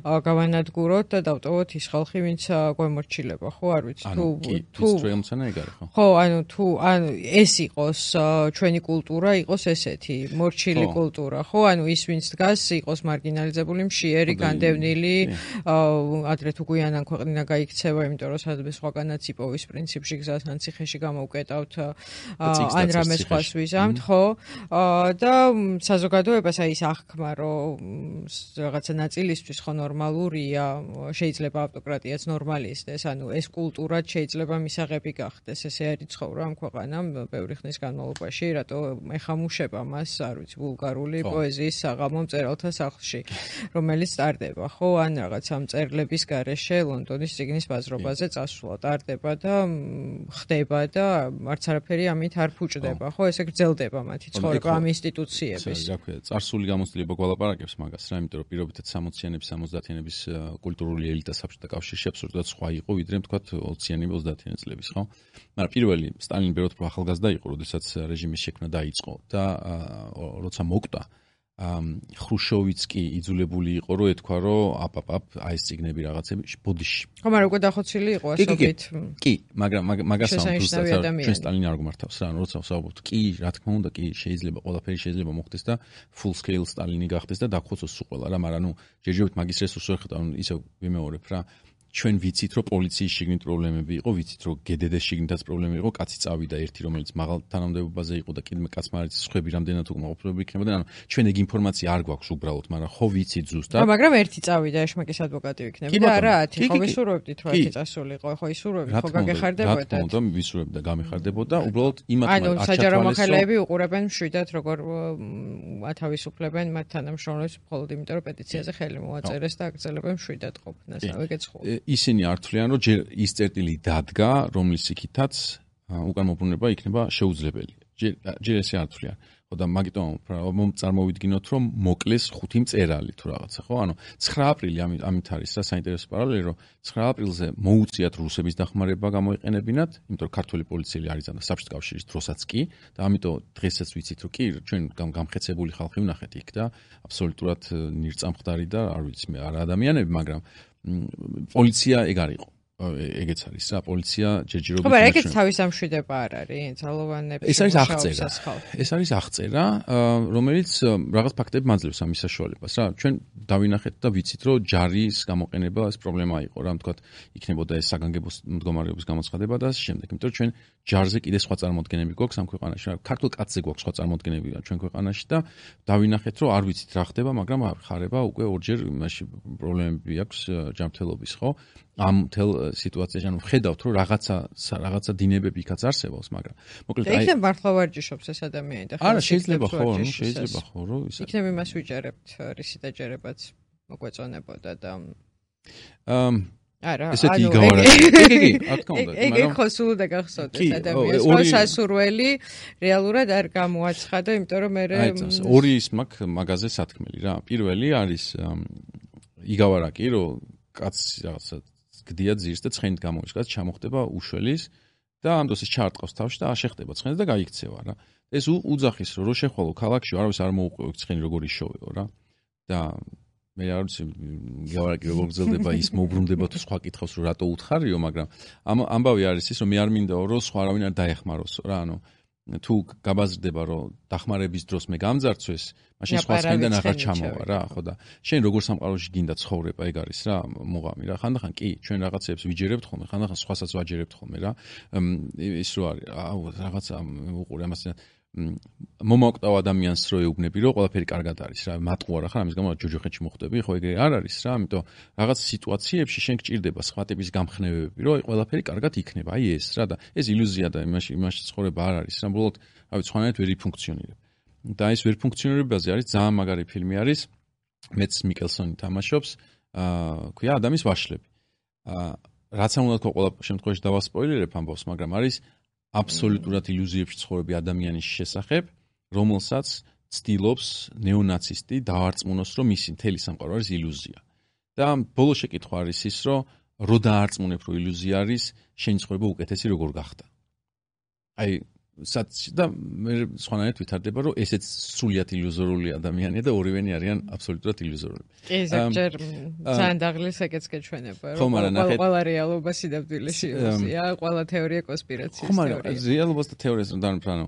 გავანადგუროთ და დავტოვოთ ის ხალხი, ვინც გვემორჩილება, ხო, არ ვიცი, თუ რემცანა ეგ არის, ხო? ხო, ანუ ეს იყოს ჩვენი კულტურა, იყოს ესეთი მორჩილი კულტურა, ხო? ანუ ის ვინც დგას, იყოს მარგინალიზებული, მშიერი, განდევნილი, ადრე თუ გვიანან ქვეყნიდან გაიქცევა, იმიტომ რომ სადმე სხვაგანაც იპოვის პრინციპში გზას ან ციხეში გამოვკეტავთ ან რამე სხვას ვიზამთ, ხო? და საზოგადოებას აი ეს აღქმა, რომ რაღაცა ნაწილისთვის ხო ნორმალურია, შეიძლება ავტოკრატიაც ნორმალი ისდეს, ანუ ეს კულტურად შეიძლება მისაღები გახდეს, ესე არის ცხოვრება ამ ქვეყანამ ბევრი ხნის განმავლობაში, რატო ეხამუშება მას, არ ვიცი, ბულგარული პოეზიის საღამო მწერალთა სახლში, რომელიც ტარდება, ხო, ან რაღაც ამ წერლების გარეშე ლონდონის წიგნის ბაზრობაზე წასვლა ტარდება და ხდება და არც არაფერი ამით არ ფუჭდება, ხო, ესე გრძელდება მათი ცხოვრება ამ ინსტიტუციების. რა ქვია, წარსული გამოცდილება გვალაპარაკებს მაგას რა, იმიტომ რომ პირობითად 60-იანების, 70-იანების კულტურული ელიტა საბჭოთა კავშირში აბსოლუტურად სხვა იყო, ვიდრე თქვათ 20-იანი, 30-იანი წლების, ხო? მაგრამ პირველი სტალინი ბევრად უფრო ახალგაზრდა იყო, როდესაც რეჟიმის შექმნა დაიწყო და როცა მოკვდა ხრუშოვიც კი იძულებული იყო რომ ეთქვა რომ აი ეს ციგნები რაღაცები ბოდიში. ხო, მაგრამ უკვე დახოცილი იყო ასობით. კი, მაგრამ მაგას ჩვენ სტალინი არ გვმართავს რა, როცა ვსაუბრობთ, კი, რა თქმა უნდა, კი, შეიძლება ყველაფერი შეიძლება მოხდეს და full scale სტალინი გახდეს და დაგხოცოს სულ ყველა რა, მაგრამ ჯერჯერობით მაგის რესურსს ვერ ხედავ, ისე ვიმეორებ რა. ჩვენ ვიცით, რომ პოლიციის შიგნით პრობლემები იყო, ვიცით, რომ გდდ-ს შიგნითაც პრობლემები იყო, კაცი წავიდა ერთი, რომელიც მაღალ თანამდებობაზე იყო და კიდე კაცმა არის სხვები რამდენად უკმაყოფილებული იქნებოდა, ანუ ჩვენ ეგ ინფორმაცია არ გვაქვს უბრალოდ, მაგრამ ხო ვიცით ზუსტად. მაგრამ ერთი წავიდა, ეშმაკის ადვოკატი იქნება და არა 10, ხო ვისურვებდით, რომ 10 წასულიყო, ხო ისურვებთ, ხო გაგეხარდებოდა. რა თქმა უნდა, ვისურვებთ და გამეხარდებოდა, უბრალოდ იმათმა ანუ საჯარო მოხელეები უყურებენ მშვიდად, როგორ ათავისუფლებენ მათ თანამშრომლებს, მხოლოდ იმიტომ, რომ პეტიციაზე ხელი მოაწერეს და აგრძელებენ მშვიდად ყოფნას, რავი გეცხო. ისინი არ თვლიან, რომ ჯერ ის წერტილი დადგა, რომლის იქითაც უკან მობრუნება იქნება შეუძლებელი. ჯერ ესე არ თვლიან. ხო და მაგიტომ წარმოვიდგინოთ, რომ მოკლეს 5 მწერალი თუ რაღაცა, ხო? ანუ 9 აპრილი ამით არის რა საინტერესო პარალელი, რომ 9 აპრილზე მოუწიათ რუსების დახმარება გამოიყენებინათ, იმიტომ რომ ქართველი პოლიციელი არის და საბჭოთა კავშირის დროსაც კი და ამიტომ დღესაც ვიცით, რომ კი ჩვენ გამხეცებული ხალხი ვნახეთ იქ და აბსოლუტურად ნირწამხდარი და არ ვიცი მე არა ადამიანები, მაგრამ პოლიცია ეგ არ იყო. ეგეც არის რა, პოლიცია ჯერჯერობით. ხო, მაგრამ ეგეც თავის ამშვიდება არ არის, ძალოვანებში. ეს არის აღწერა. ეს არის აღწერა, რომელიც რაღაც ფაქტები მაძლევს ამის საშუალებას რა. ჩვენ დავინახეთ და ვიცით, რომ ჯარის გამოყენება ეს პრობლემა იყო რა, თქვათ, იქნებოდა ეს საგანგებო მდგომარეობის გამოცხადება და ასე შემდეგ. იმიტომ რომ ჩვენ ჯარზე კიდე სხვა წარმოდგენები გვაქვს ამ ქვეყანაში რა. ქართულ კაცზე გვაქვს სხვა წარმოდგენები ჩვენ ქვეყანაში და დავინახეთ, რომ არ ვიცით რა ხდება, მაგრამ ხარება უკვე ორჯერ იმაში პრობლემები აქვს ჯანმრთელობის, ხო? ამ თელ სიტუაციაში ანუ ვხედავთ რომ რაღაცა დინებები იქაც არსებობს, მაგრამ მოკლედ აი იქნებ მართლა ვარჯიშობს ეს ადამიანი და არა შეიძლება ხო, შეიძლება ხო რომ ისე იქნებ იმას ვიჯერებთ, რისი დაჯერებაც მოგვეწონებოდა და არა, ესეთი იგავარაკი. კი, რა თქმა უნდა, მაგრამ ეგ ხო სულ და გახსოვდეს ადამიანს, რომ სასურველი რეალურად არ გამოაცხადა, იმიტომ რომ მე ორი ის მაგაზე სათქმელი რა. პირველი არის იგავარაკი, რომ კაცი რაღაცა გდია ძირს და ცხენით გამოიშკაც, ჩამოხდება უშველის და ამ დროს ის ჩაარტყავს თავში და აშეხდება ცხენს და გაიქცევა რა. ეს უძახის რომ შეხვალო ქალაქში არავის არ მოუყვევ ცხენი როგორ იშოვეო რა. და მე არ ვიცი გავარაკი როგორ გრძელდება ის მოუბრუნდება თუ სხვა კითხავს რომ რატო უთხარიო, მაგრამ ამბავი არის ის რომ მე არ მინდაო რომ სხვა არავინ არ დაეხმაროსო რა, ანუ თუ გაბაზრდება რომ დახმარების დროს მე გამძარცვეს, მაშინ სხვა ცხენიდან აღარ ჩამოვა რა, ხო და შენ როგორ სამყაროში გინდა ცხოვრება, ეგ არის რა მოღამი რა. ხანდახან კი ჩვენ რაღაცებს ვიჯერებთ ხოლმე, ხანდახან სხვასაც ვაჯერებთ ხოლმე რა. ის რო არის, რაღაცა უყურე ამას მომაკვდავ ადამიანს რო ეუბნები რომ ყველაფერი კარგად არის რა, მატყუარა ხარ ამის გამო ჯოჯოხეთში მოხდები, ხო ეგრე არ არის რა, ამიტომ რაღაც სიტუაციებში შენ გჭირდება სხვა ტიპის გამხნევებები, რომ ყველაფერი კარგად იქნება, აი ეს რა და ეს ილუზია და იმაში ცხოვრება არ არის რა, ბოლოდ რავი სხვანაირად ვერ იფუნქციონირებ. და ეს ვერ ფუნქციონირებაზე არის ძალიან მაგარი ფილმი არის, მეც მიკელსონი თამაშობს, ქვია ადამიანის ვაშლები. რაც არ უნდა თქვა ყველა შემთხვევაში დავასპოილერებ ამბავს, მაგრამ არის აბსოლუტურად ილუზიებში ცხოვრები ადამიანის შესახებ, რომელსაც ცდილობს ნეონაცისტი დაარწმუნოს, რომ მისი მთელი სამყარო არის ილუზია. და ბოლო შეკითხვა არის ის, რომ დაარწმუნებ, რომ ილუზია არის, შენი ცხოვრება უკეთესი როგორ გახდა. აი და მე სხვანაირად ვითარდება, რომ ესეც სრულიად ილუზორული ადამიანია და ორივენი არიან აბსოლუტურად ილუზორული. კი, ზოგჯერ ძალიან დაღლის ეგეც გეჩვენება, რომ ყველა რეალობა სინამდვილეში ილუზია, ყველა თეორია კონსპირაციის თეორია. ხო, რეალობას და თეორიას რომ დავფრანო,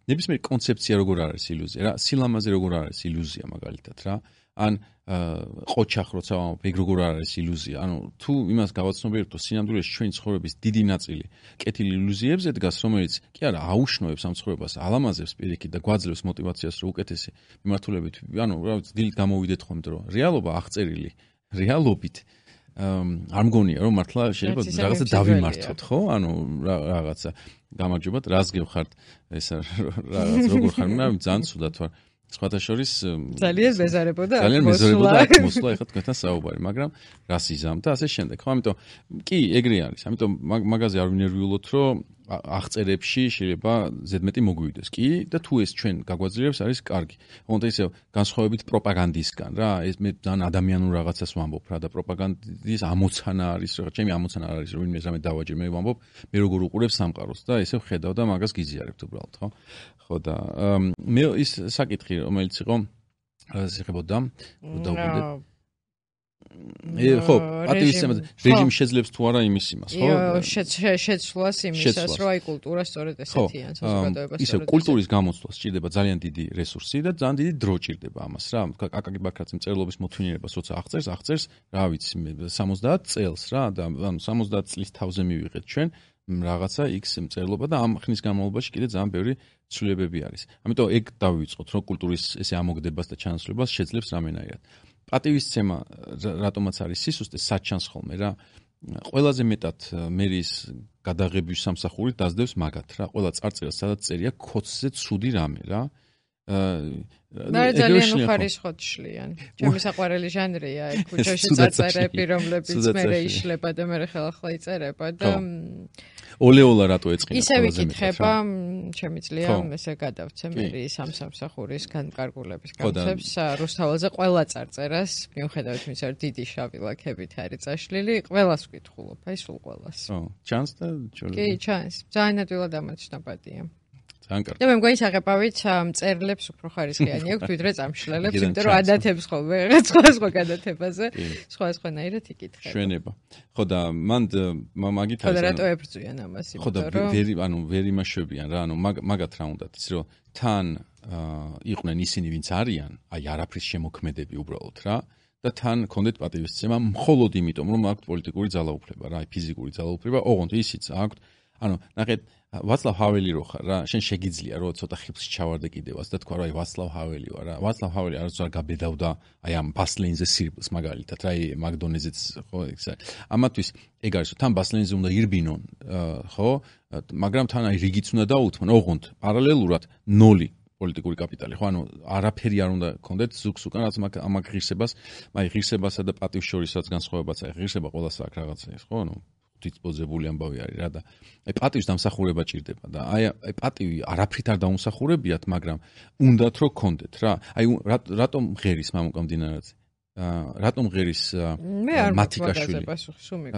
ნებისმიერი კონცეფცია როგორ არის ილუზია, რა, სილამაზე როგორ არის ილუზია მაგალითად რა. ან ყოჩახ როცა ეგ როგორ არის ილუზია. ანუ თუ იმას გავაცნობიერებთ, რომ სინამდვილეში ჩვენი ცხოვრების დიდი ნაწილი კეთილ ილუზიებზე დგას, რომელიც კი არა აუშნოებს ამ ცხოვრებას, ალამაზებს პირიქით და გვაძლევს мотиваციას, რომ უკეთესი მიმართულებით, ანუ რა ვიცი, დილით გამოვიდეთ ხოლმე, რომ რეალობა აღწერილი რეალობით არ მგონია, რომ მართლა შეიძლება რაღაცა დავიმართოთ, ხო? ანუ რაღაცა გამარჯობათ, რას გევხართ, ეს რაღაც როგორ ხარ, მე ძალიან ცუდად ვარ. სხვათა შორის ძალიან მეზარებოდა მოსვლა ეხლა თქვენთან საუბარი, მაგრამ რას იზამ და ასე შემდეგ. ხო, ამიტომ კი ეგრე არის. ამიტომ მაგაზე არ ვინერვიულოთ, რომ აღწერებში შეიძლება ზედმეტი მოგვივიდეს. კი და თუ ეს ჩვენ გაგვაძლიერებს არის კარგი. თუმცა ისე განსხვავებით პროპაგანდისგან რა, ეს მე ძალიან ადამიანურ რაღაცას ვამბობ რა და პროპაგანდის ამოცანა არის, რა, ჩემი ამოცანა არის, რომ ვინმე რამე დავაჯერ, მე ვამბობ, მე როგორ უყურებ სამყაროს და ესე ვხედავ და მაგას გიზიარებთ უბრალოდ, ხო? ხო და მე ის საკითხი რომელიც იყო რას ეხებოდა დავგვიდეთ ხო პატივისცემა რეჟიმი შეძლებს თუ არა იმის იმას ხო შეცვლას იმისას რომ აი კულტურა სწორედ ესეთიან საზოგადოებას ისე კულტურის გამოცვლას ჭირდება ძალიან დიდი რესურსი და ძალიან დიდი დრო ჭირდება ამას რა აკაკი ბაქრაძე მწერლობის მოთმინილებას როცა აღწერს რა ვიცი 70 წელს რა და ანუ 70 წლის თავზე მივიღეთ ჩვენ რაღაცა X მწერლობა და ამ ხნის განმავლობაში კიდე ძალიან ბევრი ცვლილებები არის. ამიტომ ეგ დავივიწყოთ, რომ კულტურის ესე ამოგდებას და ჩანაცვლებას შეძლებს რამენაირად. პატივისცემა რატომაც არის სისუსტე, საჩანს ხოლმე რა. ყველაზე მეტად მერის გადაღების სამსახური დაძდევს მაგათ რა. ყველა წარწერას სადაც წერია ქოცზე ცუდი რამე რა. მე ძალიან უხარისხოთშლიან. ჩემი საყვარელი ჟანრია ეგ ქუჩაში წარწერები, რომლებიც მე იშლება და მე ხელახლა იწერება და ოლეოლა რატო ეწყინა ისე ვიკითხება, შემიძლია ესე გადავცე მე სამსახურის განკარგულების კონცეფტს რუსთაველზე ყველა წარწერას, მიუხედავად იმისა, რომ დიდი შავი ლაქებით არის წაშლილი, ყველას ვკითხულობ, აი სულ ყველას. ჩანს და ჯერ კი, ჩანს. ძალიან ადვილად ამოჩნდა პატია. ძალიან კარგი. და მე მგონი საღებავით მწერლებს უფრო ხარისხიანი აქვთ, ვიდრე წამშლელებს, იმიტომ რომ ადათებს ხოლმე სხვა გადათებაზე, სხვანაირად იკითხება. შვენება. ხო და მან მაგით არის. ხო და რატო ებრძვიან ამას, იმიტომ რომ ვერ იმაშვებიან რა, ანუ მაგათ რა უნდათ, ის რომ თან იყვნენ ისინი, ვინც არიან, აი არაფრის შემოქმედები უბრალოდ რა. და თან კონდეთ პატივისცემა მხოლოდ იმიტომ, რომ აქვთ პოლიტიკური ძალაუფლება რა, აი ფიზიკური ძალაუფლება, ოღონდ ისიც აქვთ, ანუ ნახეთ ვაცლავ ჰაველი რო ხარ რა, შენ შეგიძლია რომ ცოტა ხიფლში ჩავარდე კიდევაც და თქვა რა, აი ვაცლავ ჰაველი ვარ რა. ვაცლავ ჰაველი არც არ გაბედავდა, აი ამ ბასლენზე სირბილს მაგალითად რა, აი მაგდონეზეც ხო ეს არის. ამათვის ეგ არის რომ თან ბასლენზე უნდა ირბინონ, ხო? მაგრამ თან აი რიგიც უნდა დაუთმონ, ოღონდ პარალელურად 0 პოლიტიკური კაპიტალი, ხო, ანუ არაფერი არ უნდა გქონდეთ ზუგს უკან, რაც ამაგ ღირსებას, აი ღირსებასა და პატივს შორისაც განსხვავებაც, აი ღირსება ყველას აქვს რაღაცა ის, ხო, ანუ დისპოზებული ამბავი არის რა და აი პატივის დამსახურება ჭირდება და აი პატივი არაფრით არ დაუმსახურებიათ, მაგრამ უნდათ რომ გქონდეთ რა. აი რატომ ღერის მამუკამდინარაძე? რატომ ღერის მათიკაშვილი?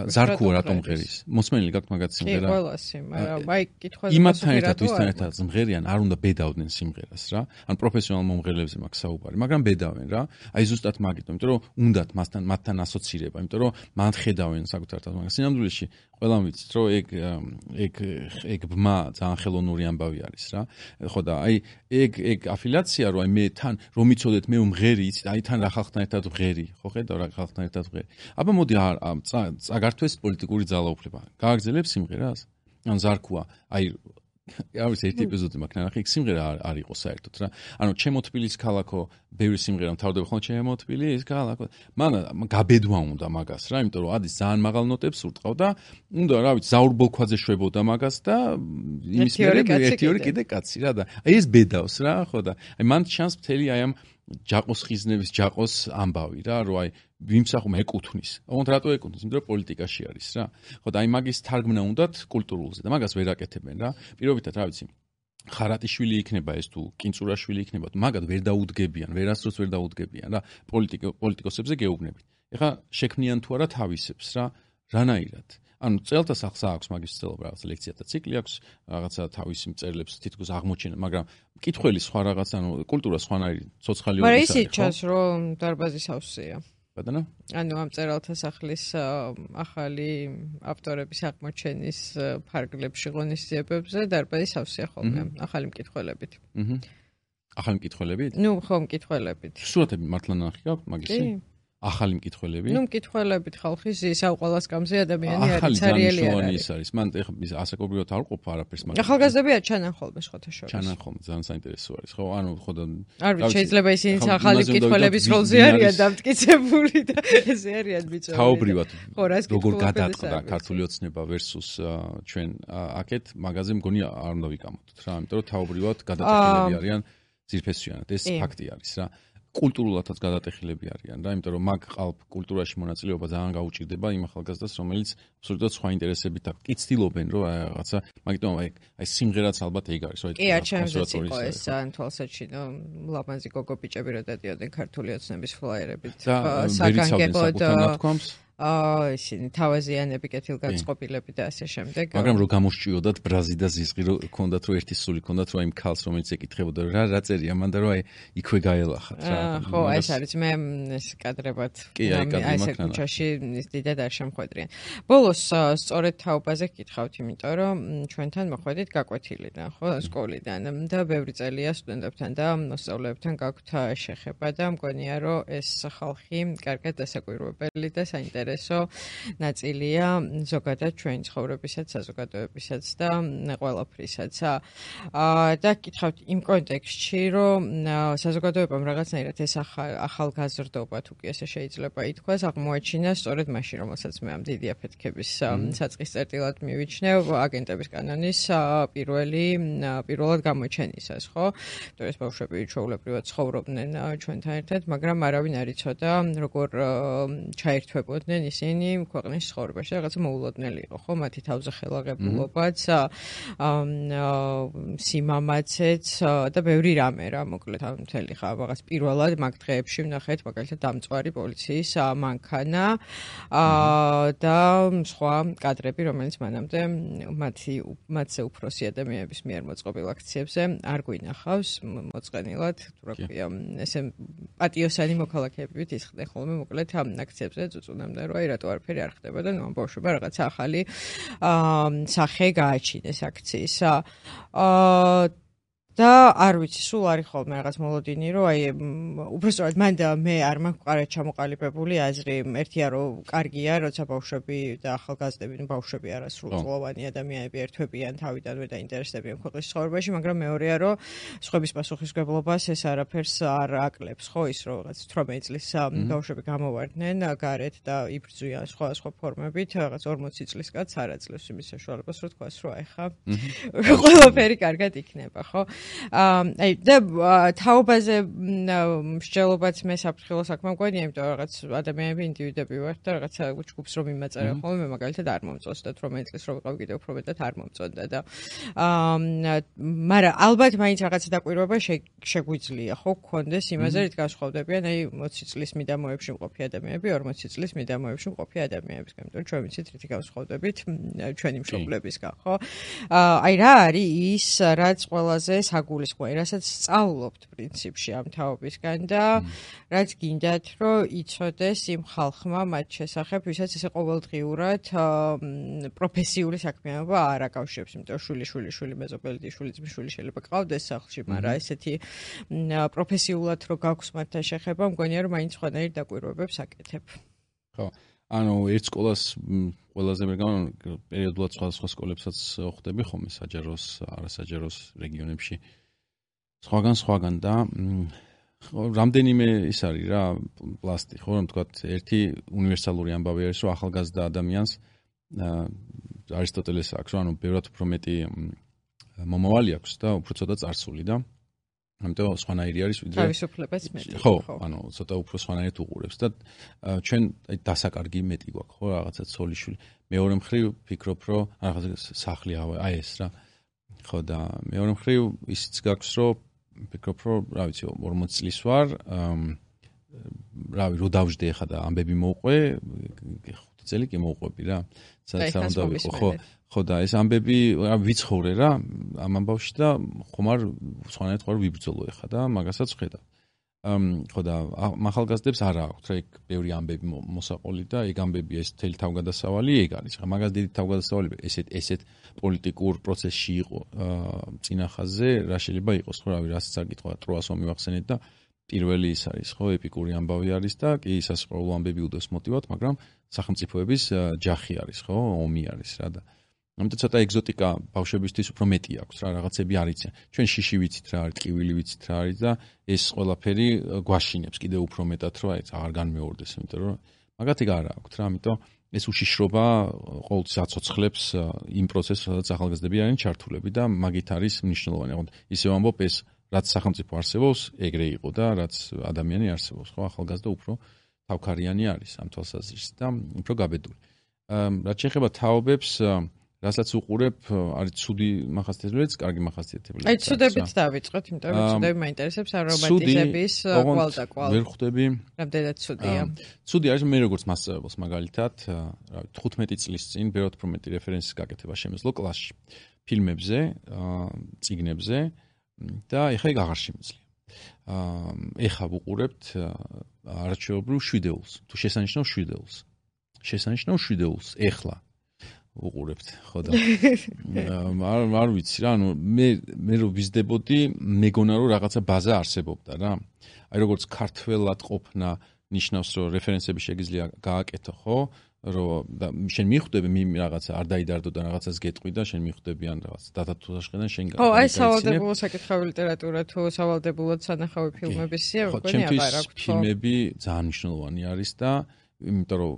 ზარქუა რატომ ღერის? მოსმენილი გაქვთ მაგათ სიმღერა? კი, ყველას სიმღერა. აი კითხვაზე იმათთან ერთად ვისთან ერთად მღერიან, არ უნდა ბედავდნენ სიმღერას რა. ან პროფესიონალ მომღერლებზე მაქვს საუბარი, მაგრამ ბედავენ რა. აი ზუსტად მაგით, იმიტომ რომ უნდათ მათთან ასოცირება, იმიტომ რომ მან ხედავენ საკუთარ თავს, მაგრამ სინამდვილეში ყველამ ვიცით, რომ ეგ ბმა ძალიან ხელოვნური ამბავი არის რა. ხო და აი ეგ აფილიაცია რომ აი მე თან რომ მიცოდეთ მე ვმღერი, იცით, აი თან რა ხალხთან ერთად ვღერი, ხო ხედავ რა ხალხთან ერთად ვღერი. აბა მოდი წაგართვეს პოლიტიკური ძალაუფლება. გააგრძელებს სიმღერას? ან ზარქუა, აი არის ერთი ეპიზოდი მაქვს ნახე, იქ სიმღერა არ იყო საერთოდ რა. ანუ ჩემო თბილის ქალაქო, ბევრი სიმღერა მთავრდება ხოლმე ჩემო თბილის ქალაქო. მან გაბედვა უნდა მაგას რა, იმიტომ რომ ადის ძალიან მაღალ ნოტებს ურტყავ და უნდა რა ვიცი, ზაურბოლქვაზე შვებოდა მაგას და იმის მერე ერთი ორი კიდე კაცი რა და აი ეს ბედავს რა, ხო და აი მან ჩანს მთელი აი ამ ჯაყოს ხიზნების ჯაყოს ამბავი რა, რომ აი ვიმსახურე ეკუთვნის. ოღონდ რატო ეკუთვნის? იმიტომ რომ პოლიტიკაში არის რა. ხო და აი მაგის თარგმნა უნდათ კულტურულზე და მაგას ვერ აკეთებენ რა. პირობითად რა ვიცი ხარატიშვილი იქნება ეს თუ კინწურაშვილი იქნება, მაგათ ვერ დაუდგებიან, ვერასდროს ვერ დაუდგებიან რა პოლიტიკოსებზე გეუბნებით. ეხლა შექმნიან თუ არა თავისებს რა, რანაირად? ანუ წელთა სახს აქვს მაგის ცდილობა, რაღაც ლექციათა ციკლი აქვს, რაღაცა თავისი მწერლებს თითქოს აღმოჩენა, მაგრამ მკითხველი სხვა რაღაც, ანუ კულტურა სხვანაირი ცოცხალი მაგრამ ისიც ჩანს, რომ დარბაზის ავსია. ბატონო? ანუ ამ წერალთა სახლის ახალი ავტორების აღმოჩენის ფარგლებში ღონისძიებებზე დარბაზის ავსია ხოლმე, ახალი მკითხველებით. ახალი მკითხველებით? ნუ ხო მკითხველებით. სურათები მართლა ნახი გაქვთ მაგისი? ახალი მკითხველები? ნუ მკითხველებით ხალხი ზის აუყოლას გამზე ადამიანი არის ცარიელი არის. მან ეხლა ასაკობრივად არ ყოფა არაფერს მაგრამ ახალგაზრდებია ჩანან ხოლმე შეხოთა შორის. ჩანან ხოლმე ძალიან საინტერესო არის. ხო, ანუ ხო და არ ვიცი შეიძლება ისინი ახალი მკითხველების როლზე არიან დამტკიცებული და ესე არიან ბიჭები. თაობრივად როგორ გადაწყდა ქართული ოცნება versus ჩვენ აქეთ მაგაზე მგონი არ უნდა ვიკამოთ რა, იმიტომ რომ თაობრივად გადატეხილები არიან ძირფესვიანად. ეს ფაქტი არის რა. კულტურულადაც გადატეხილები არიან რა, იმიტომ რომ მაგ ყალბ კულტურაში მონაწილეობა ძალიან გაუჭირდება იმ ახალგაზრდას, რომელიც აბსოლუტურად სხვა ინტერესებით აქვს. კი ცდილობენ რომ რაღაცა, მაგიტომ აი სიმღერაც ალბათ ეგ არის, რა. კი, ჩემზეც იყო ეს ძალიან თვალსაჩინო, ლამაზი გოგო ბიჭები რო დადიოდნენ ქართული ოცნების ფლაიერებით. საგანგებოდ ისინი თავაზიანები კეთილგანწყობილები და ასე შემდეგ. მაგრამ რო გამოსჭიოდათ ბრაზი და ზიზღი რო ქონდათ რომ ერთი სული ქონდათ რომ აი ქალს რომელიც ეკითხებოდა რა წერია მან და რომ აი იქვე გაელახათ რა. ხო, ეს არის მე ეს კადრებად ესე ქუჩაში დიდად არ შემხვედრიან. ბოლოს სწორედ თაობაზე გკითხავთ, იმიტომ რომ ჩვენთან მოხვედით გაკვეთილიდან, ხო, სკოლიდან და ბევრი წელია სტუდენტებთან და მოსწავლეებთან გაქვთ შეხება და მგონია რომ ეს ხალხი კარგად დასაკვირვებელი და საინტერესო ნაწილია ზოგადად ჩვენი ცხოვრებისაც, საზოგადოებისაც და ყველაფრისაც. და გკითხავთ იმ კონტექსტში, რომ საზოგადოებამ რაღაცნაირად ეს ახალგაზრდობა თუ კი ესე შეიძლება ითქვას, აღმოაჩინა სწორედ მაშინ, რომელსაც მე ამ დიდი აფეთქების საწყის წერტილად მივიჩნევ, აგენტების კანონის პირველად გამოჩენისას, ხო? ეს ბავშვები ჩვეულებრივად ცხოვრობდნენ ჩვენთან ერთად, მაგრამ არავინ არ იცოდა, როგორ ჩაერთვებოდნენ ისინი ქვეყნის ცხოვრებაში, რაღაცა მოულოდნელი იყო, ხო? მათი თავზე ხელაღებულობაც, სიმამაცეც და ბევრი რამე რა, მოკლედ ამ მთელი ხა რაღაც პირველად მაგ დღეებში ვნახეთ, მაგალითად დამწვარი პოლიციის მანქანა და სხვა კადრები, რომელიც მანამდე მათზე უფროსი ადამიანების მიერ მოწყობილ აქციებზე არ გვინახავს მოწყენილად, თუ რა ქვია, ესე პატიოსანი მოქალაქეებით ისხდნენ ხოლმე მოკლედ ამ აქციებზე წუწუნამდე რომ აი რატო არაფერი არ ხდება და ნუ ამ ბავშვებმა რაღაცა ახალი სახე გააჩინეს აქციისა. და არ ვიცი, სულ არის ხოლმე რაღაც მოლოდინი, რომ აი უბრალოდ მან და მე არ მაქვს ყარად ჩამოყალიბებული აზრი, ერთია რომ კარგია, როცა ბავშვები და ახალგაზრდები, ბავშვები არა სრულწლოვანი ადამიანები ერთვებიან თავიდანვე და ინტერესდებიან ქვეყნის ცხოვრებაში, მაგრამ მეორეა რომ სხვების პასუხისმგებლობას ეს არაფერს არ აკლებს, ხო, ის რომ რაღაც 18 წლის ბავშვები გამოვარდნენ გარეთ და იბრძვიან სხვა ფორმებით, რაღაც 40 წლის კაცს არ აძლევს იმის საშუალებას, რომ თქვას, რომ აი ხა ყველაფერი კარგად იქნება, ხო? აი და თაობაზე მსჯელობაც მე საფრთხილო საქმე მგონია, იმიტომ რომ რაღაც ადამიანები ინდივიდები ვართ და რაღაცა ჯგუფს რომ იმაწერა ხოლმე, მე მაგალითად არ მომწონს და 18 წლის რომ ვიყავ კიდევ უფრო მეტად არ მომწონდა და მაგრამ ალბათ მაინც რაღაცა დაკვირვება შეგვიძლია, ხო, გქონდეს იმაზე, რით განსხვავდებიან აი 20 წლის მიდამოებში მყოფი ადამიანები, 40 წლის მიდამოებში მყოფი ადამიანებისგან, იმიტომ რომ ჩვენ ვიცით რითი განსხვავდებით ჩვენი მშობლებისგან, ხო? აი რა არის ის, რაც ყველაზე საგულისხმოა, რასაც სწავლობთ პრინციპში ამ თაობისგან და რაც გინდათ, რომ იცოდეს იმ ხალხმა მათ შესახებ, ვისაც ესე ყოველდღიურად პროფესიული საქმიანობა არ აკავშირებს, იმიტომ რომ შვილი მეზობელი შვილი ძმისშვილი შეიძლება გყავდეს სახლში, მაგრამ ესეთი პროფესიულად რო გაქვს მათთან შეხება, მგონია რომ მაინც სხვანაირ დაკვირვებებს აკეთებ. ხო. ანუ ერთ სკოლას ყველაზე მე პერიოდულად სხვა სკოლებსაც ხვდები ხოლმე საჯაროს, არასაჯაროს რეგიონებში. სხვაგან და რამდენიმე ის არის რა, პლასტი, ხო, რომ თქვა ერთი უნივერსალური ამბავი არის, რომ ახალგაზრდა ადამიანს არისტოტელეს აქვს, რომ ანუ ბევრად უფრო მეტი მომავალი აქვს და უფრო ცოტა წარსული და ამიტომ სხვანაირი არის ვიდრე თავისუფლებაც მეტი. ხო, ანუ ცოტა უფრო სხვანაირად უყურებს და ჩვენ დასაკარგი მეტი გვაქვს, ხო, რაღაცა ცოლიშვილი. მეორე მხრივ ფიქრობ, რომ რაღაცა სახლი აი ეს რა. ხო და მეორე მხრივ ისიც გაქვს, რომ ფიქრობ, რომ რა ვიცი 40 წლის ვარ, რავი, რო დავжди ახლა და ამბები მოუყვე, 5 წელი კი მოუყვები რა. სადაც არ უნდა ვიყო, ხო. ხო და ეს ამბები ვიცხოვრე რა ამ ამბავში და ხომარ სხვანაირად ხარ ვიბრძოლო ახლა და მაგასაც ხედავ. ხო და ახალგაზრდებს არა აქვთ რა იქ ბევრი ამბები მოსაყოლი და ეგ ამბები ეს თელი თავგადასავალი ეგ არის. ხა მაგას დიდი თავგადასავალი ესეთ პოლიტიკურ პროცესში იყო წინახაზე რა შეიძლება იყოს ხო რავი რასაც არ გითხრა ტროას ომი ვახსენეთ და პირველი ის არის ხო ეპიკური ამბავი არის და კი სასწავლო ამბები უდევს მოტივად მაგრამ სახელმწიფოების ჯახი არის ხო ომი არის რა და ამიტომ ცოტა ეგზოტიკა ბავშვებისთვის უფრო მეტი აქვს რა რაღაცები არ იციან. ჩვენ შიში ვიცით რა არის, ტკივილი ვიცით რა არის და ეს ყველაფერი გვაშინებს კიდევ უფრო მეტად რომ აი აღარ განმეორდეს, იმიტომ რომ მაგათი არ აქვს რა, ამიტომ ეს უშიშრობა ყოველთვის აცოცხლებს იმ პროცესს, სადაც ახალგაზრდები არიან ჩართულები და მაგით არის მნიშვნელოვანი. ხო, ისევ ამბობ ეს რაც სახელმწიფო არსებობს, ეგრე იყო და რაც ადამიანი არსებობს, ხო, ახალგაზრდა უფრო თავქარიანი არის ამ თვალსაზრისით და უფრო გაბედული. რაც შეეხება თაობებს რასაც უყურებ, არის ცუდი მახასიათებლიც, კარგი მახასიათებლიც. აი, ცუდებით დავიწყოთ, იმიტომ რომ ცუდები მაინტერესებს არომატიზების კვალ და კვალ. ვერ ხვდები. რამდენად ცუდია? ცუდი არის მე როგორც მასწავლებელს მაგალითად, რა ვიცი, 15 წლის წინ ბევრად უფრო მეტი რეფერენსის გაკეთება შემეძლო კლასში. ფილმებზე, წიგნებზე და ეხლა ეგ აღარ შემიძლია. ეხლა ვუყურებთ არაჩვეულებრივ შვიდეულს. თუ შესანიშნავ შვიდეულს. შესანიშნავ შვიდეულს ეხლა უყურებთ, ხო და არ ვიცი რა, ანუ მე რო ვიზდებოდი, მეგონა რომ რაღაცა ბაზა არსებობდა რა. აი როგორც ქართველად ყოფნა ნიშნავს, რომ რეფერენსები შეგიძლია გააკეთო, ხო? რომ და შენ მიხვდები რაღაცა არ დაიდარდო და რაღაცას გეტყვი და შენ მიხვდები ან რაღაც დათათუშაშყიდან შენ ხო, აი სავალდებულო საკითხავი ლიტერატურა თუ სავალდებულოდ სანახავი ფილმების სია, მგონი აღარ აქვს. ფილმები ძალიან მნიშვნელოვანი არის და იმიტომ რომ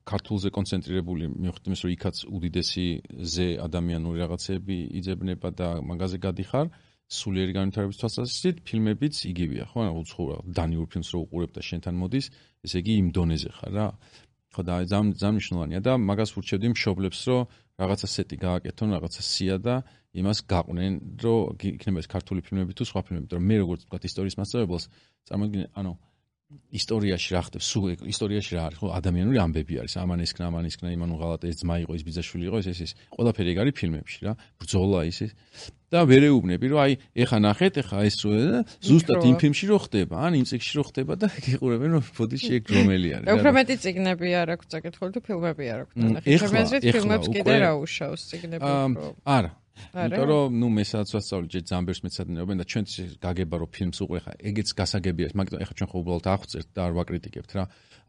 ქართულზე კონცენტრირებული მიხვდით იმის რომ იქაც უდიდესი ზე ადამიანური რაღაცები იძებნება და მაგაზე გადიხარ სულიერი განვითარების თვალსაზრისით ფილმებიც იგივეა ხო ანუ უცხოურ დანიურ ფილმს რო უყურებ და შენთან მოდის ესე იგი იმ დონეზე ხარ რა ხო და ძალიან მნიშვნელოვანია და მაგას ვურჩევდი მშობლებს რომ რაღაცა სეტი გააკეთონ რაღაცა სია და იმას გაყვნენ რომ იქნება ეს ქართული ფილმები თუ სხვა ფილმები მაგრამ მე როგორც ვთქვათ ისტორიის მასწავლებელს წარმოგიდგენთ ანუ ისტორიაში რა ხდება? სულ ისტორიაში რა არის? ხო, ადამიანური ამბები არის. ამან ისქნა, იმან უღალატა ეს ძმა იყო, ეს ბიძაშვილი იყო, ეს. ყველაფერი ეგ არის ფილმებში რა. ბრძოლა ის. და ვერ ეუბნები, რომ აი, ეხა ნახეთ, ეხა ეს ზუსტად იმ ფილმში რო ხდება, ან იმ წიგნში რო ხდება და გიყურებენ, რომ ბოდიში ეგ რომელი არის. უფრო მეტი წიგნები არ აქვს საკითხული თუ ფილმები არ აქვს. ეხლა ფილმებს კიდე რა უშავს წიგნები უფრო. არა. იმიტომ რომ ნუ მესაც ვასწავლე ჯერ ძალიან ბევრს მეცადინეობენ და ჩვენც გაგება რომ ფილმს უყურე ხა ეგეც გასაგებია მაგრამ ეხლა ჩვენ ხო უბრალოდ აღვწერთ და არ ვაკრიტიკებთ რა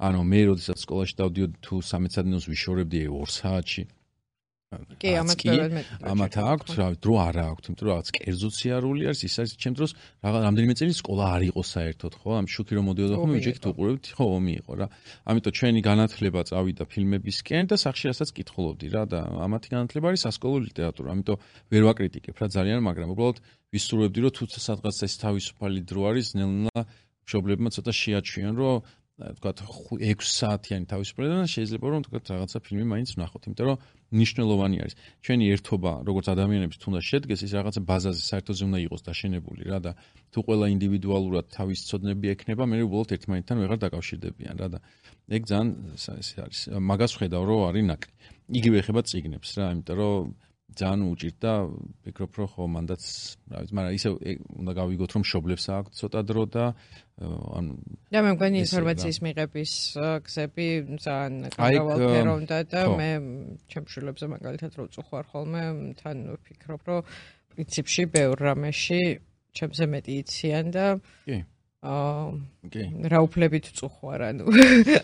ანუ მე როდესაც სკოლაში დავდიოდი თუ სამეცადინეოს ვიშორებდი 2 საათში კი ამათ აქვს რა დრო არა აქვს იმიტომ რომ რაღაც კერძოციარული არის ის არის ჩემ დროს რაღაც რამდენიმე წელი სკოლა არ იყო საერთოდ ხო ამ შუქი რომ მოდიოდა ხომ ვიჯექით უყურებთ ხო ომი იყო რა ამიტომ ჩვენი განათლება წავიდა ფილმებისკენ და სახში რასაც კითხულობდი რა და ამათი განათლება არის სასკოლო ლიტერატურა ამიტომ ვერ ვაკრიტიკებ რა ძალიან მაგრამ უბრალოდ ვისურვებდი რომ თუ სადღაც ეს თავისუფალი დრო არის ნელ-ნელა მშობლებმა ცოტა შეაჩვიან რომ თქვათ 6 საათიანი თავისუფლება შეიძლება რომ თქვათ რაღაცა ფილმი მაინც ვნახოთ იმიტომ რომ ნიშნულოვანი არის ჩვენი ერთობა როგორც ადამიანების თუნდაც შედგეს ის რაღაცა ბაზაზე საერთოზე უნდა იყოს დაშენებული რა და თუ ყველა ინდივიდუალურად თავის ცოდნები ექნება მე უბრალოდ ერთმანეთთან ვეღარ დაკავშირდებიან რა და ეგ ძალიან ეს არის მაგას ვხედავ რომ არის ნაკლი იგივე ეხება წიგნებს რა იმიტომ რომ ძალიან უჭირდა ფიქრობ რომ ხო მანდაც რა ვიცი მაგრამ ისე უნდა გავიგოთ რომ მშობლებს აქვს ცოტა დრო და ანუ და მე მგონი ინფორმაციის მიღების გზები ძალიან გავალფერონდა და მე ჩემშულებზე მაგალითად რო წუხარ ხოლმე თან ვფიქრობ რომ პრინციპში ბევრ რამეში ჩემზე მეტი იციან და რა უფლებით წუხარ ანუ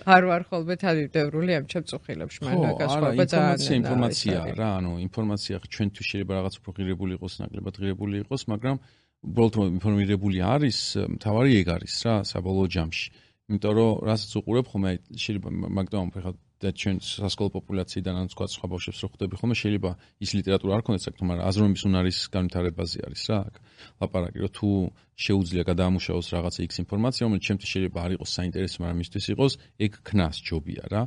არ ვარ ხოლმე თავდევრული ამ ჩემ წუხილებში მაგრამ გასხვავება ძალიან ინფორმაცია რა ანუ ინფორმაცია ჩვენთვის შეიძლება რაღაც უფრო ღირებული იყოს ნაკლებად ღირებული იყოს მაგრამ უბრალოდ რომ ინფორმირებული არის მთავარი ეგ არის რა საბოლოო ჯამში იმიტომ რომ რასაც უყურებ ხომ შეიძლება მაგდამ ხა და ჩვენ სასკოლო პოპულაციიდან ან სხვა ბავშვებს რო ხვდები ხოლმე შეიძლება ის ლიტერატურა არ ქონდეს საქმე, მაგრამ აზროვნების უნარის განვითარებაზე არის რა აქ ლაპარაკი, რომ თუ შეუძლია გადაამუშავოს რაღაცა X ინფორმაცია, რომელიც ჩემთვის შეიძლება არ იყოს საინტერესო, მაგრამ მისთვის იყოს, ეგ ქნას ჯობია რა.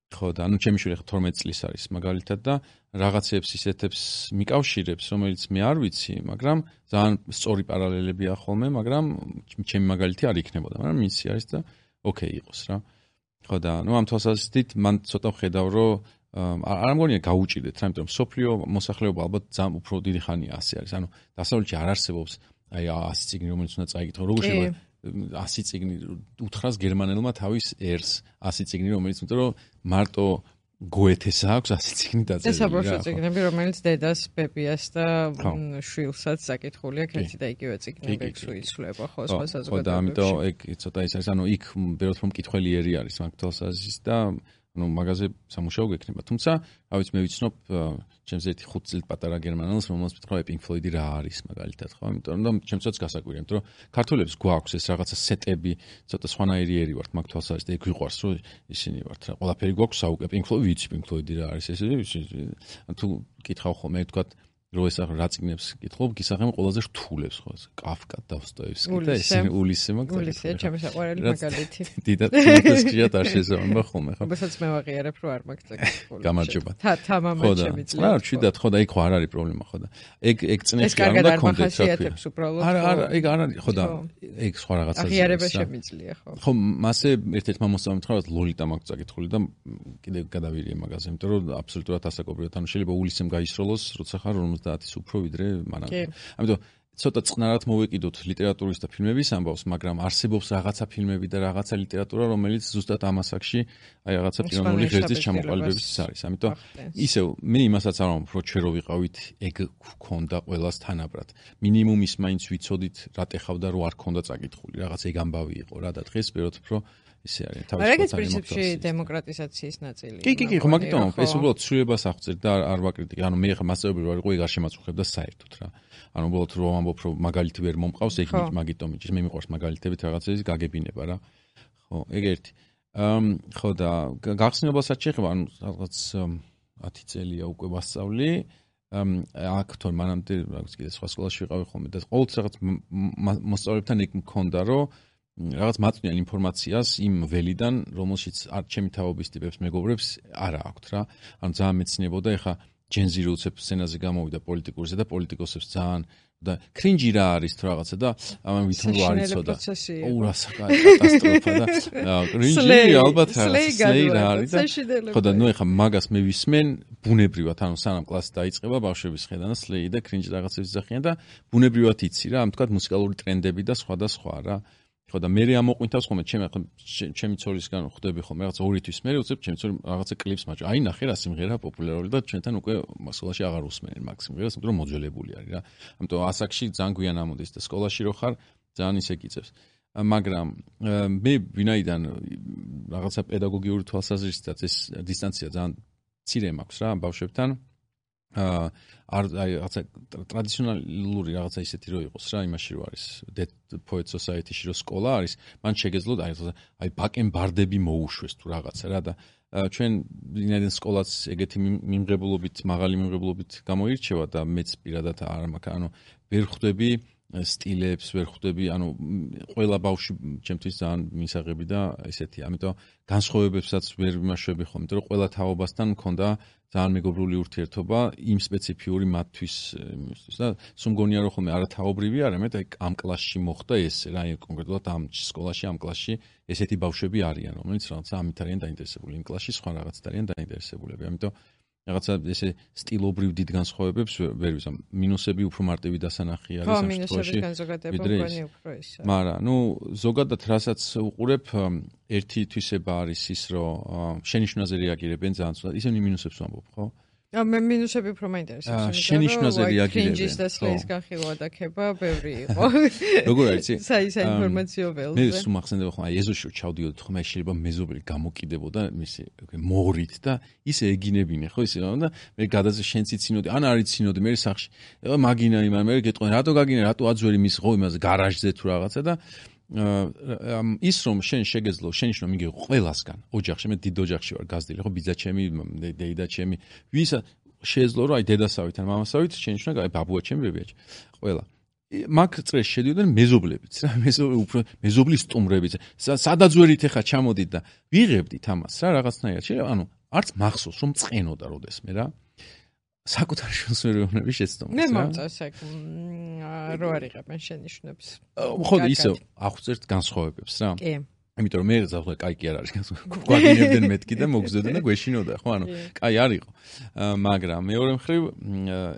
ხო და ანუ ჩემი შვილი 12 წლის არის მაგალითად და რაღაცებს ისეთებს მიკავშირებს, რომელიც მე არ ვიცი, მაგრამ ძალიან სწორი პარალელებია ხოლმე, მაგრამ ჩემი მაგალითი არ იქნებოდა, მაგრამ მისი არის და ოკეი იყოს რა. ხო და ნუ ამ თვალსაზრისით მან ცოტა ხედავ, რომ არ მგონია გაუჭირდეთ რა, იმიტომ რომ სოფლიო მოსახლეობა ალბათ ძალიან უფრო დიდი ხანია ასე არის. ანუ დასავლეთში არ არსებობს აი 100 წიგნი, რომელიც უნდა წაიკითხო. როგორ შეიძლება 100 წიგნი უთხრას გერმანელმა თავის ერს 100 წიგნი, რომელიც იმიტომ რომ მარტო გოეთეს აქვს 100 წიგნი დაწერილი. ეს საბავშვო წიგნები, რომელიც დედას, ბებიას და შვილსაც საკითხული აქვს, ერთი და იგივე წიგნები იცვლება ხო სხვა საზოგადოებაში. ხო და ამიტომ ეგ ცოტა ის არის, ანუ იქ ბევრად რომ მკითხველი ერი არის მაგ თვალსაზრისით და ანუ მაგაზე სამუშაო გექნება. თუმცა, რა ვიცი, მე ვიცნობ ჩემს ერთი 5 წელი პატარა გერმანელს, რომელსაც მითხრა Pink Floyd-ი რა არის მაგალითად, ხო? იმიტომ რომ ჩემსაც გასაკვირია, იმიტომ რომ ქართველებს გვაქვს ეს რაღაცა სეტები, ცოტა სხვანაირი ერი ვართ მაგ თვალსაზრისით, ეგ ვიყვარს, რომ ისინი ვართ რა. ყველაფერი გვაქვს საუკე Pink Floyd, ვიცი Pink Floyd-ი რა არის, ესე თუ კითხავ ხოლმე, თქვა რო ეს რა წიგნებს კითხულობ, გისაღები ყველაზე რთულებს ხო, კაფკა, დოსტოევსკი და ესენი ულისე მაგალითად. ულისე ჩემი საყვარელი მაგალითი. დიდად თუნდესკია დაშეზავება ხოლმე ხო. რომელსაც მე ვაღიარებ, რომ არ მაქვს წაკითხული. გამარჯობა. თამამად შემიძლია. რა, ჩვიდათ ხო და იქ ხო არ არის პრობლემა ხო და. ეგ წნეხი არ უნდა კონდეთ რა ქვია. არა, ეგ არ არის ხო და ეგ სხვა რაღაცაა. აღიარება შემიძლია ხო. ხო, მასე ერთ-ერთმა მოსწავლემ თქვა, რომ ლოლიტა მაქვს წაკითხული და კიდევ გადავირიე მაგაზე, იმიტომ რომ აბსოლუტურად ასაკობრივად, ანუ შეიძლება ულისემ გაისროლოს, როცა ხარ 50-ის უფრო ვიდრე მანამდე. ამიტომ ცოტა წყნარად მოვეკიდოთ ლიტერატურის და ფილმების ამბავს, მაგრამ არსებობს რაღაცა ფილმები და რაღაცა ლიტერატურა, რომელიც ზუსტად ამ ასაკში აი რაღაცა პიროვნული ღერძის ჩამოყალიბების არის. ამიტომ ისევ მე იმასაც არ ვამბობ, რომ ჩვენ რო ვიყავით, ეგ გქონდა ყველას თანაბრად. მინიმუმ ის მაინც ვიცოდით, რა ტეხავდა, რო არ ქონდა წაკითხული, რაღაც ეგ ამბავი იყო რა და დღეს ვეროთ უფრო ისე არის. მაგრამ ეგეც პრინციპში დემოკრატიზაციის ნაწილია. კი, ხო, მაგიტომ ეს უბრალოდ ცვლილებას აღწევ და არ ვაკრიტიკე. ანუ მე ხა მასწავლებელი ვარ, ყო ეგ არ შემაწუხებდა საერთოდ რა. ანუ უბრალოდ რომ ამბობ, რომ მაგალითი ვერ მომყავს, ეგ მაგიტომ იჭის. მე მიყვარს მაგალითებით რაღაცების გაგებინება რა. ხო, ეგ ერთი. ხო და გახსნილობასაც შეეხება, ანუ რაღაც 10 წელია უკვე ვასწავლი. აქ თორე მანამდე რაღაც კიდე სხვა სკოლაში ვიყავი ხოლმე და ყოველთვის რაღაც მოსწავლეებთან ეგ მქონდა, რომ რაღაც მაწვნიან ინფორმაციას იმ ველიდან, რომელშიც არ ჩემი თაობის ტიპებს მეგობრებს არა აქვთ რა. ანუ ძალიან მეცნიებოდა, ეხა ჯენზი რო უცებ სცენაზე გამოვიდა პოლიტიკურზე და პოლიტიკოსებს ძალიან და კრინჯი რა არის თუ რაღაცა და ამან ვითომ რო არ იცოდა. ოუ, კატასტროფა და კრინჯი ალბათ სლეი რა არის და ხო და ნუ ეხა მაგას მე ვისმენ ბუნებრივად, ანუ სანამ კლასი დაიწყება ბავშვების ხედან და სლეი და კრინჯი რაღაცებს ძახიან და ბუნებრივად იცი რა, ამ თქვა მუსიკალური ტრენდები და სხვა და სხვა რა. ხო და მე ამოყვინთავს ხოლმე ჩემი ცოლისგან ხვდები ხოლმე რაღაც 2 თვის მე უცებ ჩემი ცოლი რაღაცა კლიპს მაჭო. აი ნახე რა სიმღერა პოპულარული და ჩვენთან უკვე სკოლაში აღარ უსმენენ მაგ სიმღერას, იმიტომ რომ მოძველებული არის რა. ამიტომ ასაკში ძალიან გვიან ამოდის და სკოლაში რო ხარ ძალიან ისე გიწევს. მაგრამ მე ვინაიდან რაღაცა პედაგოგიური თვალსაზრისითაც ეს დისტანცია ძალიან მცირე მაქვს რა ბავშვებთან. აი რაღაცა ტრადიციონალური რაღაცა ისეთი რო იყოს რა, იმაში რო არის Dead Poets Society-ში რო სკოლა არის, მან შეგეძლო აი ბაკენბარდები მოუშვეს თუ რაღაცა რა და ჩვენ ვინაიდან სკოლაც ეგეთი მიმღებლობით, მაღალი მიმღებლობით გამოირჩევა და მეც პირადად არ მაქვს, ანუ ვერ ხვდები სტილებს, ვერ ხვდები, ანუ ყველა ბავშვი ჩემთვის ძალიან მისაღები და ესეთი, ამიტომ განსხვავებებსაც ვერ ვიმაშვები ხოლმე, იმიტომ რომ ყველა თაობასთან მქონდა ძალიან მეგობრული ურთიერთობა იმ სპეციფიური მათთვის და სულ მგონია რომ ხოლმე არათაობრივი არამედ აი ამ კლასში მოხდა ეს რა, კონკრეტულად ამ სკოლაში, ამ კლასში ესეთი ბავშვები არიან, რომელიც რაღაცა ამით არიან დაინტერესებული, იმ კლასში სხვა რაღაცით არიან დაინტერესებულები. ამიტომ რაღაცა ესე სტილობრივ დიდ განსხვავებებს ვერ ვიზამ. მინუსები უფრო მარტივი დასანახი არის ამ შემთხვევაში. მაგრამ ნუ ზოგადად რასაც უყურებ, ერთი თვისება არის ის, რომ შენიშვნაზე რეაგირებენ ძალიან ცუდად. ისინი მინუსებს ვამბობ, ხო? მე მინუსები უფრო მაინტერესებს. შენიშვნაზე რეაგირებენ. კრინჯის და სლეის განხილვა და ქება ბევრი იყო. როგორ არის? საისა ინფორმაციო ველზე. მე სულ მახსენდება ხომ, აი ეზოში ჩავდიოდი ხომ, აი შეიძლება მეზობელი გამოკიდებოდა მისი მორით და ისე ეგინებინე, ხო ისე და მე გადაზე შენც იცინოდი, ან არ იცინოდი, მე სახში. მაგინა იმან მე გეტყვი, რატო გაგინა, რატო აძვერი მის ხო იმაზე გარაჟზე თუ რაღაცა და ის რომ შენ შეგეძლო შენიშნო მიიღო ყველასგან ოჯახში მე დიდ ოჯახში ვარ გაზრდილი ხო ბიძა ჩემი დეიდა ჩემი ვისა შეეძლო რომ აი დედასავით ან მამასავით შენიშნო აი ბაბუა ჩემი ბებია ყველა მაგ წრეს შედიოდნენ მეზობლებიც რა მეზობლის სტუმრებიც სადაც ვერით ეხა ჩამოდით და ვიღებდით ამას რა რაღაცნაირად ანუ არც მახსოვს რომ წენოდა როდესმე რა საკუთარ შვილს ვერ ვეუბნები შეცდომას რა. მე მომწონს ეგ რო არიღებენ შენიშვნებს. ხო ისე აღვწერთ განსხვავებებს რა. კი. იმიტომ რომ მე ზავხე კაი კი არ არის გვაგინებდნენ მეთქი და მოგზდოდნენ და გვეშინოდა ხო ანუ კაი არ იყო. მაგრამ მეორე მხრივ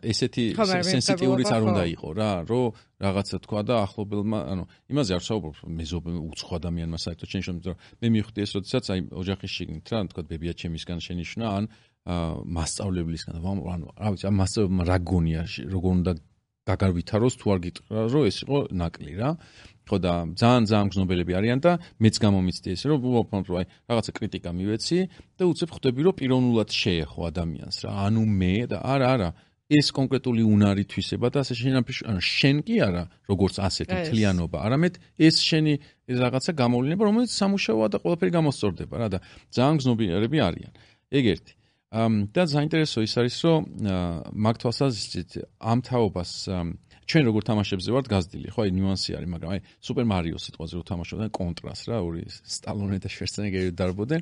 ესეთი სენსიტიურიც არ უნდა იყო რა რომ რაღაცა თქვა და ახლობელმა ანუ იმაზე არ საუბრობ მეზობელ უცხო ადამიანმა საერთოდ შენიშნო რომ მე მივხვდი ეს როდესაც აი ოჯახის შიგნით რა თქვა ბებია ჩემისგან შენიშნა ან მასწავლებლისგან ანუ რა ვიცი ამ მასწავლებელმა რა გონია როგორ უნდა გაგარვითაროს თუ არ გიტყვა რომ ეს იყო ნაკლი რა ხო და ძალიან გზნობელები არიან და მეც გამომიცდი ესე რომ აი რაღაცა კრიტიკა მივეცი და უცებ ხვდები რომ პიროვნულად შეეხო ადამიანს რა ანუ მე და არა ეს კონკრეტული უნარი თვისება და ასე ანუ შენ კი არა როგორც ასეთი თლიანობა არამედ ეს შენი რაღაცა გამოვლენა რომელიც სამუშაოა და ყველაფერი გამოსწორდება რა და ძალიან გზნობიერები არიან ეგ ერთი და საინტერესო ის არის რომ მაგ თვალსაზრისით ამ თაობას ჩვენ როგორ თამაშებზე ვართ გაზრდილი ხო აი ნიუანსი არის მაგრამ აი სუპერ მარიოს სიტყვაზე რო თამაშობდნენ კონტრას რა ორი სტალონე და შვერცენეგერი დარბოდნენ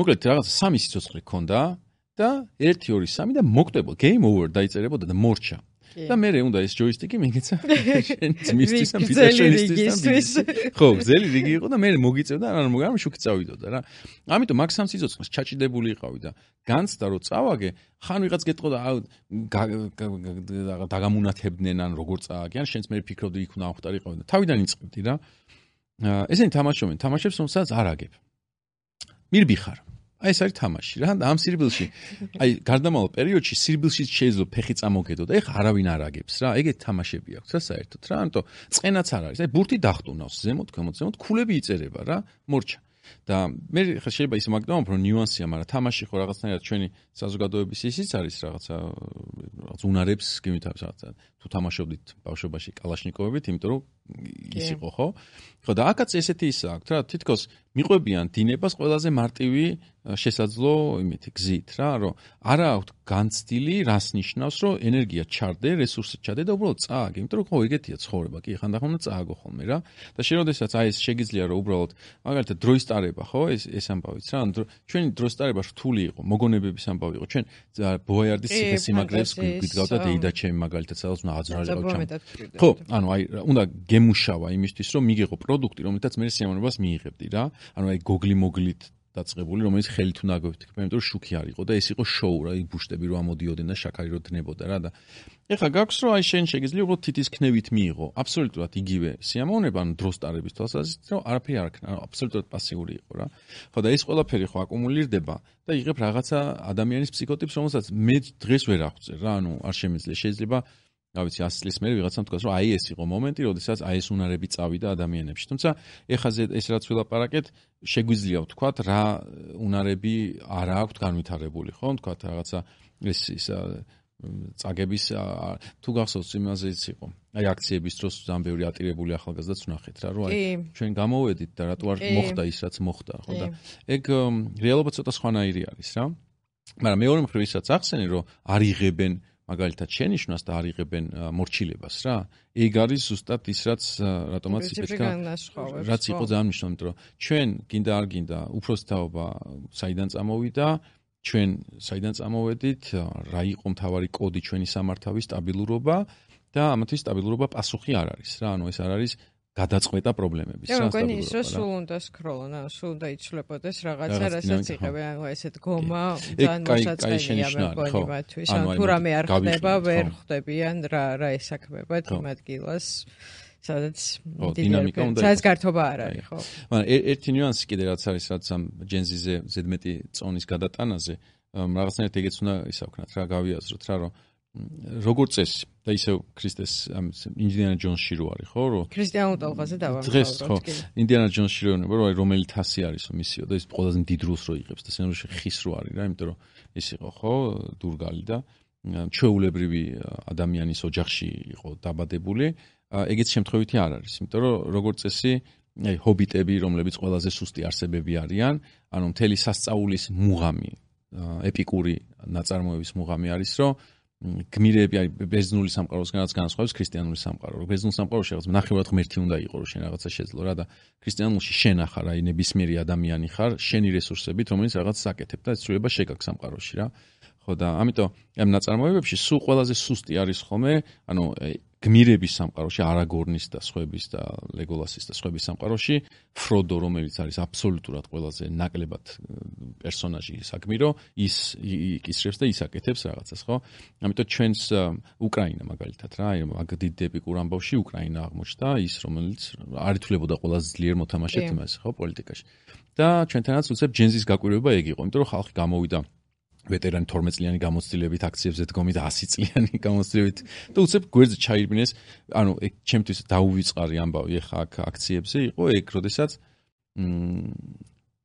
მოკლედ რაღაცა სამი სიცოცხლე ქონდა და 1 2 3 და მოკვდებოდა game over დაიწერებოდა და მორჩა და მე უნდა ეს ჯოისტიკი მიგეცა შენ ძმისთვის ან ბიძაშვილისთვის ხო გზელი რიგი იყო და მე მოგიწევდა ან მაგრამ შუქი წავიდოდა რა ამიტომ მაგ სამ სიცოცხლეს ჩაჭიდებული იყავი და განცდა რომ წავაგე ხან ვიღაც გეტყოდა დაგამუნათებდნენ ან როგორ წააგე ან შენც მე ფიქრობდი იქ უნდა ამხტარი ყავი და თავიდან იწყებდი რა ესენი თამაშობენ თამაშებს რომელსაც არ აგებ მირბიხარ აი ეს არის თამაში რა და ამ სირბილში აი გარდამავალ პერიოდში სირბილში შეიძლება ფეხი წამოგედო და ეხა არავინ არ აგებს რა ეგეთი თამაშები აქვს რა საერთოდ რა ამიტომ წენაც არ არის აი ბურთი დახტუნავს ზემოთ ქვემოთ ქულები იწერება რა მორჩა და მე ხა შეიძლება ისე მაგდამობ რომ ნიუანსია მაგრამ თამაში ხო რაღაცნაირად ჩვენი საზოგადოების ისიც არის რაღაცა უნარებს გიმითავს რაღაცა თუ თამაშობდით ბავშვობაში კალაშნიკოვებით იმიტომ რომ ის იყო ხო და აკაც ესეთი ის აქვს რა თითქოს მიყვებიან დინებას ყველაზე მარტივი შესაძლო იმითი გზით რა რომ არა აქვს განცდილი რას ნიშნავს რომ ენერგია ჩარდე რესურსი ჩადე და უბრალოდ წააგე იმიტომ რომ ხო ეგეთია ცხოვრება კი ხანდახან უნდა წააგო ხოლმე რა და შენოდესაც აი ეს შეგიძლია რომ უბრალოდ მაგალითად დროის ტარება ხო ეს ამბავიც რა ჩვენი დროის ტარება რთული იყო მოგონებების ამბავი იყო ჩვენ ბოიარდის ციხესიმაგრეს გვიდგავდა დეიდა ჩემი მაგალითად სადაც უნდა აძრაყო ხო ანუ აი უნდა გემუშავა იმისთვის რომ მიიღო პროდუქტი რომელთაც მე სიამოვნებას მიიღებდი რა ანუ აი გოგლი მოგლით დაწყებული რომელიც ხელით უნდა გვეთქვა იმიტომ რომ შუქი არ იყო და ეს იყო შოუ რა აი ბუშტები რო ამოდიოდნენ და შაქარი რო დნებოდა რა და ეხლა გაქვს რომ აი შენ შეგიძლია უბრალოდ თითის ქნევით მიიღო აბსოლუტურად იგივე სიამოვნება ანუ დროს ტარების თვალსაზრისით რომ არაფერი არ ქნა აბსოლუტურად პასიური იყო რა ხო და ეს ყველაფერი ხო აკუმულირდება და იღებ რაღაცა ადამიანის ფსიქოტიპს რომელსაც მე დღეს ვერ აღვწერ რა ანუ არ შემიძლია შეიძლება რა ვიცი 100 წლის მერე ვიღაცამ თქვას რომ აი ეს იყო მომენტი როდესაც აი ეს უნარები წავიდა ადამიანებში თუმცა ეხლა ეს რაც ვილაპარაკეთ შეგვიძლია ვთქვათ რა უნარები არ აქვთ განვითარებული ხო ვთქვათ რაღაცა ეს წაგების თუ გახსოვს იმაზეც იყო აი აქციების დროს ძალიან ბევრი ატირებული ახალგაზრდაც ვნახეთ რა რომ აი ჩვენ გამოვედით და რატო არ მოხდა ის რაც მოხდა ხო და ეგ რეალობა ცოტა სხვანაირი არის რა მაგრამ მეორე მხრივ ისაც ახსენე რომ არ იღებენ მაგალითად შენიშვნას და არ იღებენ მორჩილებას რა ეგ არის ზუსტად ის რაც რატომაც იფეთქა რაც იყო ძალიან მნიშვნელოვანი იმიტომ რომ ჩვენ გინდა არ გინდა უფროსი თაობა საიდან წამოვიდა ჩვენ საიდან წამოვედით რა იყო მთავარი კოდი ჩვენი სამართავის სტაბილურობა და ამათთვის სტაბილურობა პასუხი არ არის რა ანუ ეს არ არის გადაწყვეტა პრობლემების რა მგონი ის რომ სულ უნდა სკროლონ ანუ სულ უნდა იცვლებოდეს რაღაცა რასაც იღებენ ანუ ესეთ გომა ძალიან მოსაწყენია მგონი მათთვის ანუ თუ რამე არ ხდება ვერ ხვდებიან რა ესაქმებათ იმ ადგილას სადაც დინამიკა უნდა სადაც გართობა არ არის ხო მაგრამ ერთი ნიუანსი კიდე რაც არის რაც ამ ჯენზიზე ზედმეტი წონის გადატანაზე რაღაცნაირად ეგეც უნდა ისავქნათ რა გავიაზროთ რა რომ როგორც წესი და ისევ ქრისტეს ინდიანა ჯონსში რო არის ხო რომ ქრისტიანულ ტალღაზე დავამთავროთ დღეს ხო ინდიანა ჯონსში რო ნება რომ რომელი თასი არისო მისიო და ის ყველაზე დიდ როლს რო იღებს და სცენარში ხის რო არის რა იმიტომ რომ ის იყო ხო დურგალი და ჩვეულებრივი ადამიანის ოჯახში იყო დაბადებული ეგეც შემთხვევითი არ არის იმიტომ რომ როგორც წესი ჰობიტები, რომლებიც ყველაზე სუსტი არსებები არიან, ანუ მთელი სასწაულის მუღამი, ეპიკური ნაწარმოების მუღამი არის, რომ გმირები არის ბერძნული სამყაროსგანაც განსხვავებს ქრისტიანული სამყარო. ბერძნულ სამყაროში რაღაც ნახევრად ღმერთი უნდა იყო, რომ შენ რაღაცა შეძლო რა და ქრისტიანულში შენ ახარ, აი ნებისმიერი ადამიანი ხარ, შენი რესურსებით, რომელიც რაღაცას აკეთებ და ცვლილება შეგაქვს სამყაროში რა. ხო და ამიტომ ამ ნაწარმოებებში სულ ყველაზე სუსტი არის ხოლმე, ანუ გმირების სამყაროში, არაგორნის და სხვების და ლეგოლასის და სხვების სამყაროში, ფროდო, რომელიც არის აბსოლუტურად ყველაზე ნაკლებად პერსონაჟი საგმირო, ის იკისრებს და ის აკეთებს რაღაცას, ხო? ამიტომ ჩვენს უკრაინა მაგალითად რა, აი მაგ დიდ ეპიკურ ამბავში უკრაინა აღმოჩნდა, ის რომელიც არ ითვლებოდა ყველაზე ძლიერ მოთამაშედ იმას, ხო, პოლიტიკაში. და ჩვენთანაც უცებ ჯენზის გაკვირვება ეგ იყო, იმიტომ რომ ხალხი გამოვიდა ვეტერანი 12 წლიანი გამოცდილებით აქციებზე დგომით 100 წლიანი გამოცდილებით და უცებ გვერდზე ჩაირბინეს, ანუ ეგ ჩემთვის დაუვიწყარი ამბავი ახლა აქ აქციებზე იყო ეგ, როდესაც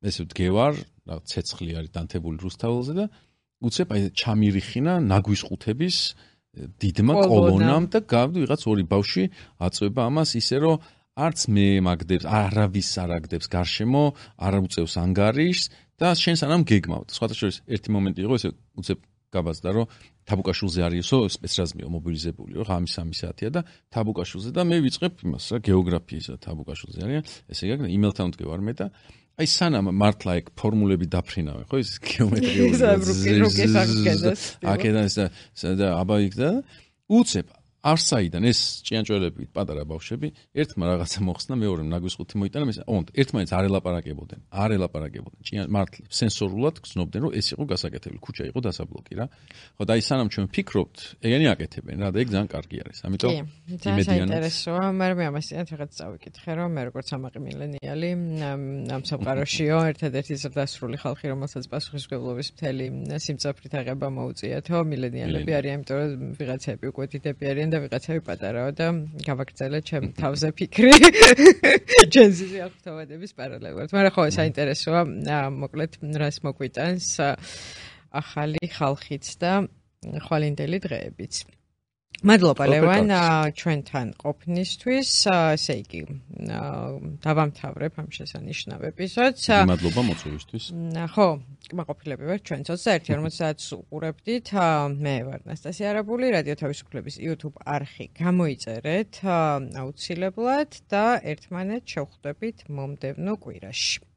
ესე ვდგევარ, რა ცეცხლი არის დანთებული რუსთაველზე და უცებ აი ჩამირიხინა ნაგვისყუთების დიდმა კოლონამ და გავდი ვიღაც ორი ბავშვი აწვება ამას ისე რომ არც მე მაგდებს, არავის არ აგდებს გარშემო, არ უწევს ანგარიშს და შენ სანამ გეგმავთ. სხვათა შორის ერთი მომენტი იყო ესე უცებ გაბაზდა რომ თაბუკაშვილზე არისო სპეცრაზმიო მობილიზებული რომ ღამის 3 საათია და თაბუკაშვილზე და მე ვიწყებ იმას რა გეოგრაფიის თაბუკაშვილზე არიან ესე იგი იმელთან ვდგევარ მე და აი სანამ მართლა ეგ ფორმულები დაფრინავენ ხო ის გეომეტრიული აქედან და აბა იქ და უცებ არსაიდან ეს ჭიანჭველები პატარა ბავშვები ერთმა რაღაცა მოხსნა მეორემ ნაგვისყუთი მოიტანა მის ერთმანეთს არ ელაპარაკებოდნენ მართლა სენსორულად გრძნობდნენ რომ ეს იყო გასაკეთებელი ქუჩა იყო დასაბლოკი რა ხო და აი სანამ ჩვენ ვფიქრობთ ეგენი აკეთებენ რა და ეგ ძალიან კარგი არის ამიტომ იმედიანად საინტერესოა მე ამას რაღაც წავიკითხე რომ მე როგორც ამაყი მილენიალი ამ სამყაროშიო ერთადერთი ზრდასრული ხალხი რომელსაც პასუხისმგებლობის მთელი სიმწაფრით აღება მოუწიათო მილენიალები არიან იმიტომ რომ ვიღაცები უკვე დიდები არიან და ვიღაცები პატარაა და გავაგრძელე ჩემ თავზე ფიქრი ჯენზის აღთავადების პარალელურად. მაგრამ ხო საინტერესოა მოკლედ რას მოგვიტანს ახალი ხალხიც და ხვალინდელი დღეებიც. მადლობა ლევან ჩვენთან ყოფნისთვის. ესე იგი დავამთავრებ ამ შესანიშნავ ეპიზოდს. მადლობა მოწვევისთვის. ხო, კმაყოფილები ვარ ჩვენ 21:50-ს უყურებდით. მე ვარ ნასტასია არაბული, რადიო თავისუფლების YouTube არხი გამოიწერეთ აუცილებლად და ერთმანეთს შევხვდებით მომდევნო კვირაში.